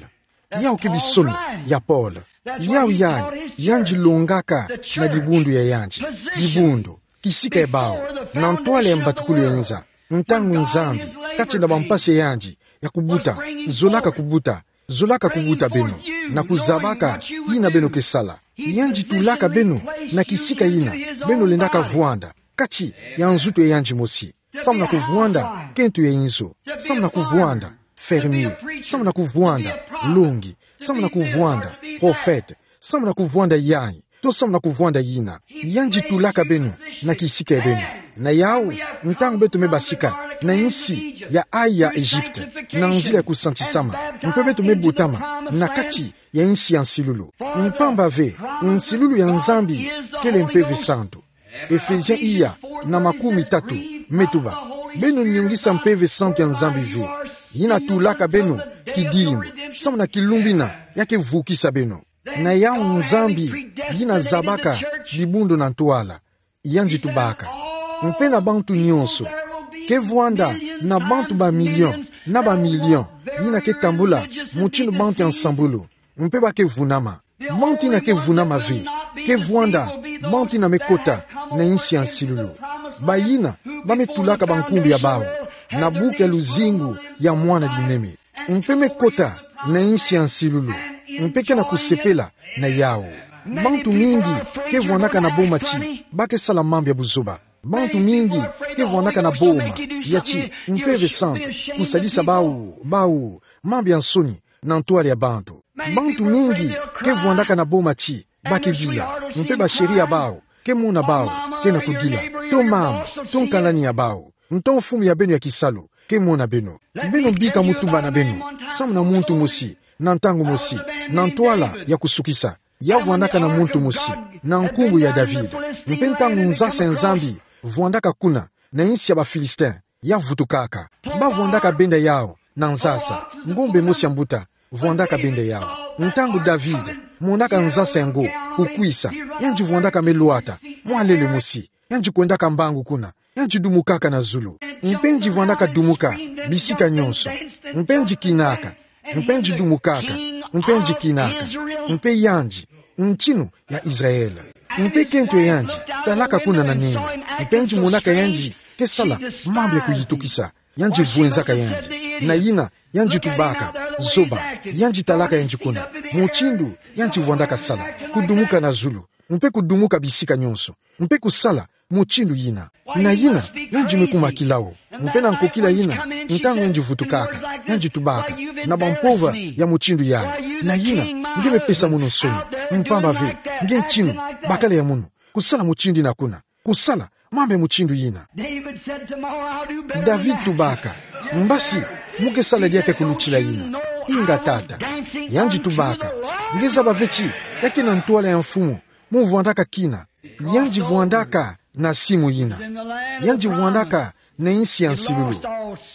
Yawu ke bisono ya Paul. Yawu yayi, yandi longaka na dibundu ya yandi. Dibundu, kisika ya bawu, na ntwala ya mbatukulu ya inza. Ntangu Nzambi, kati na bampasi ya yandi ya kubuta, zolaka kubuta, zolaka kubuta beno. na kuzabaka yina beno ke sala. Yandi tulaka beno na kisika yina beno lendaka vwanda, kati ya nzutu ya yandi mosi. Samu na kuvwanda kento ya inzo. Samu na kuvwanda fermier. Samu na kuvwanda longi. Samu na kuvwanda prophète. Samu na kuvwanda yayi. To samu na kuvwanda yina. Yandi tulaka beno na kisika ya beno. Na yawu, ntangu beto me basika na insi ya ayi ya Egypte, na nzila ya kusantisama, mpe beto me botama na kati ya insi ya nsilulu. Mpamba ve, nsilulu ya Nzambi kele Mpeve Santu. Ephésiens iya na makumi tatu me tuba: Beno nyongisa Mpeve Santu ya Nzambi ve, yina tulaka beno kidimbu, samu na kilumbu ina ya ke vukisa beno. Na yawu Nzambi yina zabaka dibundu na ntwala, yandi tubaka: Mpe na bantu nyonso, ke vwanda na bantu ba million na ba million yina ke tambula mutindu bantu ya nsambulu, mpe ba ke vunama. Bantu ina ke vunama ve ke vwanda bantu ina me kota na insi ya nsilulu, bayina ba me tulaka bankumbu ya bawu na buku ya luzingu ya Mwana Dimeme, mpe me kota na insi ya nsilulu, mpe ke na kusepela na yawu. Bantu mingi ke vwandaka na boma ti ba ke sala mambu ya buzoba. Bantu mingi ke vwandaka na boma ya ti Mpeve Santu kusadisa bawu, bawu, mambu ya nsoni na ntwala ya bantu. Bantu mingi ke vwandaka na boma ti ba ke dila, mpe ba chéri ya bawu ke mona bawu ke na kudila, to mama, to nkalani ya bawu, nto mfumu ya beno ya kisalu ke mona beno. Beno bika mutuba na beno samu na muntu mosi, na ntangu mosi, na ntwala ya kusukisa, ya vwandaka na muntu mosi na nkumbu ya David. Mpe ntangu nzasa ya Nzambi vwandaka kuna na insi ya ba Philistin, ya vutukaka. Ba vwandaka benda yawu na nzasa. Ngombe mosi ya mbuta vwandaka benda yawu. Ntangu David monaka nzasa yango kukwisa, yandi vwandaka me lwata mwa lele mosi, yandi kwendaka mbangu kuna, yandi dumukaka na zulu. Mpe yandi vwandaka dumuka bisika nyonso, mpe yandi kinaka, mpe yandi dumukaka, mpe yandi kinaka, mpe yandi, ntinu ya Israël. Mpe kento ya yandi talaka kuna na nini, mpe yandi monaka yandi ke sala mambu ya kuyitukisa, yandi vwenzaka yandi. Na yina yandi tubaka: Zoba, yandi talaka yandi kuna mutindu yandi vwandaka sala, kudumuka na zulu, mpe kudumuka bisika nyonso, mpe kusala mutindu yina. Na yina yandi me kuma kila wo. Mpe na nkokila yina, ntangu yandi vutukaka, yandi tubaka na bampova ya mutindu yayi: Na yina nge me pesa mono nsoni, mpamba ve nge ntinu bakala ya mono kusala mutindu yina kuna, kusala mambu ya mutindu yina. David tubaka: Mbasi mu ke sala diaka ya kulutila yina? Inga, tata. Yandi tubaka: Nge zaba ve ti ya ke na ntwala ya mfumu mu vwandaka kina. Yandi vwandaka na simu yina. Yandi vwandaka na insi ya nsilulu.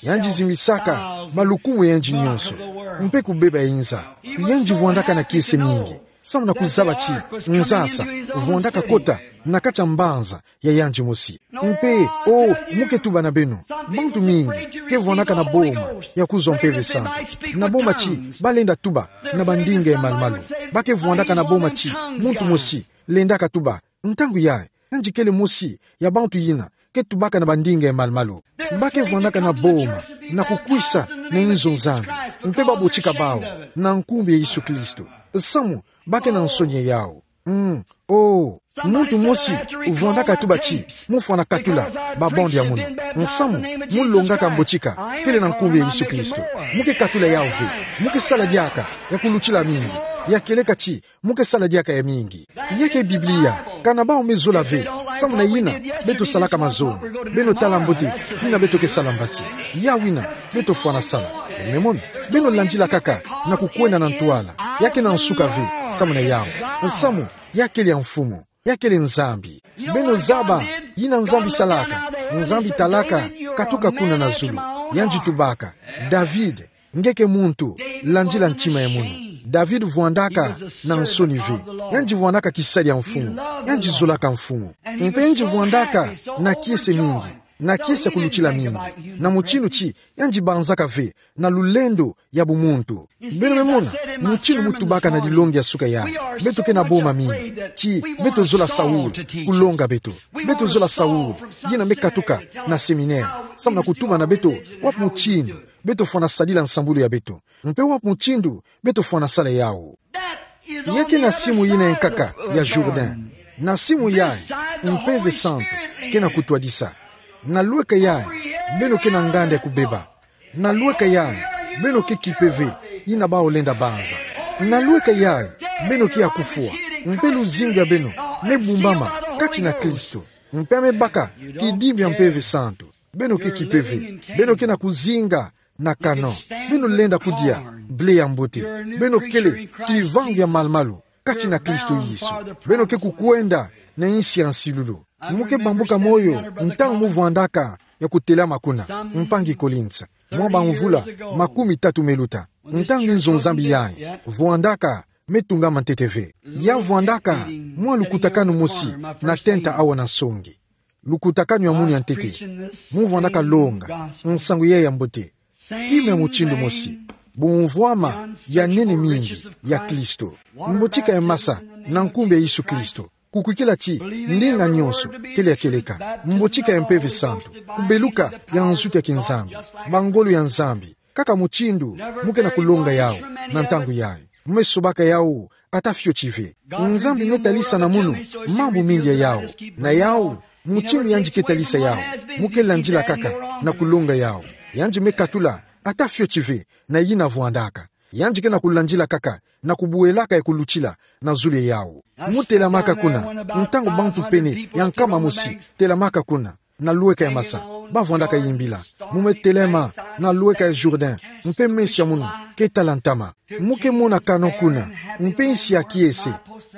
Yandi zimbisaka malukumu ya yandi nyonso, mpe kubeba inza. Yandi vwandaka na kiese mingi samu na kuzaba ti nzasa vwandaka kota na kati ya mbanza ya yandi mosi. Mpe, o, mu ke tuba na beno, bantu mingi ke vwandaka na boma ya kuzwa Mpeve Santu, na boma ti ba lenda tuba na bandinga ya malumalu. Ba ke vwandaka na boma ti muntu mosi lendaka tuba. Ntangu yayi, yandi kele mosi ya bantu yina ke tubaka na bandinga ya malumalu. Ba ke vwandaka na boma na kukwisa na inzo Nzambi, mpe ba botika bawu na nkumbu ya Yesu Kristo. Samu ba ke na nsoni ya yawu. Mm. O, muntu mosi vwandaka tuba ti mu fwana katula ba bande ya mono. Nsamu mu longaka mbotika kele na nkumbu ya Yesu Kristo. Mu ke katula yawu ve. Mu ke sala diaka ya kulutila mingi. Ya kieleka ti mu ke sala diaka ya mingi. Ya ke Biblia. Kana bawu me zola ve. Samu na yina beto salaka mazono. Beno tala mbote yina beto ke sala mbasi. Yawu yina beto fwana sala. Beno me mona. Beno landila kaka na kukwenda na ntwala. Ya ke na nsuka ve. Samu na yawu. Nsamu ya kele ya mfumu. Ya kele Nzambi. Beno zaba yina Nzambi salaka. Nzambi talaka katuka kuna na zulu. Yandi tubaka: David, nge ke muntu, landila ntima ya mono. David vwandaka na nsoni ve. Yandi vwandaka kisadi ya mfumu. Yandi zolaka mfumu. Mpe yandi vwandaka na kiese mingi, na kiese ya kulutila mingi, na mutindu ti yandi banzaka ve na lulendo ya bumuntu. Beno me mona mutindu mu tubaka na dilongi ya suka yayi. Beto ke na boma mingi ti beto zola Saul kulonga beto. Beto zola Saul yina me katuka na séminaire samu na kutuba na beto wapi mutindu beto fwana sadila nsambulu ya beto, mpe wapi mutindu beto fwana sala yawu. Ya ke na simu yina ya nkaka ya Jourdain. Na simu yayi, Mpeve Santu ke na kutwadisa. Na lweka yayi, beno ke na nganda ya kubeba. Na lweka yayi, beno ke kipe ve, yina bawu lenda banza. Na lweka yayi, beno ke ya kufwa. Mpe luzingu ya beno me bumbama kati na Kristo. Mpe a me baka kidimbi ya Mpeve Santu. Beno ke kipe ve, beno ke na kuzinga na kano. Beno lenda kudia blé ya mbote. Beno kele kivangu ya malumalu kati na Kristo Yesu. Beno ke kukwenda na insi ya nsilulu. Mu ke bambuka moyo ntangu mu vwandaka ya kutelama kuna, mpangi Collins, mwa bamvula makumi tatu me luta. Ntangu nzo Nzambi yayi, vwandaka me tungama ntete ve. Ya vwandaka mwa lukutakanu mosi na tenta awa na nsongi. Lukutakanu ya munu ya ntete. Mu vwandaka longa nsangu yayi ya mbote. Kima ya mutindu mosi, bumvwama ya nene mingi ya Kristo. Mbotika ya masa na nkumbu ya Yesu Kristo. Kukwikila ti ndinga nionso kele ya kieleka. Mbotika ya Mpeve Santu. Kubeluka ya nzutu ya kiNzambi. Bangolo ya Nzambi. Kaka mutindu mu ke na kulonga yawu na ntangu yayi. Mu me sobaka yawu ata fioti ve. Nzambi me talisa na munu mambu mingi ya yawu. Na yawu, mutindu yandi ke talisa yawu, mu ke landila kaka na kulonga yawu. Yandi me katula ata fioti ve na yina vwandaka. Yandi ke na kulandila kaka na kubuelaka ya kulutila na zulu ya yawu. Mu telamaka kuna, ntangu bantu pene ya nkama mosi telamaka kuna na lweka ya masa, ba vwandaka yimbila. Mu me telama na lweka ya Jourdain, mpe meso ya munu ke tala ntama. Mu ke mona kano kuna, mpe insi ya kiese,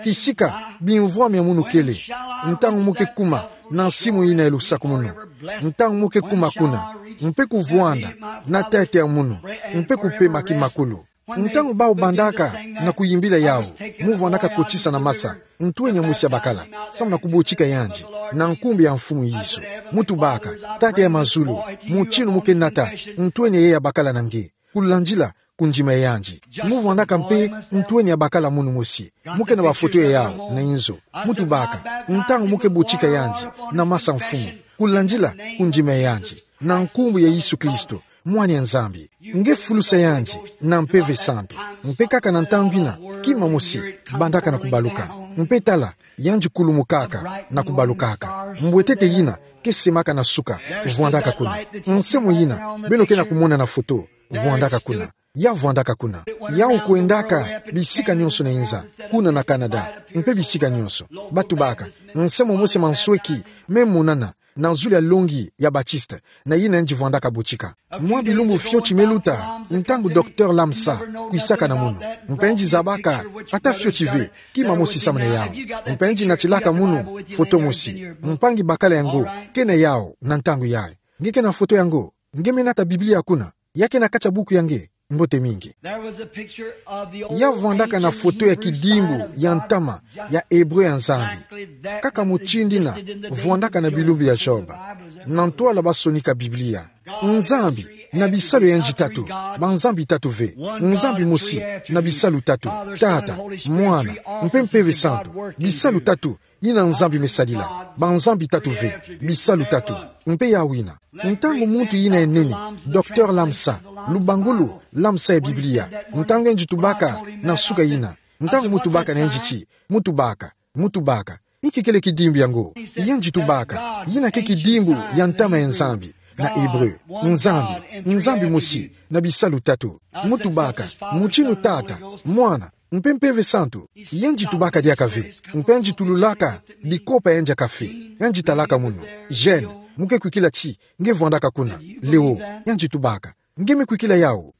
kisika bimvwama ya munu kele. Ntangu mu ke kuma na nsimu yina ya lusakumunu, ntangu mu ke kuma kuna, mpe kuvwanda na tete ya munu, mpe kupema kimakulu. Ntangu bawu bandaka na kuyimbila yawu, mu vwandaka kotisa na masa ntwenya mosi ya bakala, samu na kubotika yandi na nkumbu ya Mfumu Yesu. Mu tubaka, Tata ya mazulu, mutindu mu ke nata ntwenya yeyi ya bakala na nge, kulandila kundima ya yandi. Mu vwandaka mpe ntwenya ya bakala munu mosi. Mu ke na bafoto ya yawu na inzo. Mu tubaka, ntangu mu ke botika yandi na masa Mfumu, kulandila kundima ya yandi, na nkumbu ya Yesu Kristo, Mwana ya Nzambi. Nge fulusa yandi na Mpeve Santu. Mpe kaka na ntangu yina, kima mosi bandaka na kubaluka. Mpe tala, yandi kulumukaka na kubalukaka. Mbwetete yina ke semaka na suka vwandaka kuna. Nse mo yina beno ke na kumona na foto vwandaka kuna. Ya vwandaka kuna. Yawu kwendaka bisika nionso na inza, kuna na Canada, mpe bisika nionso. Ba tubaka, nse momosi ya mansweki me monana na zulu ya longi ya Baptiste, na yina yandi vwandaka botika. Mwa bilumbu fioti me luta, ntangu Docteur Lamsa kwisaka na munu, mpe yandi zabaka ata fioti ve kima mosi samu na yawu. Mpe yandi natilaka munu foto mosi. Mpangi, bakala yango ke na yawu na ntangu yayi. Nge ke na foto yango? Nge me nata Biblia kuna? Ya ke na kati ya buku ya nge? Mbote mingi. Ya vwandaka na foto ya kidimbu ya ntama ya Ebre ya Nzambi, kaka mutindu yina vwandaka na bilumbu ya Job. Na ntwala ba sonika Biblia. Nzambi na bisalu ya yandi tatu, banzambi tatu ve. Nzambi mosi na bisalu tatu: Tata, Mwana, mpe Mpeve Santu. Bisalu tatu yina Nzambi me sadila. Banzambi tatu ve, bisalu tatu. Mpe yawu yina, ntangu muntu yina ya nene, Docteur Lamsa, lubangulu Lamsa ya Biblia, ntangu yandi tubaka na suka yina, ntangu mu tubaka na yandi ti, mu tubaka, mu tubaka, inki kele kidimbu yango? Yandi tubaka, yina ke kidimbu ya ntama ya Nzambi, na Ebre, Nzambi, Nzambi mosi na bisalu tatu. Mu tubaka, mutindu Tata, Mwana, mpe Mpeve Santu. Yandi tubaka diaka ve, mpe yandi tululaka dikopa ya yandi ya kafe. Yandi talaka munu. Jeune, mu ke kwikila ti nge vwandaka kuna. Leo, yandi tubaka, nge me kwikila yawu?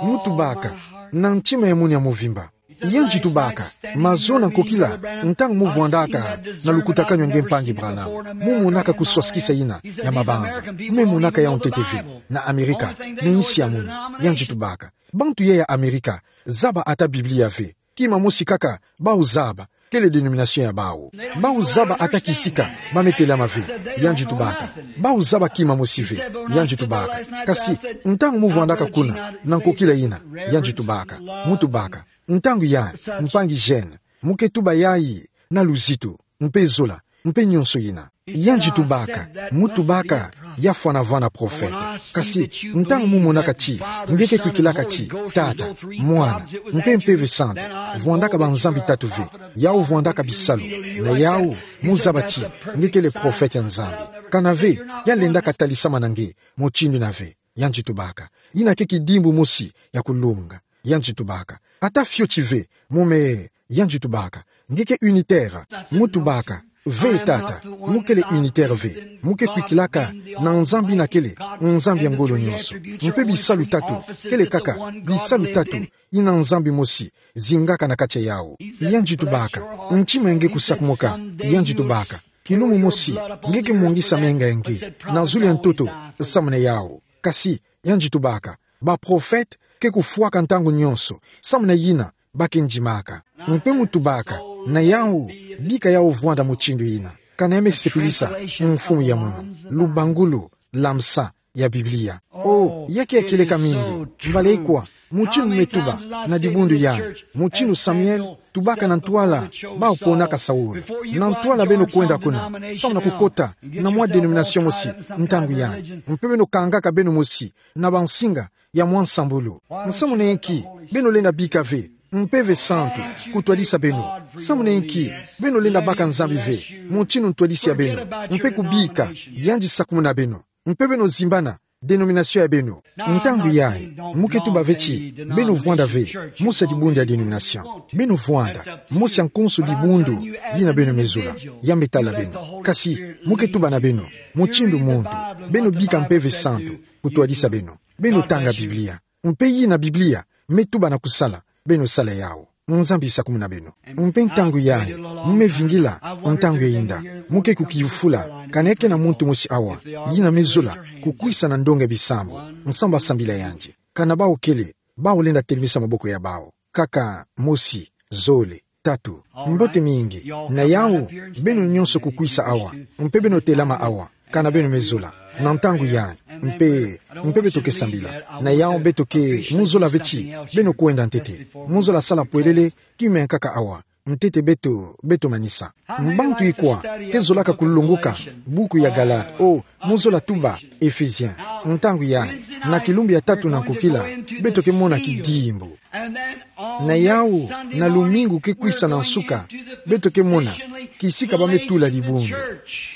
Mu tubaka, na ntima ya munu ya mvimba. Yandi tubaka, mazono na nkokila, ntangu mu vwandaka na lukutakanu ya nge, mpangi Branham, mu monaka kuswasikisa yina ya mabanza. Me monaka yawu ntete ve na Amerika, na insi ya munu. Yandi tubaka, bantu yai ya Amerika zaba ata Biblia ve. Kima mosi kaka bawu zaba, kele denomination ya bawu. Bawu zaba ata kisika ba me telama ve. Yandi tubaka, bawu zaba kima mosi ve. Yandi tubaka, kasi ntangu mu vwandaka kuna na nkokila yina, yandi tubaka, mu tubaka, ntangu yayi, mpangi Jeune, mu ke tuba yayi na luzitu, mpe zola, mpe nionso yina. Yandi tubaka, mu tubaka, ya fwana vwanda profete. Kasi, ntangu mu monaka ti, nge ke kwikilaka ti, Tata, Mwana, mpe Mpeve Santu, vwandaka banzambi tatu ve, yau vwandaka bisalu, na yau, mu zaba ti, nge kele profete ya Nzambi. Kana ve, ya lendaka talisamana nge, mutindu ina ve, yandi tubaka. Ina ke kidimbu mosi, ya kulunga. Yandi tubaka. Ata fioti ve, mu me, yandi tubaka. Nge ke unitaire, mu tubaka. Ve Tata, mu kele unitaire ve. Mu ke kwikilaka, na Nzambi ina kele, Nzambi ya ngolo nyonso. Mpe bisalu tatu, kele kaka, bisalu tatu, ina Nzambi mosi, zingaka na kati ya yau. Yandi tubaka. Ntima ya nge kusakumuka, yandi tubaka. Kilumbu mosi, nge ke mongisa menga ya nge, na zulu ya ntoto, samu na yau. Kasi, yandi tubaka. Baprofete, ke kufwaka ntangu nyonso, samu na yina, ba ke ndimaka. Mpe mu tubaka, na yau, bika yau vwanda mutindu yina. Kana ya me sepelisa, mfumu ya munu, lubangulu, lamsa, ya Biblia. O, ya ke ya kieleka mingi, mbala ikwa, mutindu me tuba, na dibundu yai, mutindu Samuel, tubaka na ntwala, bau ponaka Saul. Na ntwala beno kwenda kuna, samu na kukota, na mwa denomination mosi, ntangu yai. Mpe beno kangaka beno mosi, na bansinga, ya mwa nsambulu. Nsamu na inki, beno lenda bika ve, Mpeve Santu, kutwadisa beno. Nsamu na inki, beno lenda baka Nzambi ve, mutindu ntwadisi ya beno. Mpe kubika, yandi sakumuna beno. Mpe beno zimbana, denomination ya beno. Ntangu yai, mu ke tuba ve ti, beno vwanda ve, mosi ya dibundu ya denomination. Beno vwanda, mosi ya nkonso dibundu, yina beno me zula, ya me tala beno. Kasi, mu ke tuba na beno, mutindu muntu, beno bika Mpeve Santu, kutwadisa beno. Beno tanga Biblia. Mpe yina Biblia, me tuba na kusala, beno sala yau. Nzambi sakumuna beno. Mpe ntangu yai, mu me vingila, ntangu ya inda. Mu ke kukiyufula, kana ya ke na muntu mosi awa, yina me zula, kukwisa na ndonga ya bisambu, nsamu ba sambila yandi. Kana bau kele, bau lenda telemisa maboko ya bau. Kaka, mosi, zole, tatu. Mbote mingi, na yau, beno nyonso kukwisa awa, mpe beno telama awa, kana beno me zula, na ntangu yai, mpe, mpe beto ke sambila, na yau beto ke, mu zola ve ti, beno kwenda ntete, mu zola sala pwelele, ki me nkaka awa, ntete beto, beto manisa. Mbantu ikwa, ke zolaka kulunguka, buku ya Galate, o, mu zola tuba, Ephésiens, ntangu yai, na kilumbu ya tatu na nkokila, beto ke mona kidimbu. Na yau, na lumingu ke kwisa na nsuka, beto ke mona, kisika ba me tula dibundu.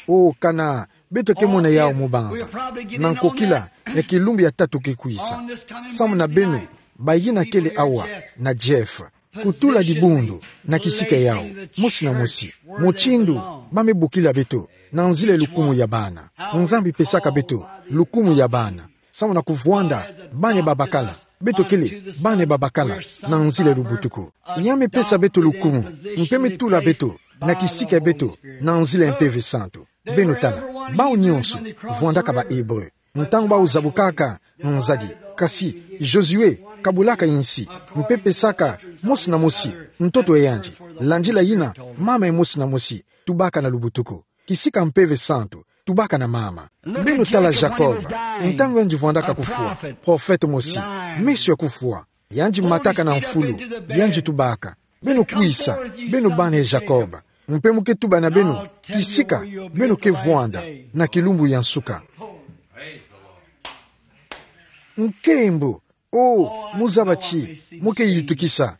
O kana, beto ke mona yau mu banza. Na nkokila, ya kilumbu ya tatu ke kwisa. Samu na beno, bayina kele awa, na Jeff. Kutula dibundu, na kisika yau, mosi na mosi. Mutindu, ba me bokila beto, na nzila ya lukumu ya bana. Nzambi pesaka beto, lukumu ya bana. Samu na kuvwanda, bana babakala. Beto kele, bana babakala, na nzila ya lubutuku. Ya me pesa beto lukumu, mpe me tula beto, na kisika ya beto, na nzila ya Mpeve Santu. Beno tala, bau nyonso, vwandaka ba Hébreux. Ntangu bau zabukaka, nzadi. Kasi, Josué, kabulaka insi, mpe pesaka, mosi na mosi, ntoto ya yandi. Landila yina, mama ya mosi na mosi, tubaka na lubutuku. Kisika Mpeve Santu, tubaka na mama. Beno tala Jacob, ntangu yandi vwandaka kufwa, profete mosi, meso ya kufwa, yandi mataka na mfulu, yandi tubaka. Beno kwisa, beno bana ya Jacob. Mpe mu ke tuba na beno, kisika, beno ke vwanda, na kilumbu ya nsuka. Nkembo, o, mu zaba ti, mu ke yitukisa.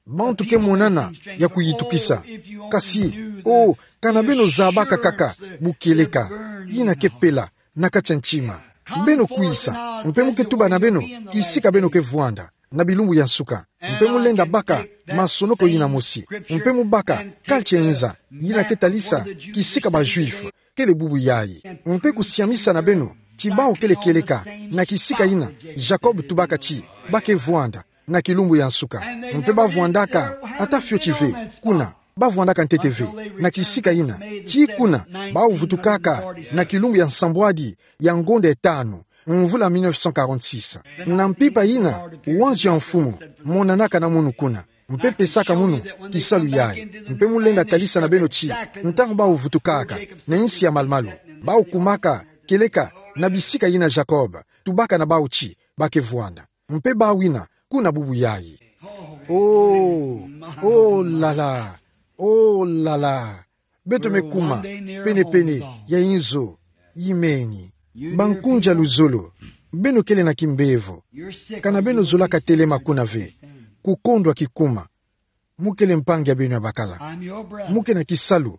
Bantu ke monana ya kuyitukisa. Kasi, o, kana beno zabaka kaka, bu kieleka, yina ke pela, na kati ya ntima. Beno kwisa, mpe mu ke tuba na beno, kisika beno ke vwanda, na bilumbu ya nsuka. Mpe mu lenda baka, masonoko yina mosi. Mpe mu baka, culture nza, yina ke talisa, kisika ba Juifs, kele bubu yai. Mpe kusiamisa na beno, ti bau kele kieleka, na kisika yina, Jacob tubaka ti, ba ke vwanda, na kilumbu ya nsuka. Mpe ba vwandaka, ata fioti ve, kuna, ba vwandaka ntete ve, na kisika yina, ti kuna, bau vutukaka, na kilumbu ya nsambwadi, ya ngonda ya tanu, mvula mille neuf cent quarante-six. Na mpimpa yina, wanzo ya mfumu, monanaka na munu kuna. Mpe pesaka munu, kisalu yai. Mpe mu lenda talisa na beno ti, ntangu bau vutukaka, na insi ya malumalu. Bau kumaka, kieleka, na bisika yina Jacob, tubaka na bau ti, ba ke vwanda. Mpe bau yina, kuna bubu yai. Oh, oh là là, oh là là. Beto me kuma pene-pene ya inzo. Imeni. Bankunzi a luzolo, beno kele na kimbevo. Kana beno zolaka telema kuna ve, kukondwa kikuma. Mu kele mpangi a beno ya bakala. Mu ke na kisalu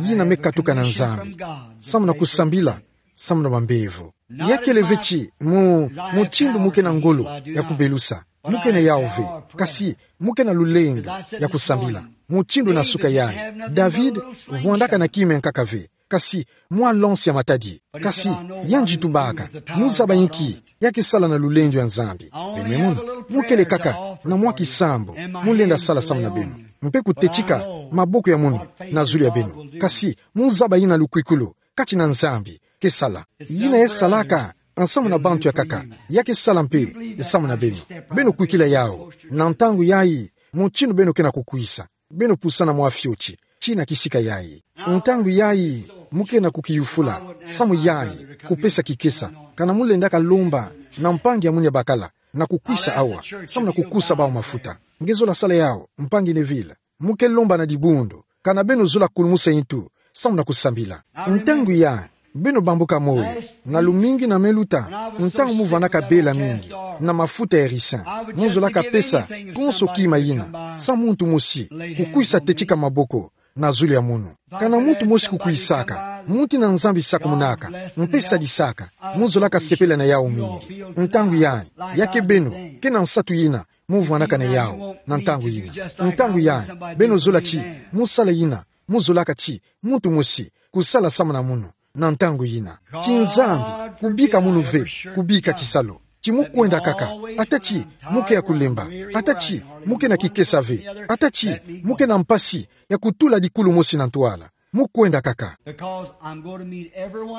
yina me katuka na Nzambi, samu na kusambila samu na bambevo. Ya kele ve ti mu, mutindu mu ke na ngolo ya kubelusa, mu ke na yawu ve, kasi mu ke na lulendo ya kusambila. Mutindu na suka yayi, David vwandaka na kima ya nkaka ve, kasi mwa lonsi ya matadi. Kasi yandi tubaka, mu zaba inki? Ya ke sala na lulendo ya Nzambi. Beno me mona, mu kele kaka na mwa kisambu mu lenda sala samu na beno, mpe kutetika maboko ya munu na zulu ya beno. Kasi mu zaba yina lukwikulu kati na Nzambi ke sala. Yina ya salaka nsamu na bantu ya nkaka, ya ke sala mpe samu na beno. Beno kwikila yawu. Na ntangu yayi, mutindu beno ke na kukwisa, beno pusa na mwa fioti ti na kisika yayi. Ntangu yayi, mu ke na kukiyufula samu yayi kupesa kikesa. Kana mu lendaka lomba na mpangi ya munu ya bakala na kukwisa awa samu na kukusa bawu mafuta, nge zola sala yawu, mpangi Neville? Mu ke lomba na dibundu, kana beno zola kulumusa intu samu na kusambila. Ntangu yayi, beno bambuka moyo. Na lumingu yina me luta, ntangu mu vwandaka bela mingi na mafuta ya ricin, mu zolaka pesa konso kima yina, samu muntu mosi kukwisa tetika maboko na zulu ya munu. Kana muntu mosi kukwisaka, muti na Nzambi sakumunaka mpe sadisaka, mu zolaka sepela na yawu mingi. Ntangu yayi, ya ke beno ke na nsatu yina mu vwandaka na yawu na ntangu yina. Ntangu yayi, beno zola ti mu sala yina mu zolaka ti muntu mosi kusala samu na munu na ntangu yina. Ti Nzambi kubika munu ve, kubika kisalu. Ti mu kwenda kaka, ata ti mu ke ya kulemba, ata ti mu ke na kikesa ve, ata ti mu ke na mpasi ya kutula dikulu mosi na ntwala, mu kwenda kaka.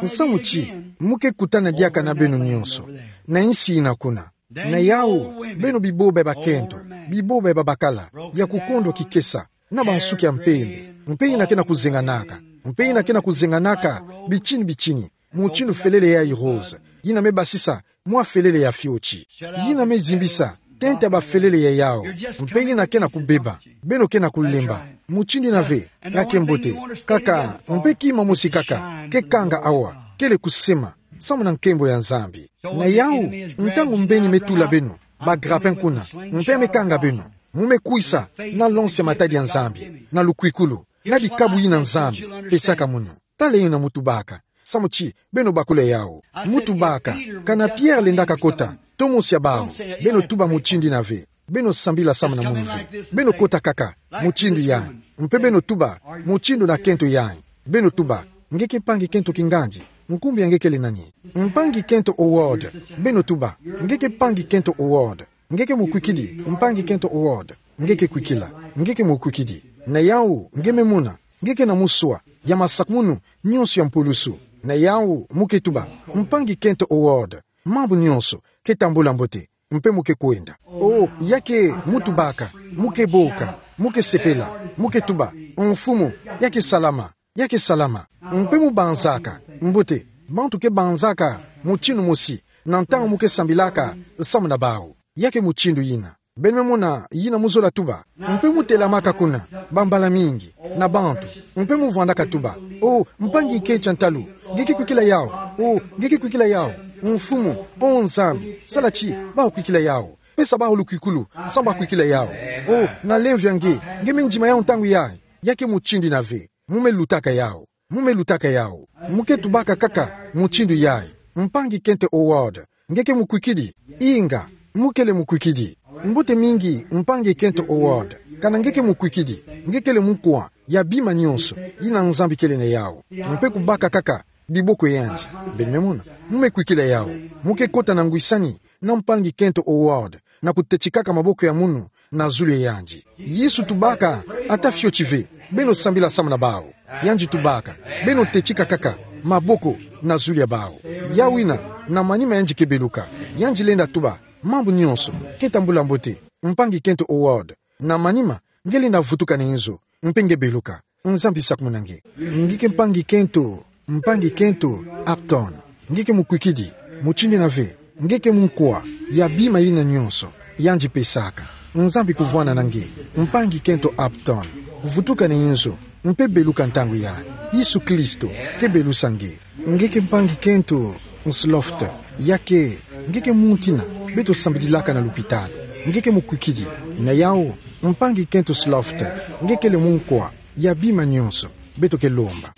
Nsamu ti mu ke kutana diaka na beno nyonso na insi yina kuna. Na yawu, beno biboba ya bakento, biboba ya babakala, ya kukondwa kikesa, na bansuki ya mpembe, mpe yina ke na kuzenganaka, mpe yina ke na kuzenganaka bitini-bitini, mutindu felele yayi rose, yina me basisa mwa felele ya fioti, yina me zimbisa tente ya bafelele ya yawu, mpe yina ke na kubeba. Beno ke na kulemba mutindu yina ve. Ya ke mbote. Kaka mpe kima mosi kaka ke kanga awa, kele kusema samu na nkembo ya Nzambi. Na yawu, ntangu mbeni me tula beno ba grappin kuna, mpe me kanga beno, mu me kwisa na lonsi ya matadi ya Nzambi, na lukwikulu, na dikabu yina Nzambi pesaka munu. Tala yina mu tubaka, samu ti beno bakula yawu. Mu tubaka, kana Pierre lendaka kota, to mosi ya bawu, beno tuba mutindu yina ve. Beno sambila samu na munu ve. Beno kota kaka mutindu yayi, mpe beno tuba mutindu na kento yayi. Beno tuba: Nge ke mpangi kento kingandi? Nkumbu ya nge kele nani? Mpangi kento Howard. Beno tuba: Nge ke mpangi kento Howard? Nge ke mukwikidi, mpangi kento Howard? Nge ke kwikila. Nge ke mukwikidi. Na yawu, nge me mona, nge ke na muswa ya masakumunu nyonso ya mpulusu. Na yawu, mu ke tuba: Mpangi kento Howard, mambu nyonso ke tambula mbote, mpe mu ke kwenda. O, ya ke mu tubaka, mu ke boka, mu ke sepela, mu ke tuba: Mfumu, ya ke salama, ya ke salama. Mpe mu banzaka. Mbote, bantu ke banzaka mutindu mosi na ntangu mu ke sambilaka samu na bawu. Ya ke mutindu yina. Beno me mona yina mu zola tuba. Mpe mu telamaka kuna bambala mingi na bantu, mpe mu vwandaka tuba: O, mpangi kento ya ntalu, nge ke kwikila yawu? O, nge ke kwikila yawu? Mfumu, o Nzambi, sala ti bawu kwikila yawu. Pesa bawu lukwikulu samu bakwikila yawu. O, na lemvo ya nge, nge me ndima yawu ntangu yayi. Ya ke mutindu yina ve. Mu me lutaka yawu. Mu me lutaka yawu. Mu ke tubaka kaka mutindu yayi: Mpangi kento Howard, nge ke mukwikidi? Inga, mu kele mukwikidi. Mbote mingi, mpangi kento Howard. Kana nge ke mukwikidi, nge kele mukwa ya bima nyonso yina Nzambi kele na yawu. Mpe kubaka kaka biboko ya yandi. Beno me mona, mu me kwikila yawu. Mu ke kota na ngwisani na mpangi kento Howard, na kutetikaka maboko ya munu na zulu ya yandi. Yesu tubaka ata fioti ve: Beno sambila samu na bawu. Yandi tubaka: Beno tetika kaka maboko na zulu ya bawu. Yawu yina, na manima yandi ke beluka, yandi lenda tuba: Mambu nyonso ke tambula mbote, mpangi kento Howard. Na manima, nge lenda vutuka na inzo, mpe nge beluka. Nzambi sakumuna nge. Nge ke mpangi kento, mpangi kento Upton, nge ke mukwikidi? Mutindu yina ve. Nge ke mukwa ya bima yina nyonso yandi pesaka. Nzambi kuvwana na nge, mpangi kento Upton. Vutuka na inzo, mpe beluka ntangu yayi. Yesu Kristo ke belusa nge. Nge ke mpangi kento Sloft, ya ke, nge ke muntu ina beto sambililaka na lupitalo. Nge ke mukwikidi, na yawu, mpangi kento Sloft, nge kele munkwa ya bima nyonso beto ke lomba.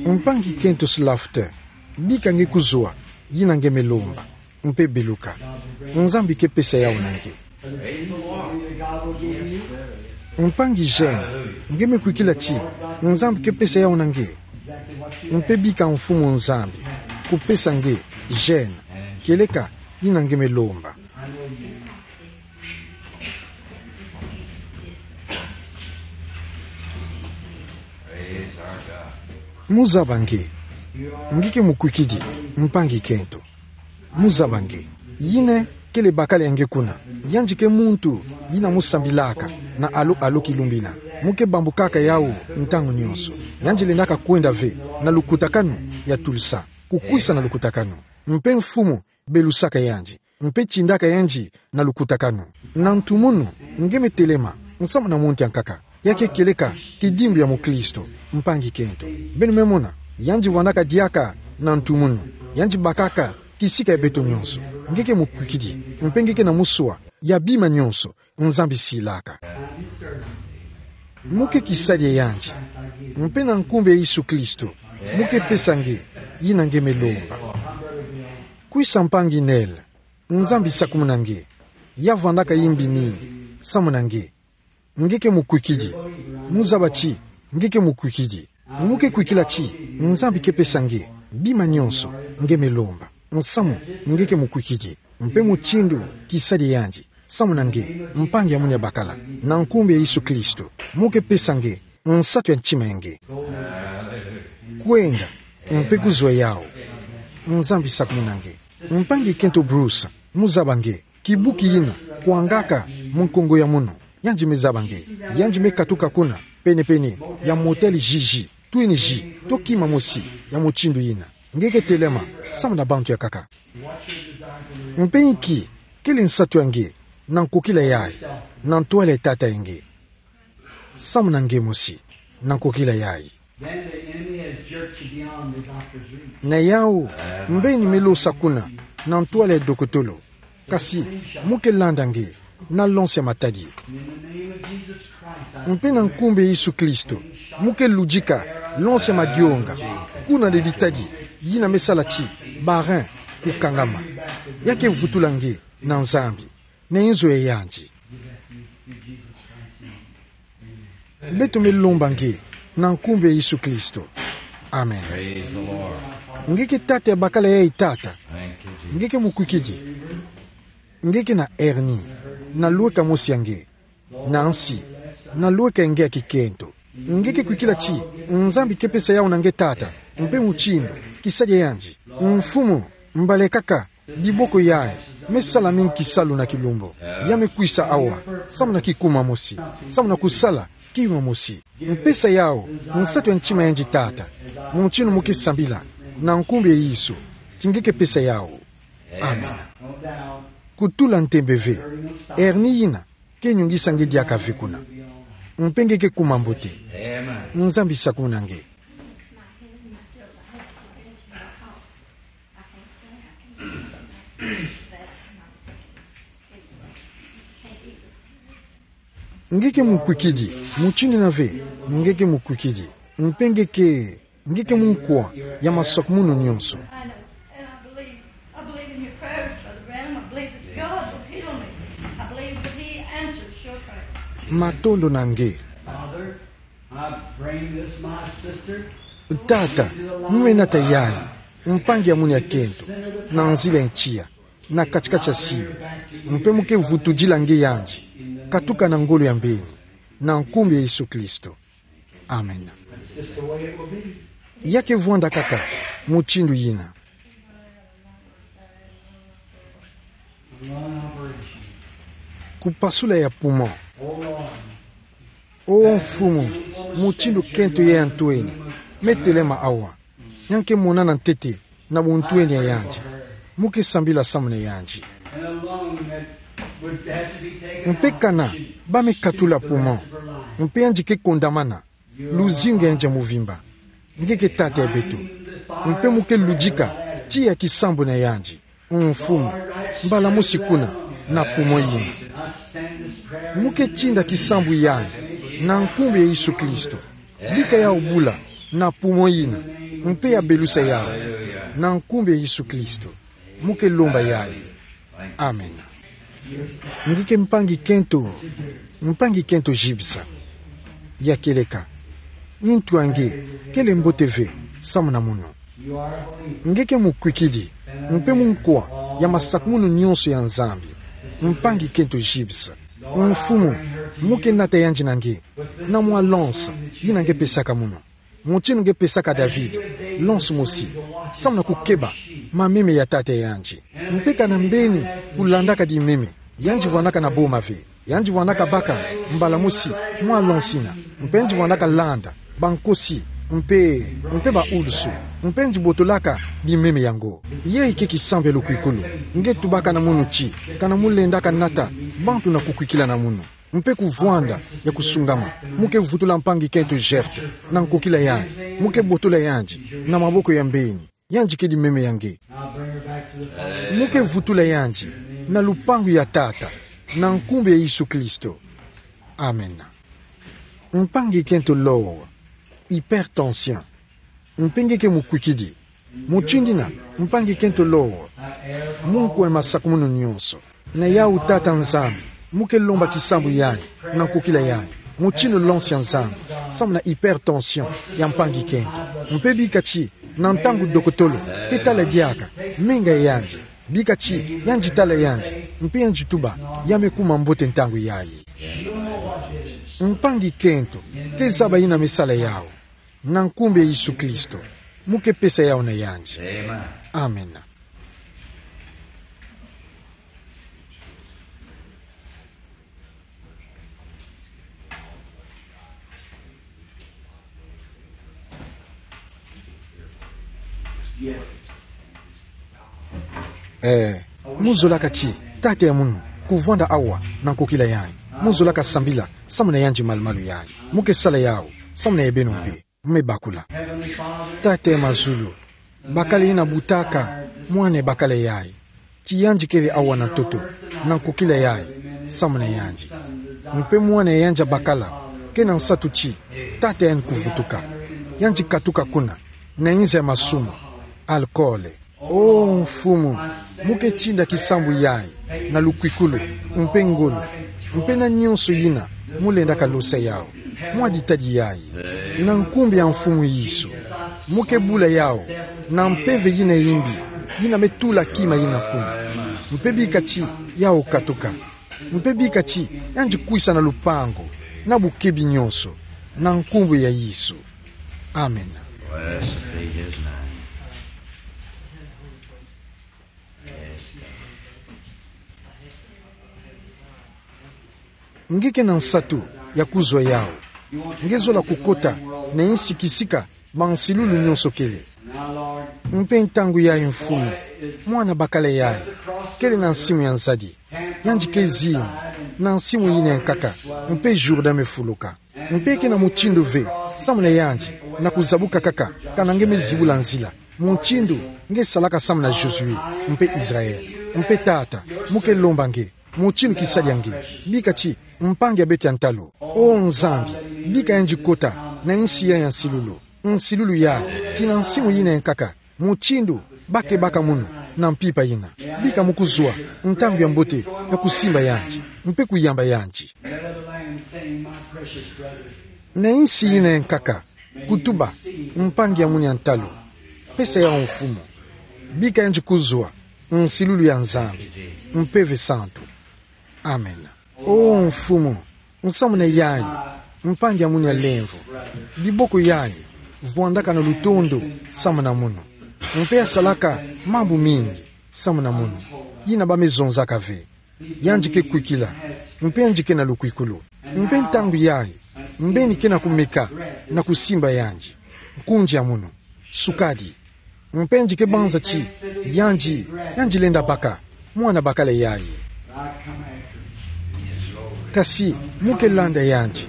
Mpangi kento Sloft, bika nge kuzwa yina nge me lomba, mpe beluka. Nzambi ke pesa yawu na nge. Mpangi Jane, nge me kwikila ti Nzambi ke pesa yawu na nge. Mpe bika Mfumu Nzambi kupesa nge Jane, kieleka yina nge me lomba. Muzaba nge. Nge ke mukwikidi, mpangi kento. Muzaba nge. Yina kele bakala ya nge kuna. Yandi ke muntu yina musambilaka na alo alo kilumbu ina. Mu ke bambukaka yawu ntangu nyonso. Yandi lendaka kwenda ve na lukutakanu ya tulisa. Kukwisa na lukutakanu. Mpe Mfumu belusaka yandi. Mpe tindaka yandi na lukutakanu. Na ntu munu, nge me telema, nsamu na muntu ya nkaka. Ya ke kieleka kidimbu ya mukristo, mpangi kento. Beno me mona, yandi vwandaka diaka na ntu munu. Yandi bakaka kisika ya beto nyonso. Nge ke mukwikidi, mpe nge ke na muswa ya bima nyonso Nzambi silaka. Mu ke kisadi ya yandi. Mpe na nkumbu ya Yesu Kristo, mu ke pesa nge yina nge me lomba. Kwisa mpangi Nel, Nzambi sakumuna nge. Ya vwandaka yimbi mingi samu na nge. Nge ke mukwikidi. Muzaba ti nge ke mukwikidi. Mu ke kwikila ti Nzambi ke pesa nge bima nyonso nge me lomba. Nsamu, nge ke mukwikidi. Mpe mutindu kisadi ya yandi samu na nge, mpangi ya munia bakala, na nkumbu ya Yesu Kristo, mu ke pesa nge nsatu ya ntima ya nge. Kwenda, mpe kuzwa yawu. Nzambi sakumuna nge. Mpangi kento Bruce, muzaba nge. Kibuki yina kwangaka mu nkongo ya munu. Yandi me zaba nge. Yandi me katuka kuna, pene-pene ya Motel Gigi, Twin Gee, to kima mosi ya mutindu yina. Nge ke telema samu na bantu ya nkaka. Mpe inki kele nsatu ya nge na nkokila yayi, na ntwala ya tata ya nge? Samu na nge mosi, na nkokila yayi. Then the enemy has jerked you beyond the doctor's reach. Na yawu, mbeni me losa kuna na ntwala ya dokotolo. Kasi, mu ke landa nge na lonse ya matadi. In the name of Jesus Christ, I Mpe na nkumbu ya Yesu Kristo, mu ke ludika lonse ya madionga kuna na ditadi yina me sala ti ba-rein kukangama. Ya ke vutula nge na Nzambi, na inzo ya yandi. Beto me lomba nge na nkumbu ya Yesu Kristo. Amen. Praise the Lord. Nge ke tata ya bakala yayi tata. Thank you, Jesus. Nge ke mukwikidi. Nge ke na hernie. Na lweka mosi ya nge. Na nsi. Na lweka ya nge ya kikento. Nge ke kwikila ti Nzambi ke pesa yawu na nge tata. Mpe mutindu kisadi ya yandi. Mfumu, mbala kaka diboko yayi me sala mingi kisalu na kilumbu. Ya me kwisa awa samu na kikuma mosi, samu na kusala kima mosi. Mpesa yawu nsatu ya ntima ya yandi tata, mutindu mu ke sambila na nkumbu ya Yesu, ti nge ke pesa yawu. Amen. Kutula ntembe ve. Hernie yina ke nyungisa nge diaka ve kuna. Mpe nge ke kuma mbote. Nzambi sakumuna nge. Nge ke mukwikidi, mutindu yina ve, nge ke mukwikidi. Mpe nge ke, nge ke munkwa ya maswakumunu nyonso. I know. And I believe, I believe in your prayers, Brother Branham. I believe that God will heal me. I believe that He answers your prayers. Matondo na nge. Father, I bring this, my sister, Tata, mu me nata yayi, mpangi ya munu ya kento, na nzila ya tiya, na kati-kati ya sibi. Mpe mu ke vutudila nge yandi, katuka na ngolo ya mbeni, na nkumbu ya Yesu Kristo. Amen. It's just the way it will be. Ya ke vwanda kaka mutindu yina. Kupasula ya poumon. O Mfumu, mutindu kento ya ntwenia me telema awa. Ya ke monana ntete na buntwenia ya yandi. Mu ke sambila samu na yandi. Mpe kana ba me katula poumon, mpe yandi ke kondamana luzingu ya yandi ya muvimba. Nge ke Tata ya beto. Mpe mu ke ludika tiya kisambu na yandi. Mfumu, mbala mosi kuna, na pumo yina. Mu ke tinda kisambu yayi, na nkumbu ya Yesu Kristo. Bika yawu bula, na pumo yina, mpe ya belusa yawu, na nkumbu ya Yesu Kristo. Mu ke lomba yayi. Amen. Nge ke mpangi kento, mpangi kento zibisa. Ya kieleka. Ntu a nge, kele mbote ve, samu na mono. Nge ke mukwikidi, mpe munkwa, ya masakumunu nyonso ya Nzambi. Mpangi kento zibisa. Mfumu, mu ke nata yandi na nge. Na mwa lansa, yina nge pesaka mono. Mutindu nge pesaka David, lansa mosi, samu na kukeba mameme ya tata yandi. Mpe kana mbeni kulandaka dimeme, yandi vwanaka na boma ve. Yandi vwanaka baka, mbala mosi, mwa lansa yina. Mpe yandi vwanaka landa bankosi, mpe, mpe baulusu, mpe yandi botolaka bimeme yango. Yayi ke kisambu ya lukwikulu. Nge tubaka na mono ti, kana mu lendaka nata bantu na kukwikila na mono. Mpe kuvwanda ya kusungama, mu ke vutula mpangi kento Gert na nkokila yayi, mu ke botola yandi na maboko ya mbeni. Yandi kedi meme ya nge. Mu ke vutula yandi na lupangu ya Tata, na nkumbu ya Yesu Kristo. Amen. Mpangi kento Lowe, hypertension. Mpe nge ke mukwikidi. Mutindu yina, mpangi kento Lowe, munkwa ya masakumunu nyonso. Na yawu Tata Nzambi, mu ke lomba kisambu yayi, na nkokila yayi. Mutindu lansa ya Nzambi, samu na hypertension ya mpangi kento. Mpe bika ti, na ntangu dokotolo ke tala diaka menga yandi. Bika ti, yandi tala yandi, mpe yandi tuba, ya me kuma mbote ntangu yayi. Mpangi kento ke zaba yina me sala yawu. Na nkumbu ya Yesu Kristo, mu ke pesa yawu na yandi. Amen. Eh, mu zolaka ti, tata ya mono, kuvwanda awa na nkokila yayi. Mu zolaka sambila samu na yandi malumalu yayi. Mu ke sala yawu samu na ya beno mpe. Mu me bakula. Tata ya mazulu, bakala yina butaka mwana ya bakala yayi, ti yandi kele awa na ntoto, na nkokila yayi, samu na yandi. Mpe mwana ya yandi ya bakala, ke na nsatu ti, tata yandi kuvutuka. Yandi katuka kuna, na nza ya masumu, alcool. O Mfumu, mu ke tinda kisambu yayi, na lukwikulu, mpe ngolo, mpe na nyonso yina mu lendaka losa yawu, mwa ditadi yayi. Na nkumbu ya Mfumu Yesu, mu ke bula yawu na mpeve yina ya mbi, yina me tula kima yina kuna. Mpe bika ti yawu katuka. Mpe bika ti yandi kwisa na lupangu, na bukebi nyonso, na nkumbu ya Yesu. Amen. Blessed be his name. Nge ke na nsatu ya kuzwa yawu. Nge zola kukota na yinsi kisika bansilulu nyonso kele. Mpe ntangu yayi Mfumu, mwana bakala yayi, kele na nsimu ya nzadi. Yandi ke zingi na nsimu yina ya nkaka, mpe Jourdain me fuluka. Mpe ke na mutindu ve samu na yandi na kuzabuka kaka, kana nge me zibula nzila. Mutindu nge salaka samu na Josué, mpe Israël. Mpe Tata, mu ke lomba nge, mutindu kisadi ya nge, bika ti mpangi ya beto ya ntalu. O Nzambi, bika yandi kota na yinsi yayi ya nsilulu. Nsilulu yayi, tii na nsimu yina ya nkaka. Mutindu ba ke baka mono na mpimpa yina. Bika mu kuzwa ntangu ya mbote ya kusimba yandi, mpe kuyamba yandi. Na yinsi yina ya nkaka, kutuba, mpangi ya mono ya ntalu. Pesa yawu Mfumu. Bika yandi kuzwa nsilulu ya Nzambi, mpeve santu. Amen. O Mfumu, nsamu na yayi, mpangi ya mono ya lemvo. Diboko yayi, vwandaka na lutondo samu na mono. Mpe ya salaka mambu mingi samu na mono, yina ba me zonzaka ve. Yandi ke kwikila, mpe yandi ke na lukwikulu. Mpe ntangu yayi, mbeni ke na kumeka na kusimba yandi. Nkundi ya mono, sukadi. Mpe yandi ke banza ti yandi, yandi lenda baka mwana bakala yayi. Kasi mu ke landa yandi,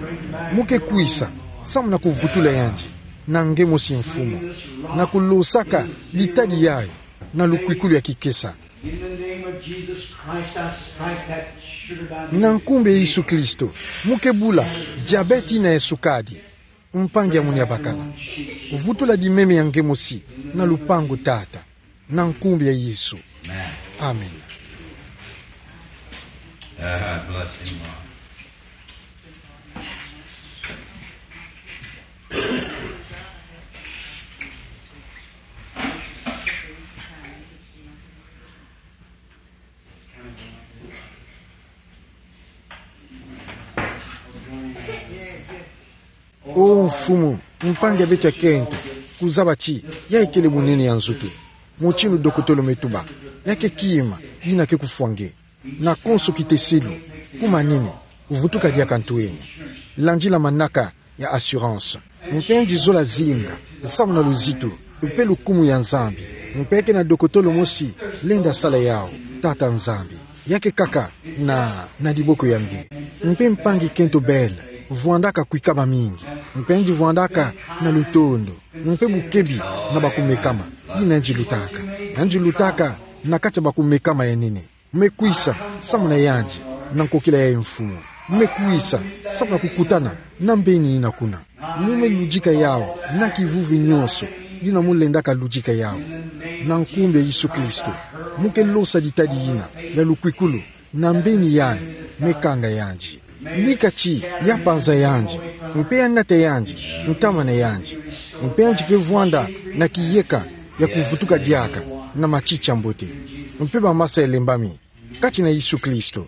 mu ke kwisa samu na kuvutula yandi. Na nge mosi Mfumu, na kulosaka ditadi yayi na lukwikulu ya kikesa. In the name of Jesus Christ, I strike that sugar diamond. Na nkumbu ya Yesu Kristo, mu ke bula diabète yina ya sukadi. Mpangi ya munu ya bakala, vutula dimeme ya nge mosi na lupangu, Tata, na nkumbu ya Yesu. Amen. Amen. Ah, bless him, Lord. O Mfumu, mpangi ya beto ya kento, kuzaba ti yayi kele bunene ya nzutu. Mutindu dokotolo me tuba, ya ke kima yina ke kufwa nge. Na konso kiteselu, kuma nini, vutuka diaka ntweni. Landila manaka ya assurance. Mpe nge zola zinga, samu na luzitu, mpe lukumu ya Nzambi. Mpe ke na dokotolo mosi lenda sala yawu, Tata Nzambi. Ya ke kaka na, na diboko ya nge. Mpe mpangi kento Bell, vwandaka kwikama mingi. Mpe nge vwandaka na lutondo. Mpe bukebi na bakumekama. Yina nge lutaka. Nge lutaka na kati ya bakumekama ya nene. Me kwisa, samu na yandi, na nkokila yayi Mfumu. Me kwisa, samu na kukutana na mbeni yina kuna. Mu me ludika yawu na kivuvi nyonso, yina mu lendaka ludika yawu. Na nkumbu ya Yesu Kristo, mu ke losa ditadi yina ya lukwikulu na mbeni yayi me kanga yandi. Bika ti ya panza yandi, mpe ya nata yandi, ntama na yandi. Mpe yandi ke vwanda na kiyeka ya kuvutuka diaka na matiti ya mbote. Mpe bamasa ya lembami kati na Yesu Kristo.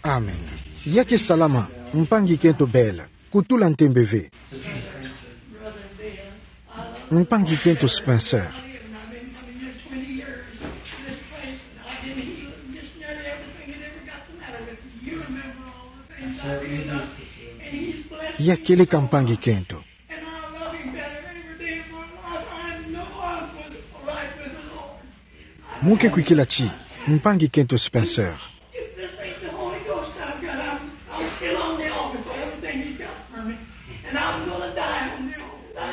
Amen. Ya ke salama, mpangi kento Bell. Kutula ntembe ve. Mpangi kento Spencer. Ya keleka mpangi kento. Mu ke kwikila ti, mpangi kento Spencer.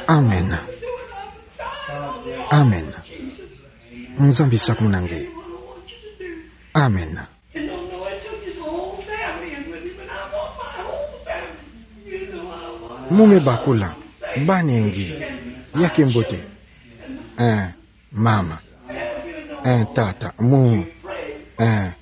Amen. Amen. Nzambi sakumuna nge. Amen. Mu me bakula, bana ya nge, ya ke mbote. Eh, mama. Eh, tata, mu. Eh,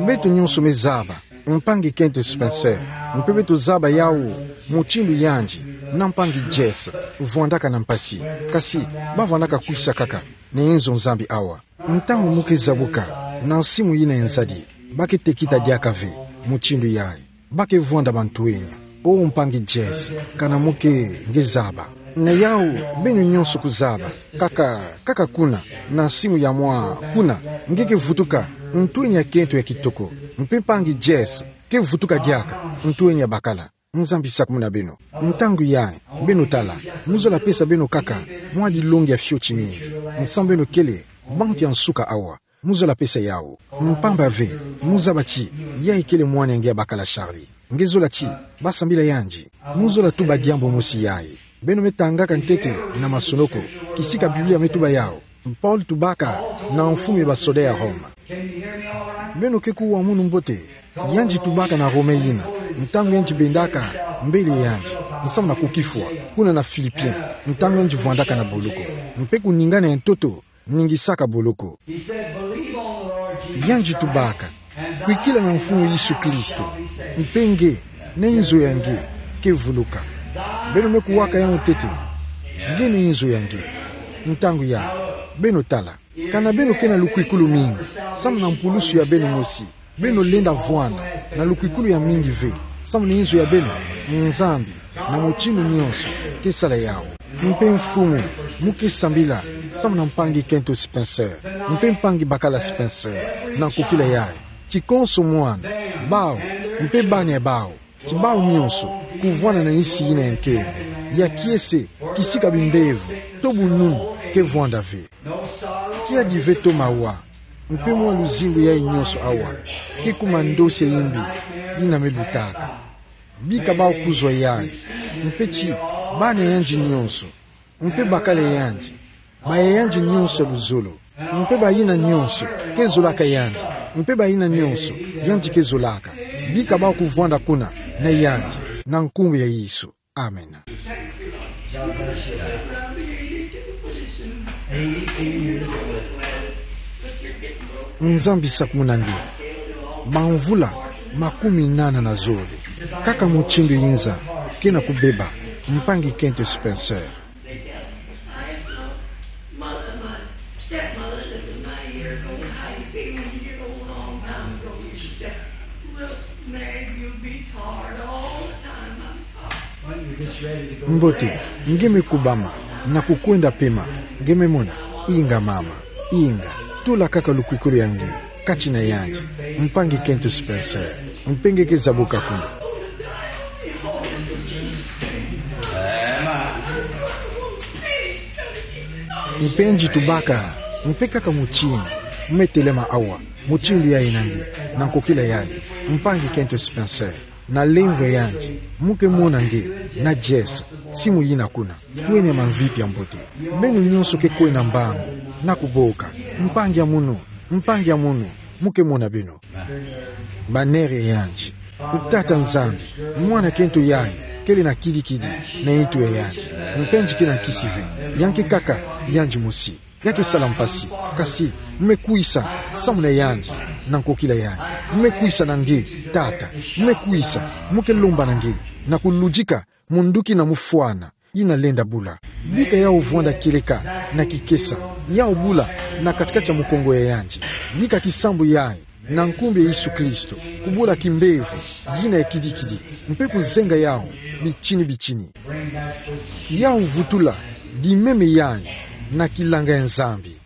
beto nyonso me zaba mpangi kento Spencer, mpe beto zaba yawu mutindu yandi na mpangi Jess vwandaka na mpasi, kasi ba vwandaka kwisa kaka na enzo Nzambi awa. Ntangu mu ke zabuka na nsimu yina ya nzadi, ba ke tekita diaka ve mutindu yayi. Ba ke vwanda ba ntwenya. O mpangi Jess, kana mu ke nge zaba. Na yawu beno nyonso kuzaba, kaka, kaka kuna, na nsimu ya mwa kuna, nge ke vutuka ntwenya kento ya kitoko. Mpe mpangi Jess ke vutuka diaka ntwenya bakala. Nzambi sakumuna beno. Ntangu yayi, beno tala, mu zola pesa beno kaka mwa dilongi ya fioti mingi. Nsangu beno kele bantu ya nsuka awa, mu zola pesa yawu. Mpamba ve, mu zaba ti yayi kele mwana ya nge ya bakala Charlie. Nge zola ti ba sambila yandi. Mu zola tuba diambu mosi yayi. Beno me tangaka ntete na masonoko, kisika Biblia me tuba yawu. Paul tubaka na mfumu ya basoda ya Roma. Beno ke kuwa munu mbote? Yandi tubaka na Roma yina, ntangu yandi bendaka mbele yandi, nsamu na kukifwa, kuna na Philippiens, ntangu yandi vwandaka na boloko. Mpe kuningana ya ntoto ningisaka boloko. Yandi tubaka, kwikila na Mfumu Yesu Kristo, mpe nge, na inzo ya nge, ke vuluka. Beno me kuwaka yawu ntete, nge na inzo ya nge. Ntangu yayi, beno tala. Kana beno ke na lukwikulu mingi, samu na mpulusu ya beno mosi, beno lenda vwanda na lukwikulu ya mingi ve, samu na inzo ya beno, Nzambi, na mutindu nyonso, ke sala yawu. Mpe Mfumu, mu ke sambila, samu na mpangi kento Spencer, mpe mpangi bakala Spencer, na nkokila yayi, ti konso mwana, bawu, mpe bana ya bawu, ti bawu nyonso, kuvwanda na insi yina ya nkembo, ya kiese, kisika bimbevo, to bununu, ke vwanda ve. Kiadi ve to mawa, mpe mwa luzingu yayi nyonso awa, ke kuma ndosi ya yimbi, yina me lutaka. Bika bawu kuzwa yayi, mpe ti, bana yandi nyonso, Mpe bakala yandi, ba yandi nyonso luzolo. Mpe ba yina nyonso, kezolaka yandi. Mpe ba yina nyonso, yandi kezolaka. Bika bau kuvwanda kuna, na yandi, na nkumbu ya Yesu. Amen. Nzambi sakumuna nge. Bamvula makumi nana na zole. Kaka mutindu yi nza, kena kubeba, mpangi kento Spencer. Mbote, nge me kubama, na kukwenda pema, nge me mona, inga mama, inga, tula kaka lukwikulu ya nge, kati na yandi, mpangi kento Spencer, mpe nge ke zabuka kuna. Mpe nge tubaka, mpe kaka mutindu, me telema awa, mutindu yayi na nge, na nkokila yayi, mpangi kento Spencer, na lemvo yandi, mu ke mona nge, na Jess, simu yina kuna, twenia mamvipi ya mbote. Beno nyonso ke kwena mbangu, na kuboka, mpangi ya munu, mpangi ya munu, mu ke mona beno. Banere yandi. O Tata Nzambi, mwana kento yayi, kele na kidikidi, na ntu ya yandi. Mpe nge kena nkisi ve, ya nge kaka, yandi mosi. Ya ke sala mpasi, kasi, me kwisa, samu na yandi, na nkokila yayi. Me kwisa na nge, Tata, me kwisa, mu ke lomba na nge, na kuludika, munduki na mufwana, yina lenda bula. Bika yau vwanda kieleka, na kikesa, yau bula, na katikati ya mukongo ya yandi. Bika kisambu yayi, na nkumbu ya Yesu Kristo, kubula kimbevo, yina ya kidikidi, mpe kuzenga yau, bitini bitini. Yau vutula, dimeme yayi, na kilanga ya Nzambi.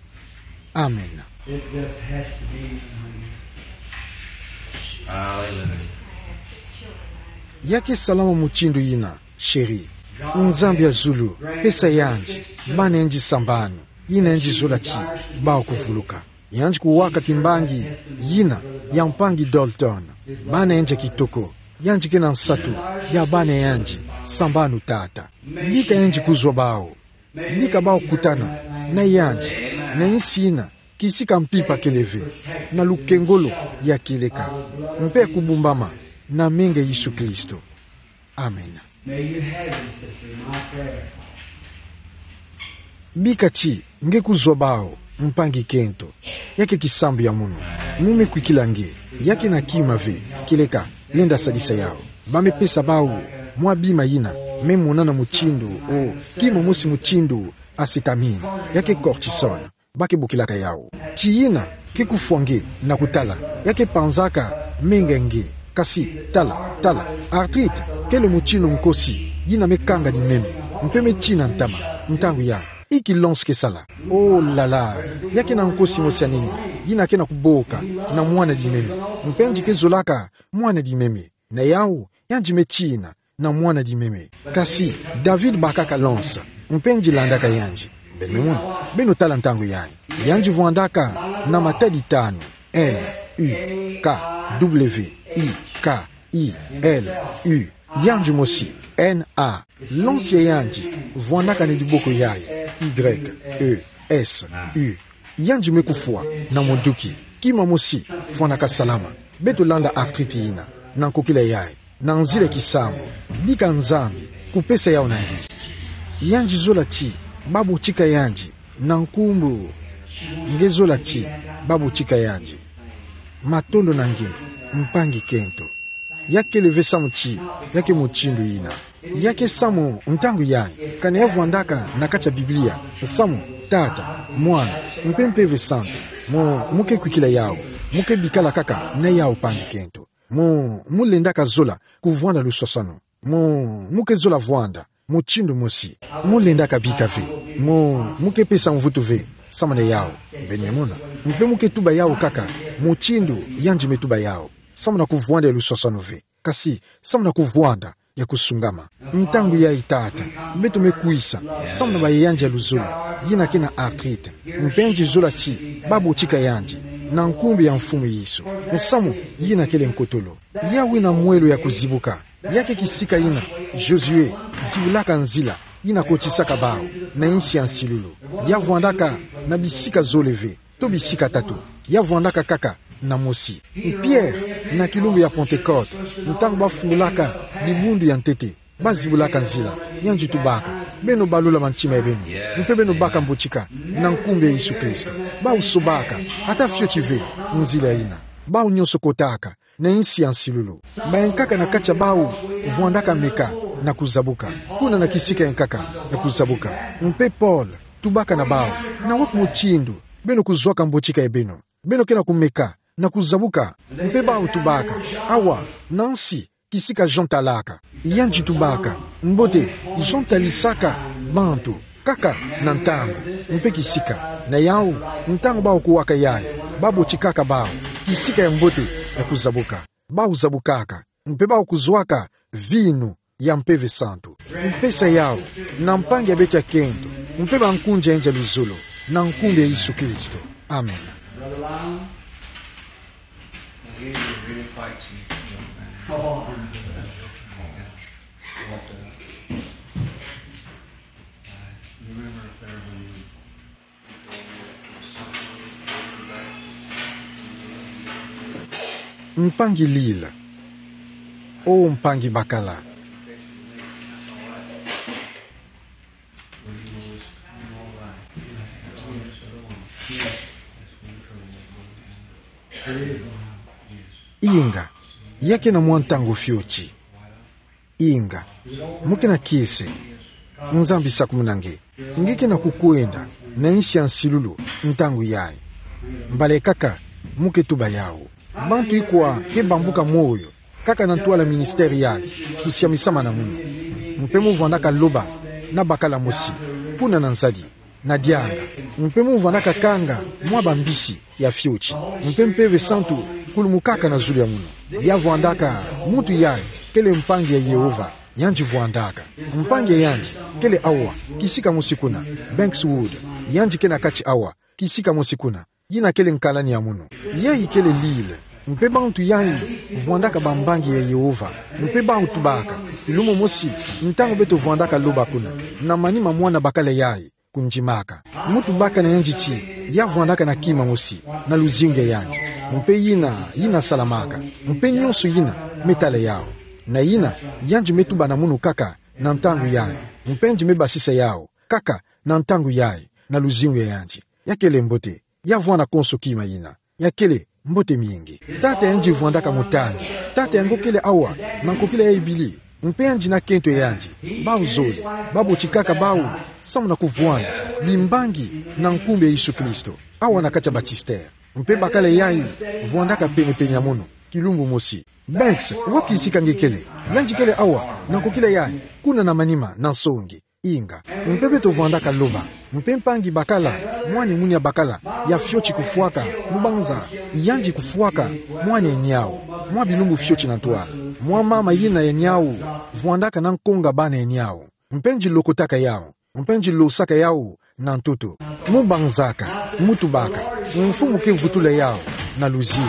Amen. It just has to be. Hallelujah. Ya ke salama mutindu yina, chéri. Nzambi ya zulu, pesa yandi, bana yandi sambanu, yina yandi zola ti, bau kuvuluka. Yandi kuwaka kimbangi, yina, ya mpangi Dalton, bana yandi ya kitoko, yandi kena nsatu, ya bana yandi, sambanu Tata. Bika yandi kuzwa bau. Bika bau kutana, na yandi, na insi yina, kisika mpimpa kele ve, na lukengolo ya kieleka, mpe kubumbama, na menga Yesu Kristo. Amen. May you have him, sister, in my prayer. Bika ti, nge kuzwa bau, mpangi kento. Ya ke kisambu ya munu. Mu me kwikila nge, ya kena kima ve, kieleka, lenda sadisa yau. Ba me pesa bau, mwa bima yina, me monana mutindu, o, kima mosi mutindu, acétamine, ya ke cortisone, ba ke bokilaka yau. Ti yina, ke kufwa nge, na kutala, ya ke panzaka, menga nge, kasi, tala, tala, arthrite, kele mutindu nkosi, yina me kanga dimeme, mpe me tina ntama, ntangu ya, inki lonso ke sala. Oh là là, ya kena nkosi mosi ya nene, yina kena kuboka, na mwana dimeme, mpe nge ke zolaka, mwana dimeme. Na yau, yandi me tina, na mwana dimeme. Kasi, David bakaka lonso, mpe nge landaka yandi. Beno mona, beno tala ntangu yayi. Yandi vwandaka, na matadi tanu, L, U, K, W, I, K, I, L, U. Yandi mosi, N, A. Lonso ya yandi, vwandaka na diboko yayi, Y, E, S, U. Yandi me kufwa, na munduki, kima mosi, fwanaka salama. Beto landa arthrite yina, na nkokila yayi, na nzila kisambu, bika Nzambi, kupesa yau na nge. Yandi zola ti, ba botika yandi, na nkumbu, nge zola ti, ba botika yandi. Matondo na nge, mpangi kento. Ya kele ve samu ti, ya ke mutindu yina. Ya ke samu ntangu yayi, kana ya vwandaka na kati ya Biblia, samu, Tata, Mwana, mpe Mpeve Santu, mu, mu ke kwikila yau, mu ke bikala kaka na yau mpangi kento. Mu, mu lendaka zola, kuvwanda luswaswanu. Mu, mu ke zola vwanda, mutindu mosi. Mu lendaka bika ve. Mu, mu ke pesa mvutu ve, samu na yau. Beno me mona. Mpe mu ke tuba yau kaka, mutindu, yandi me tuba yau. Samu na kuvwanda ya luswaswanu ve. Kasi, samu na kuvwanda, ya kusungama. Ntangu yayi Tata, beto me kwisa, samu na ba yandi ya luzolo, yina kena arthrite. Mpe nge zola ti, ba botika yandi, na nkumbu ya Mfumu Yesu. Samu, yina kele nkotolo. Ya wina mwelo ya kuzibuka. Ya ke kisika yina, Josué, zibulaka nzila, yi na kotisaka bawu na insi ya nsilulu. Ya vwandaka na bisika zole ve, to bisika tatu. Ya vwandaka kaka na mosi. Pierre, na kilumbu ya Pentecôte, ntangu bafungolaka dibundu ya ntete, bazibulaka nzila, yandi tubaka: Beno balula mantima ya beno, mpe beno baka mbotika na nkumbu ya Yesu Kristo. Bawu sobaka, ata fioti ve, nzila yina. Bawu nyonso kotaka na insi ya nsilulu. Bayankaka na kati ya bawu vwandaka meka na kuzabuka, kuna na kisika yankaka ya kuzabuka. Mpe Paul tubaka na bawu: Na wapi mutindu beno kuzwaka mbotika ya beno? Beno ke na kumeka na kuzabuka? Mpe bawu tubaka: Awa, na nsi, kisika Jean talaka. Yandi tubaka: Mbote, Jean talisaka bantu kaka na ntangu mpe kisika. Na yawu, ntangu bawu kuwaka yayi, babotikaka bawu kisika ya mbote ya kuzabuka. Bawu zabukaka, mpe bawu kuzwaka vinu ya Mpeve Santu. Mpesa yawu na mpangi ya beto ya kento, mpe bankunzi ya inza luzolo, na nkumbu ya Yesu Kristo. Amen. Brother Lyon, I hear you're really fighting. Oh, I'm good. Yeah. But, uh, uh, you remember if there when you Mpangi Lila. O mpangi bakala. Inga, ya ke na mwa ntangu fioti. Inga, mu ke na kiese. Nzambi sakumuna nge. Nge ke na kukwenda na insi ya nsilulu ntangu yayi. Mbala ekaka mu ke tuba yawu. Bantu ikwa ke bambuka moyo kaka na ntwala ministère yayi, kusiamisama na munu. Mpe mu vwandaka loba na bakala mosi, kuna na nzadi, na dianga. Mpe mu vwandaka kanga mwa bambisi ya fioti. Mpe Mpeve Santu kulumukaka na zulu ya munu. Ya vwandaka muntu yayi kele mpangi ya Yehova, yandi vwandaka. Mpangi ya yandi kele awa, kisika mosi kuna, Bankswood, yandi ke na kati awa, kisika mosi kuna, yina kele nkalani ya munu. Yayi kele Lila, mpe bantu yayi vwandaka bambangi ya Yehova, mpe bawu tubaka, kilumbu mosi, ntangu beto vwandaka loba kuna, na manima mwana bakala yayi kundimaka. Mu tubaka na yandi ti, ya vwandaka na kima mosi na luzingu ya yandi. Mpe yina, yina salamaka. Mpe nyonso yina me tala yawu. Na yina, yandi me tuba na munu kaka na ntangu yayi. Mpe yandi me basisa yawu kaka na ntangu yayi, na luzingu ya yandi. Ya kele mbote. Ya vwanda konso kima yina. Ya kele mbote mingi. Tata yandi vwandaka mutangi. Tata yango kele awa, na nkokila yayi bili. Mpe yandi na kento ya yandi, bawu zole, babotikaka bawu, samu na kuvwanda bimbangi na nkumbu ya Yesu Kristo, awa na kati ya baptistère. Mpe bakala yayi vwandaka pene-pene ya munu, kilumbu mosi. Banks, wapi kisika nge kele? Yandi kele awa, na nkokila yayi, kuna na manima, na nsongi. Inga. Mpe beto vwandaka loba. Mpe mpangi bakala, mwana munia bakala ya fioti kufwaka, mbanza, yandi kufwaka mwana ya niawu, mwa bilumbu fioti na ntwala. Mwa mama yina ya niawu vwandaka na nkonga bana ya niawu. Mpe yandi lokotaka yawu. Mpe yandi losaka yawu na ntoto. Mu banzaka, mu tubaka, mfumu ke vutula yawu na luzingu,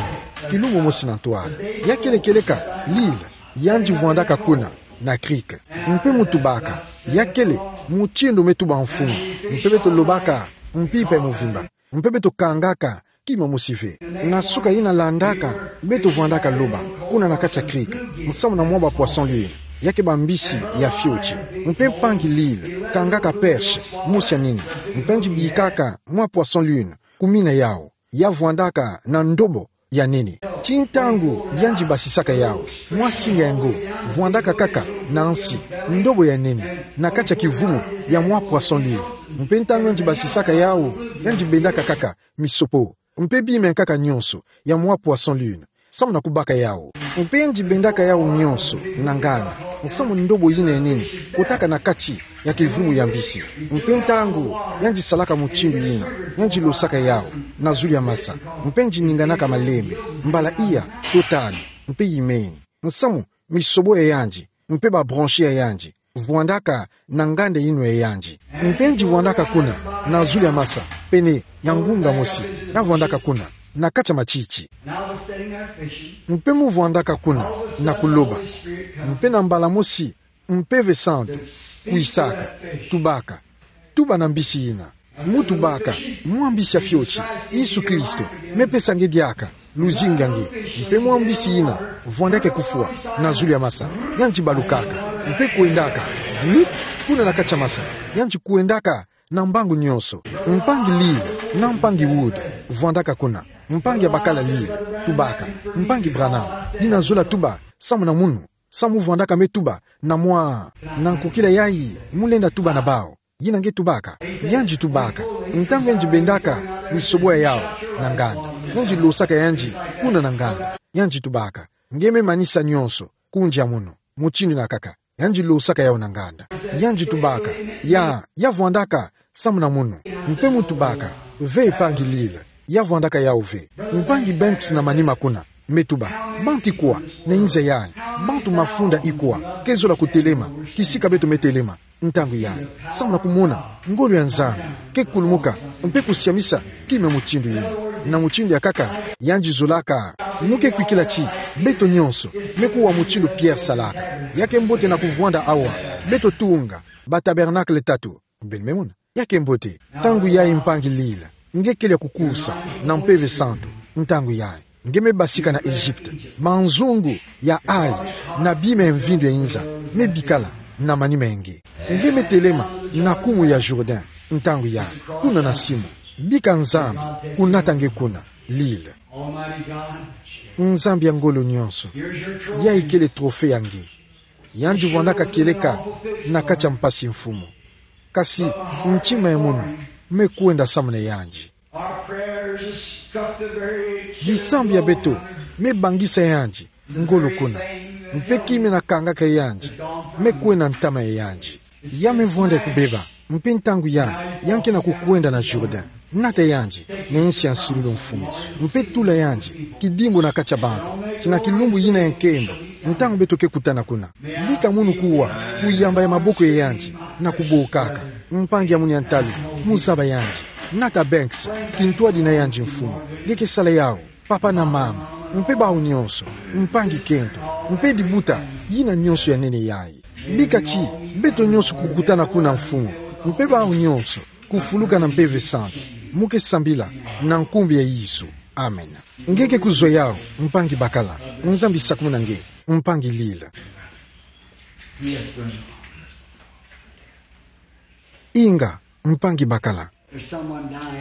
kilumbu mosi na ntwala. Ya kele kieleka Lila, yandi vwandaka kuna na Creek. Mpe mu tubaka, ya kele mutindu me tuba mfumu, mpe beto lobaka mpimpa ya muvimba, mpe beto kangaka kima mosi ve. Na suka yina landaka, beto vwandaka loba, kuna na kati ya Creek, nsamu na mwa ba poisson lune, ya ke bambisi ya fioti. Mpe mpangi Lila kangaka perche mosi ya nene, mpe yandi bikaka mwa poisson lune, kumina yawu. Ya vwandaka na ndobo ya nene. Ti ntangu yandi basisaka yawu, mwa singa yango vwandaka kaka na nsi, ndobo ya nene, na kati ya kivumu ya mwa poisson lune. Mpe ntangu yandi basisaka yawu, yandi bendaka kaka misopo, mpe bima ya nkaka nyonso ya mwa poisson lune, samu na kubaka yawu. Mpe yandi bendaka yawu nyonso na nganda, nsamu ndobo yina ya nene kotaka na kati ya kivumu ya mbisi. Mpe ntangu yandi salaka mutindu yina, yandi losaka yawu na zulu ya masa, mpe yandi ninganaka malembe, mbala iya to tanu, mpe yimeni. Nsamu misobo ya yandi, mpe ba branche ya yandi, vwandaka na nganda yinwa ya yandi. Mpe yandi vwandaka kuna, na zulu ya masa, pene ya ngunga mosi, ya vwandaka kuna, na kati ya matiti. Mpe mu vwandaka kuna na kuloba. Mpe na mbala mosi, Mpeve Santu Kwisaka. Tubaka. Tuba na mbisi ina. Mutubaka, mwa mbisi ya fioti, Yesu Kristo, mepesa nge diaka luzingu ya nge. Mpe mwa mbisi ina vwandaka kufwa na zulu ya masa, yandi balukaka, mpe kwendaka, Ruth, kuna na kati ya masa, yandi kwendaka na mbangu nyonso. Mpangi Lila na mpangi Wood vwandaka kuna. Mpangi ya bakala Lila, tubaka. Mpangi Branham, yina zola tuba samu na munu, samu vwandaka me tuba na mwa, na nkokila yayi mu lenda tuba na bawu. Yina nge tubaka. Yandi tubaka. Ntangu yandi bendaka misobwa yawu na nganda, yandi losaka yandi kuna na nganda. Yandi tubaka, nge me manisa nyonso, kundia munu, mutindu yina kaka. Yandi losaka yawu na nganda. Yandi tubaka, ya, ya vwandaka samu na munu. Mpe mutubaka, ve mpangi Lila, ya vwandaka yawu ve. Mpangi Banks na manima kuna, me tuba, bantu ikwa na inza yayi? Bantu mafunda ikwa ke zola kutelema kisika beto me telema ntangu yayi, samu na kumona ngolo ya Nzambi ke kulumuka mpe kusiamisa kima mutindu yina? Na mutindu ya kaka, yandi zolaka. Mu ke kwikila ti beto nyonso me kuwa mutindu Pierre salaka. Ya ke mbote na kuvwanda awa, beto tunga ba tabernacle tatu. Beno me mona? Ya ke mbote. Ntangu yayi mpangi Lila, nge kele ya kukusa na Mpeve Santu. Ntangu yayi nge me basika na Egypte. Banzungu ya ayi na bima ya mvindu ya inza me bikala na manima ya nge. Nge me telema na kumu ya Jourdain ntangu yayi, kuna na simu. Bika Nzambi kunata nge kuna, Lila. Nzambi ya ngolo nyonso, yayi kele trophée ya nge. Yandi vwandaka kieleka na kati ya mpasi, Mfumu. Kasi ntima ya munu me kwenda samu na yandi. Bisambu ya beto me bangisa yandi ngolo kuna. Mpe kima na kangaka yandi me kwenda ntama ya yandi. Ya me vwanda ya kubeba, mpe ntangu yayi, ya ke na kukwenda na Jourdain. Nata yandi na insi ya nsilulu, Mfumu, mpe tula yandi kidimbu na kati ya bantu, ti na kilumbu yina ya nkembo, ntangu beto ke kutana kuna, bika munu kuwa ku yamba ya maboko ya yandi, na kubokaka. Mpangi ya munu ya ntalu, mu zaba yandi. Nata Banks, kintwadi na yandi, Mfumu. Nge ke sala yawu, papa na mama, mpe bawu nyonso, mpangi kento, mpe dibuta yina nyonso ya nene yayi. Bika ti beto nyonso kukutana kuna, Mfumu, mpe bawu nyonso kufuluka na Mpeve Santu. Mu ke sambila na nkumbu ya Yesu. Amen. Nge ke kuzwa yawu, mpangi bakala. Nzambi sakumuna nge, mpangi Lila. Inga, mpangi bakala.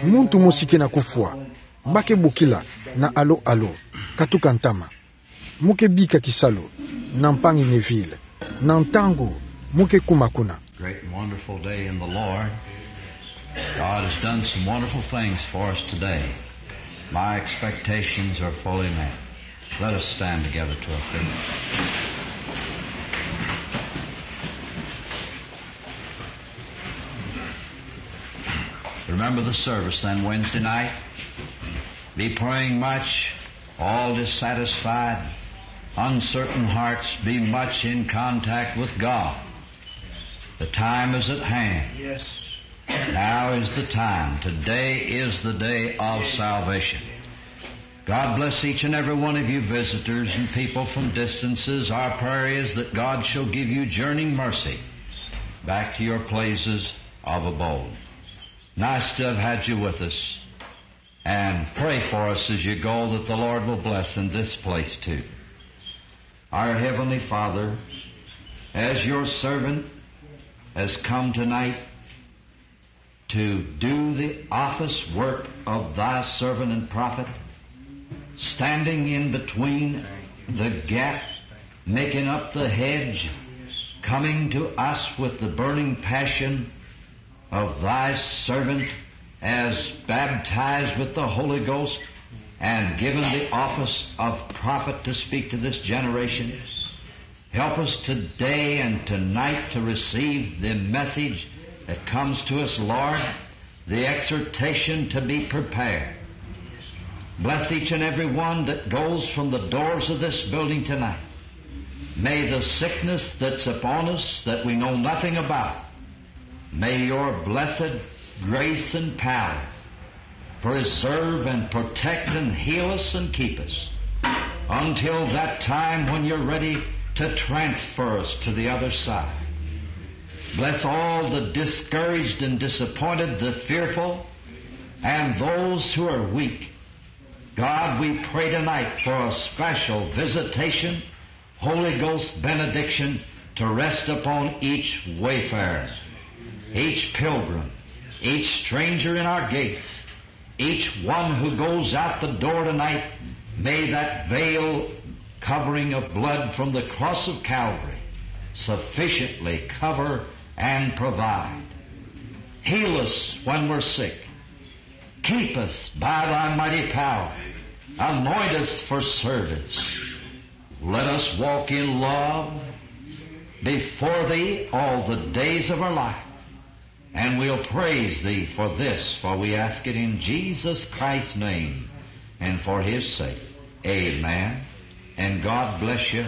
Muntu mosi ke na kufwa, ba ke bokila na alo alo, katuka ntama. Mu ke bika kisalu na mpangi Neville, na ntangu mu ke kuma kuna. Great and wonderful day in the Lord. God has done some wonderful things for us today. My expectations are fully met. Let us stand together to our feet. Remember the service then Wednesday night. Be praying much. All dissatisfied, uncertain hearts, be much in contact with God. The time is at hand. Yes. Now is the time. Today is the day of salvation. God bless each and every one of you visitors and people from distances. Our prayer is that God shall give you journeying mercy back to your places of abode. Nice to have had you with us. And pray for us as you go that the Lord will bless in this place too. Our Heavenly Father, as your servant has come tonight to do the office work of thy servant and prophet, standing in between the gap, making up the hedge, coming to us with the burning passion of thy servant as baptized with the Holy Ghost and given the office of prophet to speak to this generation. Help us today and tonight to receive the message that comes to us, Lord, the exhortation to be prepared. Bless each and every one that goes from the doors of this building tonight. May the sickness that's upon us that we know nothing about, may your blessed grace and power preserve and protect and heal us and keep us until that time when you're ready to transfer us to the other side. Bless all the discouraged and disappointed, the fearful, and those who are weak. God, we pray tonight for a special visitation, Holy Ghost benediction to rest upon each wayfarer, each pilgrim, each stranger in our gates, each one who goes out the door tonight. May that veil covering of blood from the cross of Calvary sufficiently cover and provide. Heal us when we're sick. Keep us by thy mighty power. Anoint us for service. Let us walk in love before thee all the days of our life. And we'll praise thee for this, for we ask it in Jesus Christ's name and for his sake. Amen. And God bless you.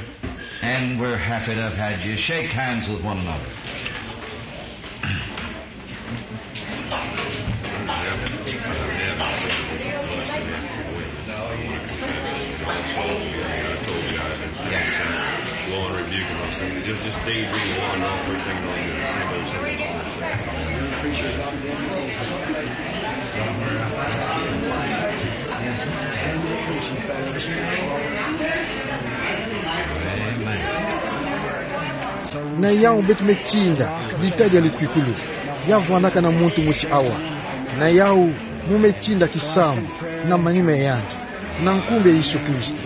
And we're happy to have had you. Shake hands with one another. Go and rebuke him. I'm saying, just, just daydream on and off, everything on the same old, same old, same old. Na yau beto metinda di tadi ya lukwikulu, ya vwandaka na muntu mosi awa. Na yau mo metinda kisambu na manima yandi, na nkumbu ya Yesu Kristo.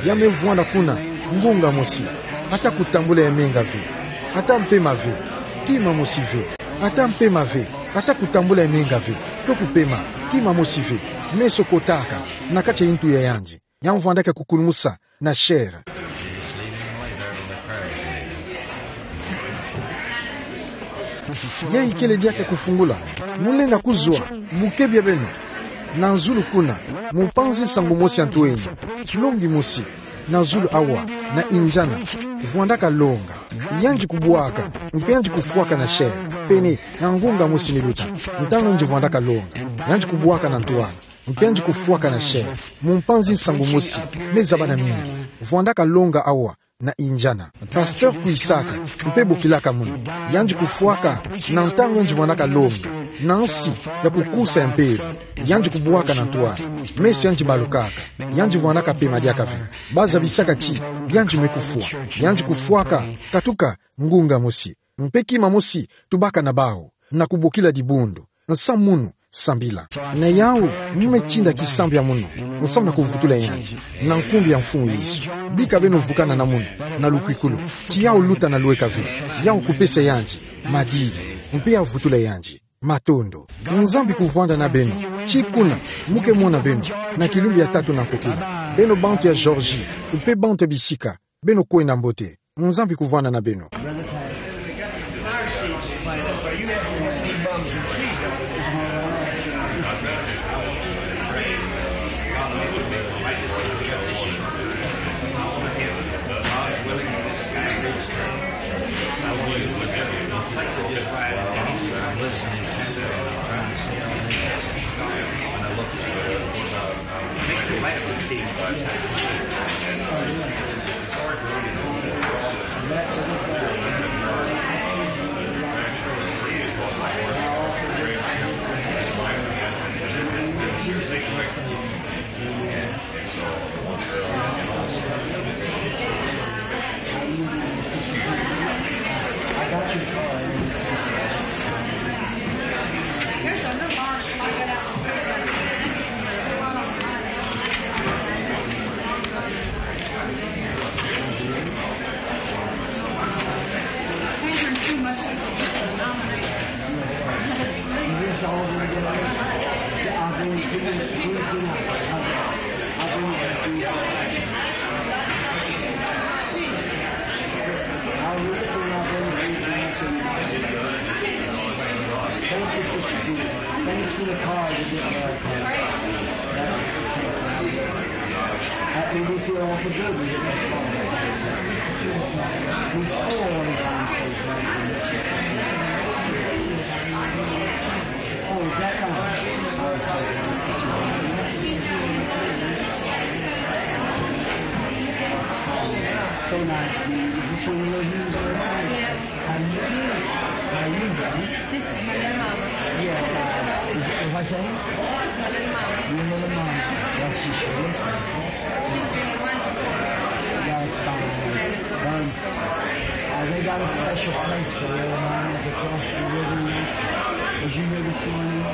Ya mevwanda kuna ngunga mosi, ata kutambula ya menga ve, ata mpema ve, kima mosi ve, ata mpema ve, ata kutambula ya menga ve, to kupema, kima mosi ve, meso kotaka, na kati ya ntu ya yandi. Ya mvwandaka kukulumusa na chair. Ya ikele diaka kufungula, mulenda kuzwa, bukebi ya beno. Na zulu kuna, mpanzi nsangu mosi ya ntu eno, longi mosi, na zulu awa, na injana, vwandaka longa. Yandi kubwaka, mpe yandi kufwaka na chair, pene, ya ngunga mosi miluta, ntangu yandi vwandaka longa. Yandi kubwaka na ntwala. Mpe yandi kufwaka na chair, mpanzi nsangu mosi, mezaba na mingi, vwandaka longa awa, na injana. Pasteur kwisaka, mpe bokilaka munu. Yandi kufwaka, na ntangu yandi vwandaka longa, na nsi, ya kukusa ya mpeve, yandi kubwaka na ntwala, meso yandi balukaka, yandi vwandaka pema diaka ve. Bazabisaka ti, yandi me kufwa, yandi kufwaka, katuka, ngunga mosi. Mpe kima mosi, tubaka na bawu, na kubokila dibundu, nsa munu, sambila. Na yau, mo metinda kisambu ya munu, nsamu na kuvutula yandi, na nkumbu ya Mfumu Yesu. Bika beno vukana na munu, na lukwikulu, ti yau luta na lweka ve, yau kupesa yandi, madidi, mpe ya vutula yandi. Matondo. Nzambi kuvwanda na beno, ti kuna, mo ke mona beno, na kilumbu ya tatu na nkokila. Beno bantu ya Georgie, mpe bantu ya bisika, beno kwenda mbote. Nzambi kuvwanda na beno. Thanks for the card. That made me feel awful good. He's all the time so kind. Oh, is that kind? Oh, so kind. So nice. Is this one of those? This is my little mom. Yes, uh, is it, what I say? This is my little mom. Your little mom. Yes, she sure looks like her. She's been one before. Yeah, it's fine. Um, uh, they got a special place for little mamas across the river. Did you hear this morning?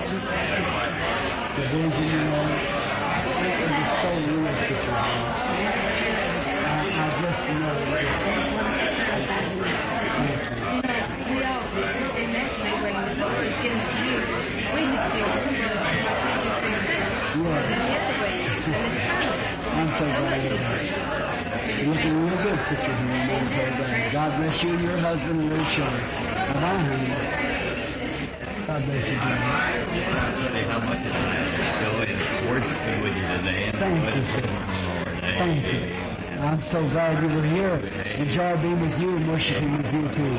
The vision, you know, it was so realistic, you know. I, I just know it. Thank you. You know, we all, they naturally, when the Lord is given it to you, we just feel good. Yes. Then the other way, and it's fine. I'm so glad you're here. You're looking real good, Sister Henry. I'm so glad. God bless you and your husband and little children. Bye-bye, honey. God bless you, dear. How much is joy and worshiping with you today? Thank you, sir. Thank you. I'm so glad you were here. Enjoy being with you and worshiping with you, too.